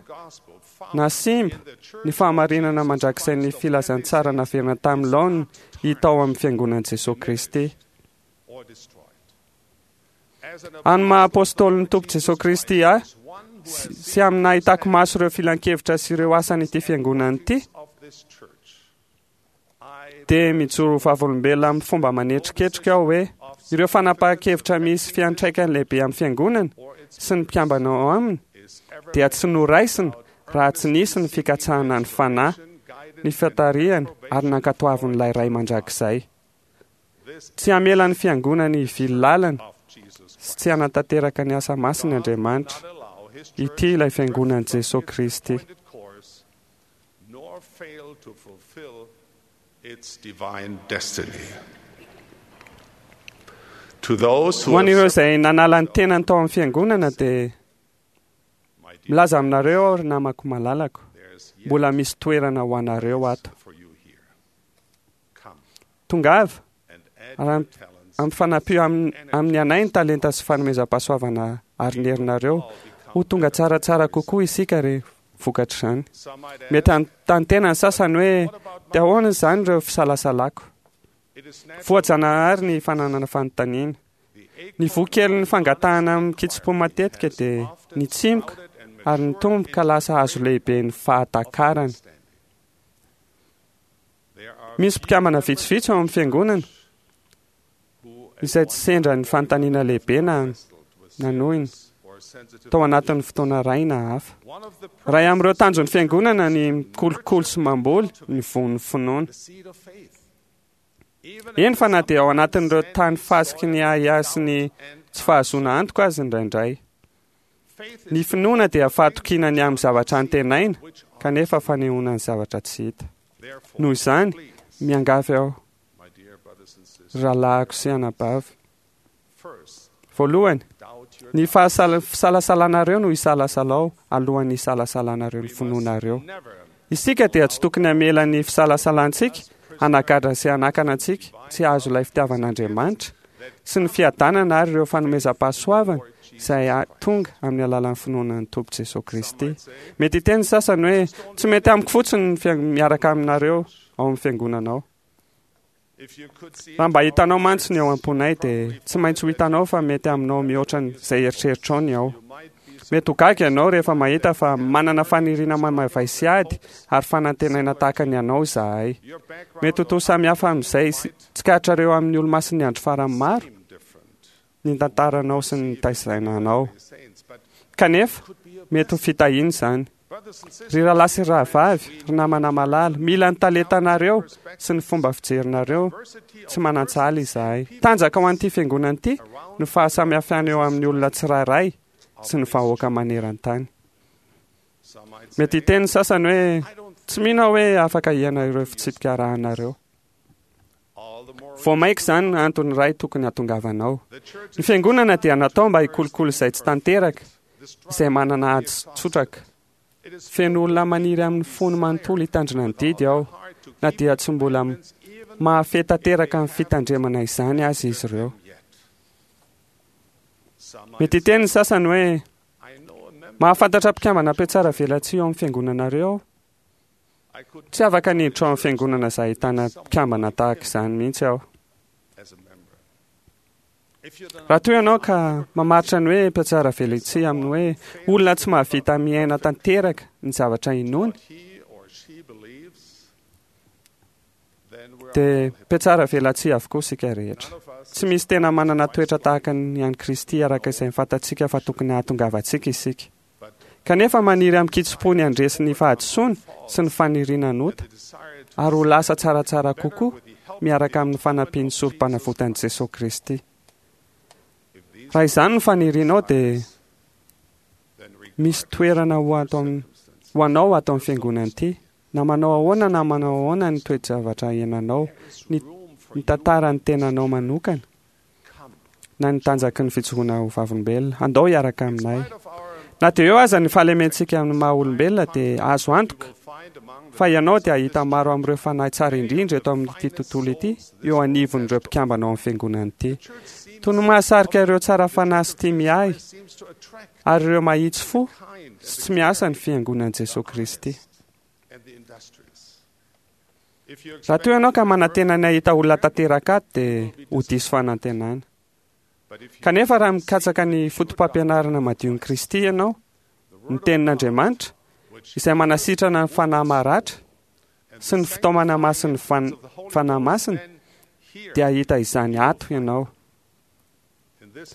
na simba ny fahamarinana mandrakizain'ny filazantsara naverina tamin'ny laoniny hita ao amin'ny Fiangonan'i Jesoa Kristy. Amin'ny maha Apôstôlin'ny Tompo Jesoa Kristy ahy sy amin'ny nahitako maso ireo filankevitra sy ireo asan'ity Fiangonana ity, dia mijoro ho vavolombelona amin'ny fomba manetriketrika aho hoe ireo fanapahan-kevitra misy fiantraikany lehibe amin'ny Fiangonana sy ny mpikambana ao aminy dia tsy noraisina raha tsy nisy ny fikatsahana ny Fanahy, ny fitarihany ary nankatoavin'ilay Ray Mandrakizay. Tsy hamela ny Fiangonany hivily lalana sy tsy hanatanteraka ny asa masiny Andriamanitra. Ity ilay Fiangonan'i Jesoa Kristy. nor fail to fulfill its divine destiny. To those who Ho an'ireo have izay nanala ny tenany tao amin'ny fiangonana dia milaza aminareo aho ry namako malalako, mbola misy toerana ho anareo ato. Tongava ary ampifanampio amin'ny anay ny talenta sy fanomezam-pahasoavana ary ny herinareo. Ho tonga tsaratsara kokoa isika ry vokatr'izany. Mety hanontany tena ny sasany hoe, dia ahoana izany ireo fisalasalako? Voajanahary ny fananana fanontaniana. Ny voa kelin'ny fangatahana amin-kitsim-po matetika dia nitsimoka ary nitombo ka lasa hazo lehibe ny fahatakarana. Misy mpikambana vitsivitsy ao amin'ny fiangonana izay tsy sendra ny fanontaniana lehibe na nanohina tao anatin'ny fotoana iray na hafa. Iray amin'ireo tanjon'ny fiangonana ny mikolokolo sy mamboly ny voan'ny finoana. Eny fa na dia ao anatin'ireo tany fasiky ny ahiahy sy ny tsy fahazoana antoka aza indraindray. Ny finoana dia fahatokiana ny amin'ny zavatra antenaina, kanefa fanehoana ny zavatra tsy hita. Noho izany, miangavy aho, ry rahalahiko sy anabavy. Voalohany, ny fisalasalanareo no isalasalao alohan'ny hisalasalanareo ny finoanareo. Isika dia tsy tokony hamela ny fisalasalantsika hanagadra sy hanakana antsika tsy hahazo ilay fitiavan'Andriamanitra sy ny fiadanana ary ireo fanomezam-pahasoavana izay tonga amin'ny alalan'ny finoana ny Tompo Jesoa Kristy. Mety hiteny ny sasany hoe, Tsy mety amiko fotsiny ny miaraka aminareo ao amin'ny fiangonana ao. Raha mba hitanao mantsy ny ao am-ponay dia tsy maintsy ho hitanao fa mety aminao mihoatra izay eritreritrao ny ao. Mety ho gaga ianao rehefa mahita fa manana faniriana mamaivay sy ady ary fanantenaina tahaka ny anao izahay. Mety ho toa samy hafa amin'izay tsikaritrareo amin'ny Olomasin'ny Andro Farany maro ny tantaranao sy ny nitaizaina anao. Kanefa, mety ho fitahiana izany. Ry rahalahy sy rahavavy, ry namana malala, mila ny talentanareo sy ny fomba fijerinareo tsy manan-tsahala izahay. Tanjaka ho an'ity fiangonana ity ny fahasamihafana eo amin'ny olona tsirairay sy ny vahoaka maneran-tany. Mety hiteny ny sasany hoe, Tsy mino aho hoe afaka hiaina ireo fitsipika arahanareo. Vao mainka izany no antony iray tokony hahatongavanao. Ny Fiangonana dia natao mba hikolokolo izay tsy tanteraka, izay manana ady sy tsotraka. Feno olona maniry amin'ny fony manontolo hitandrina ny didy aho, na dia tsy mbola mahafehy tanteraka ny fitandremana izany aza izy ireo. Mety hiteny ny sasany hoe, Mahafantatra mpikambana mpiatsara velatsihy ao amin'ny fiangonanareo aho. Tsy afaka ny hiditra ao amin'ny fiangonana izay ahitana mpikambana tahaka izany mihitsy aho. Raha toa ianao ka mamaritra ny hoe mpiatsara velatsihy amin'ny hoe olona tsy mahavita miaina tanteraka ny zavatra inoany, Dia mpiatsara velatsihy avokoa isika rehetra. Tsy misy tena manana toetra tahaka ny an'i Kristy araka izay fantatsika fa tokony hahatongavantsika isika. Kanefa maniry amin-kitsim-po ny handresy ny fahadisoana sy ny faniriana hanota ary ho lasa tsaratsara kokoa miaraka amin'ny fanampian'ny Sorompanavotan'i Jesoa Kristy. Raha izany no fanirianao dia misy toerana ho ato ho anao ato amin'ny fiangonana ity. Na manao ahoana na manao ahoana ny toe-javatra iainanao, ny ny tantaran'ny tenanao manokana, na ny tanjaky ny fijoroana ho vavolombelona, andao hiaraka aminay. Na dia eo aza ny fahalementsika amin'ny maha olombelona dia azo antoka fa ianao dia hahita maro amin'ireo fanahy tsara indrindra eto amin'ity tontolo ity eo anivon'ireo mpikambana ao amin'ny fiangonana ity. Toy ny mahasarika ireo tsara fanahy sy tia miahy ary ireo mahitsy fo sy tsy miasa ny fiangonan'i Jesoa Kristy. Raha toa ianao ka manantena ny hahita olona tanteraka ato dia ho diso fanantenana. Kanefa raha mikatsaka ny fotopampianarana madion'i Kristy ianao, ny Tenin'Andriamanitra, izay manasitrana ny fanahy maratra sy ny fitaomana masin'ny Fanahy Masina, dia hahita izany ato ianao.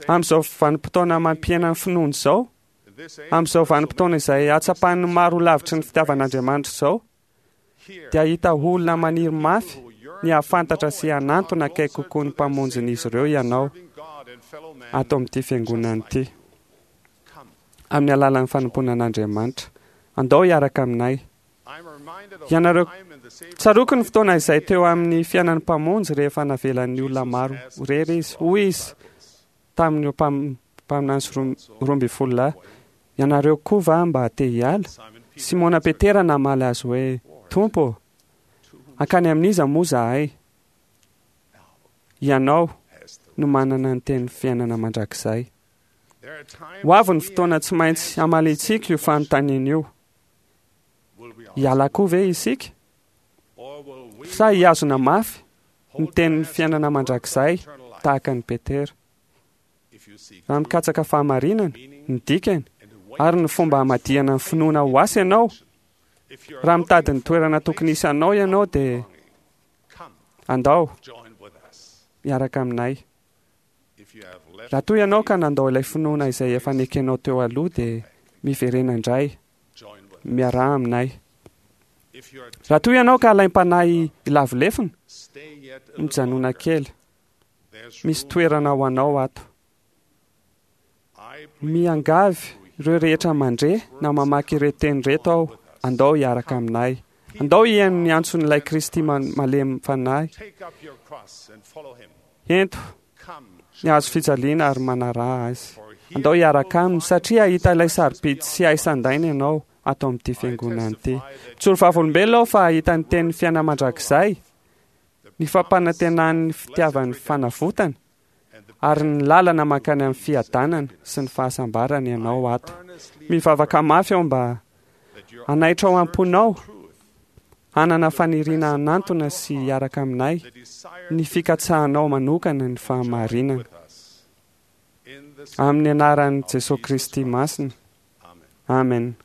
Amin'izao vanim-potoana mampihena ny finoana izao, amin'izao vanim-potoana izay hahatsapan'ny maro ho lavitry ny fitiavan'Andriamanitra izao, dia hahita olona maniry mafy ny hahafantatra sy hanantona akaiky kokoa ny Mpamonjin'izy ireo ianao ato amin'ity fiangonana ity. Amin'ny alalan'ny fanompoana an'Andriamanitra. Andao hiaraka aminay. Ianareo, tsaroako ny fotoana izay teo amin'ny fiainan'ny Mpamonjy rehefa navelan'ny olona maro ho irery Izy. Hoy Izy tamin'ireo mpaminany sy 12 lahy, Ianareo koa va mba te hiala? Simona Petera namaly Azy hoe, Tompo ô, hankany amin'iza moa izahay? Ianao no manana ny tenin'ny fiainana mandrakizay. Ho avy ny fotoana tsy maintsy hamaliantsika io fanontaniana io. Hiala koa ve isika? Sa hihazona mafy ny tenin'ny fiainana mandrakizay tahaka an'i Petera? Raha mikatsaka fahamarinana, ny dikany, ary ny fomba hamadihana ny finoana ho asa ianao, raha mitady ny toerana tokony hisy anao ianao dia andao miaraka aminay. Raha toa ianao ka nandao ilay finoana izay efa nekenao teo aloha dia miverena indray, miaraha aminay. Raha toa ianao ka alaim-panahy hilavo lefona, mijanona kely. Misy toerana ho anao ato. Miangavy ireo rehetra mandre na mamaky ireo teny ireto aho, andao hiaraka aminay. Andao hihaino ny antson'ilay Kristy malemy fanahy. Ento ny hazo fijaliana ary manaraha azy. Andao hiaraka aminy satria hahita ilay sarobidy sy hay sandaina ianao ato amin'ity fiangonana ity. Mijoro vavolombelona aho fa hahita ny tenin'ny fiainana mandrakizay, ny fampanantenan'ny fitiavan'ny fanavotana, ary ny lalana mankany amin'ny fiadanana sy ny fahasambarana ianao ato. Mivavaka mafy aho mba hanaitra ao am-ponao hanana faniriana hanantona sy hiaraka aminay ny fikatsahanao manokana ny fahamarinana. Amin'ny anaran'i Jesoa Kristy Masina. Amen.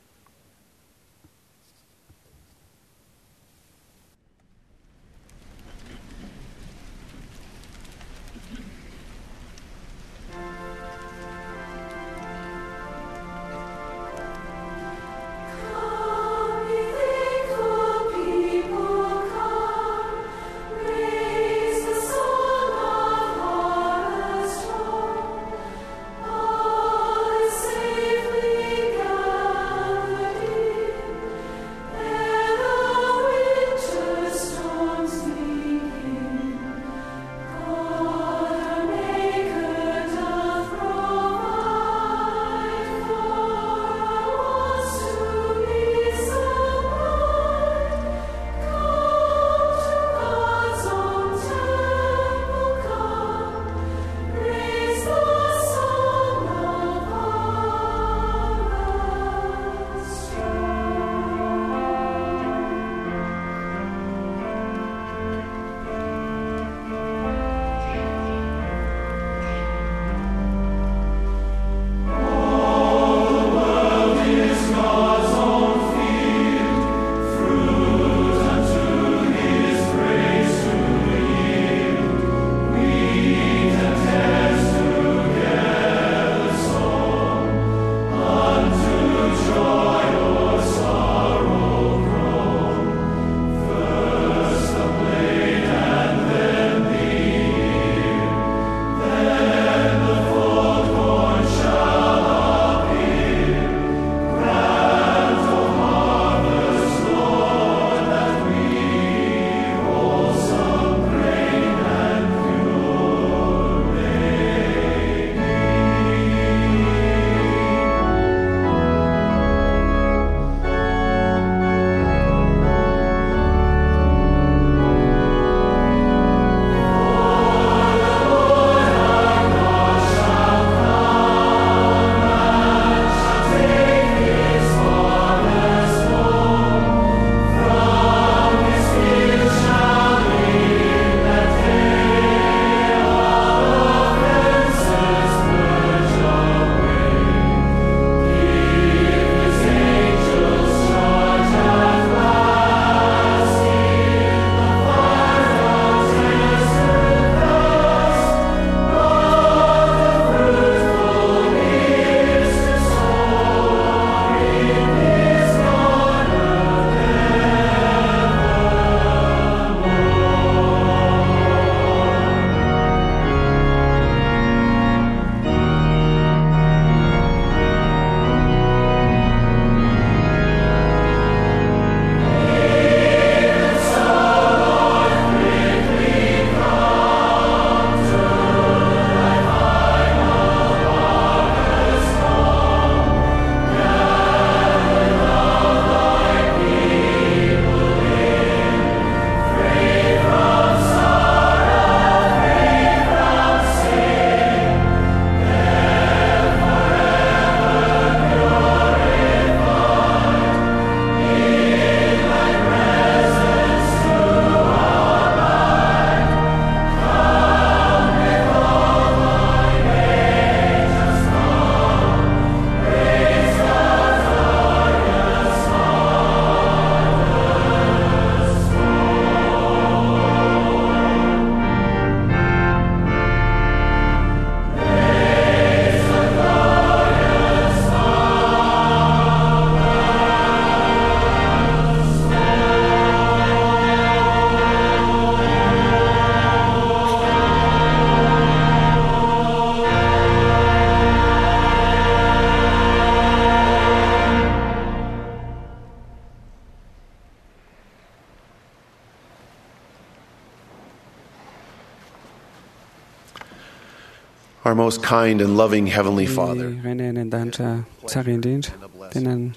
Our most kind and loving Heavenly Father, Ny Rainay any an-danitra tsara indrindra, tena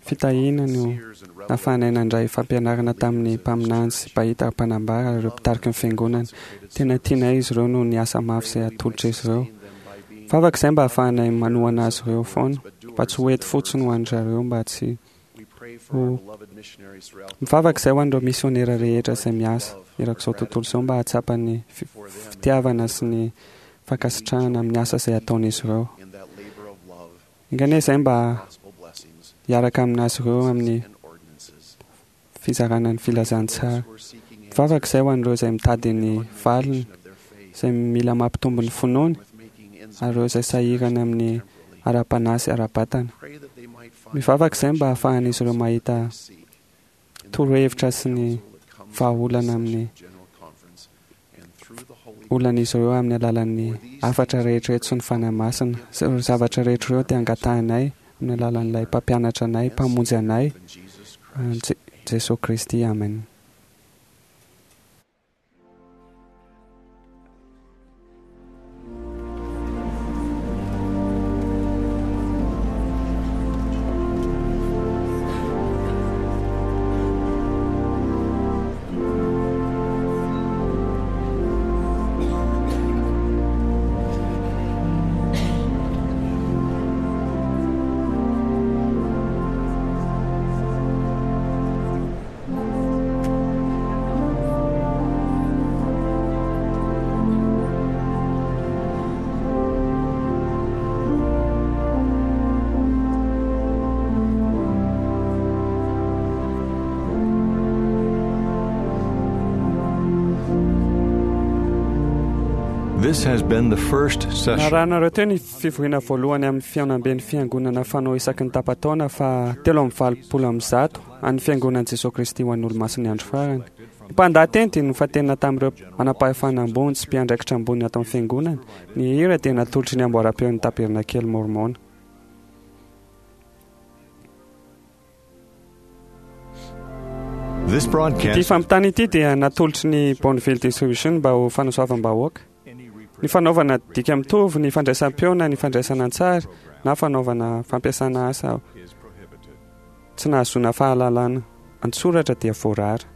fitahiana no nahafahanay nandray fampianarana tamin'ny mpaminany sy mpahita ary mpanambara ireo mpitariky ny fiangonana. Tena tianay izy ireo noho ny asa mafy izay atolotra izy ireo. Vavaka izay mba hahafahanay manohana azy ireo foana, mba tsy ho ety fotsiny ho an-dry zareo mba tsy ho mivavaka izay ho an'ireo misionera rehetra izay miasa erak'izao tontolo izao mba hahatsapa ny fitiavana sy ny fankasitrahana amin'ny asa izay ataon'izy ireo. Enga anie izay mba hiaraka amin'azy ireo amin'ny fizarana ny filazantsara. Mivavaka izay ho an'ireo izay mitady ny valiny, izay mila mampitombo ny finoany, ary ireo izay sahirana amin'ny ara-panahy sy ara-batana. Mivavaka izay mba hahafahan'izy ireo mahita torohevitra sy ny vahaolana amin'ny olan'izy ireo amin'ny alalan'ny hafatra rehetra eto sy ny Fanahy Masina. Ireo zavatra rehetra ireo dia angatahinay amin'ny alalan'ilay Mpampianatra anay, Mpamonjy anay, Jesoa Kristy. Amen. This has been the first session. Narahanareo teo ny fivoriana voalohany amin'ny fihaonamben'ny fiangonana fanao isaky ny tapa-taona fa 183 an'ny Fiangonan'i Jesoa Kristy ho an'ny Olomasin'ny Andro Farany. Ny mpandahateny dia nofantenina tamin'ireo manam-pahefana ambony sy mpiandraikitra ambony ato amin'ny Fiangonana. Ny hira dia natolotry ny amboaram-peon'ny Tabernakely Môrmôna. This broadcast Ity fampitana ity dia natolotry ny Bonneville Distribution mba ho fanasoavam-bahoaka. Ny fanaovana dika mitovy, ny fandraisam-peo na ny fandraisana an-tsary na fanaovana fampiasana asa tsy nahazoana fahalalana an-tsoratra dia voarara.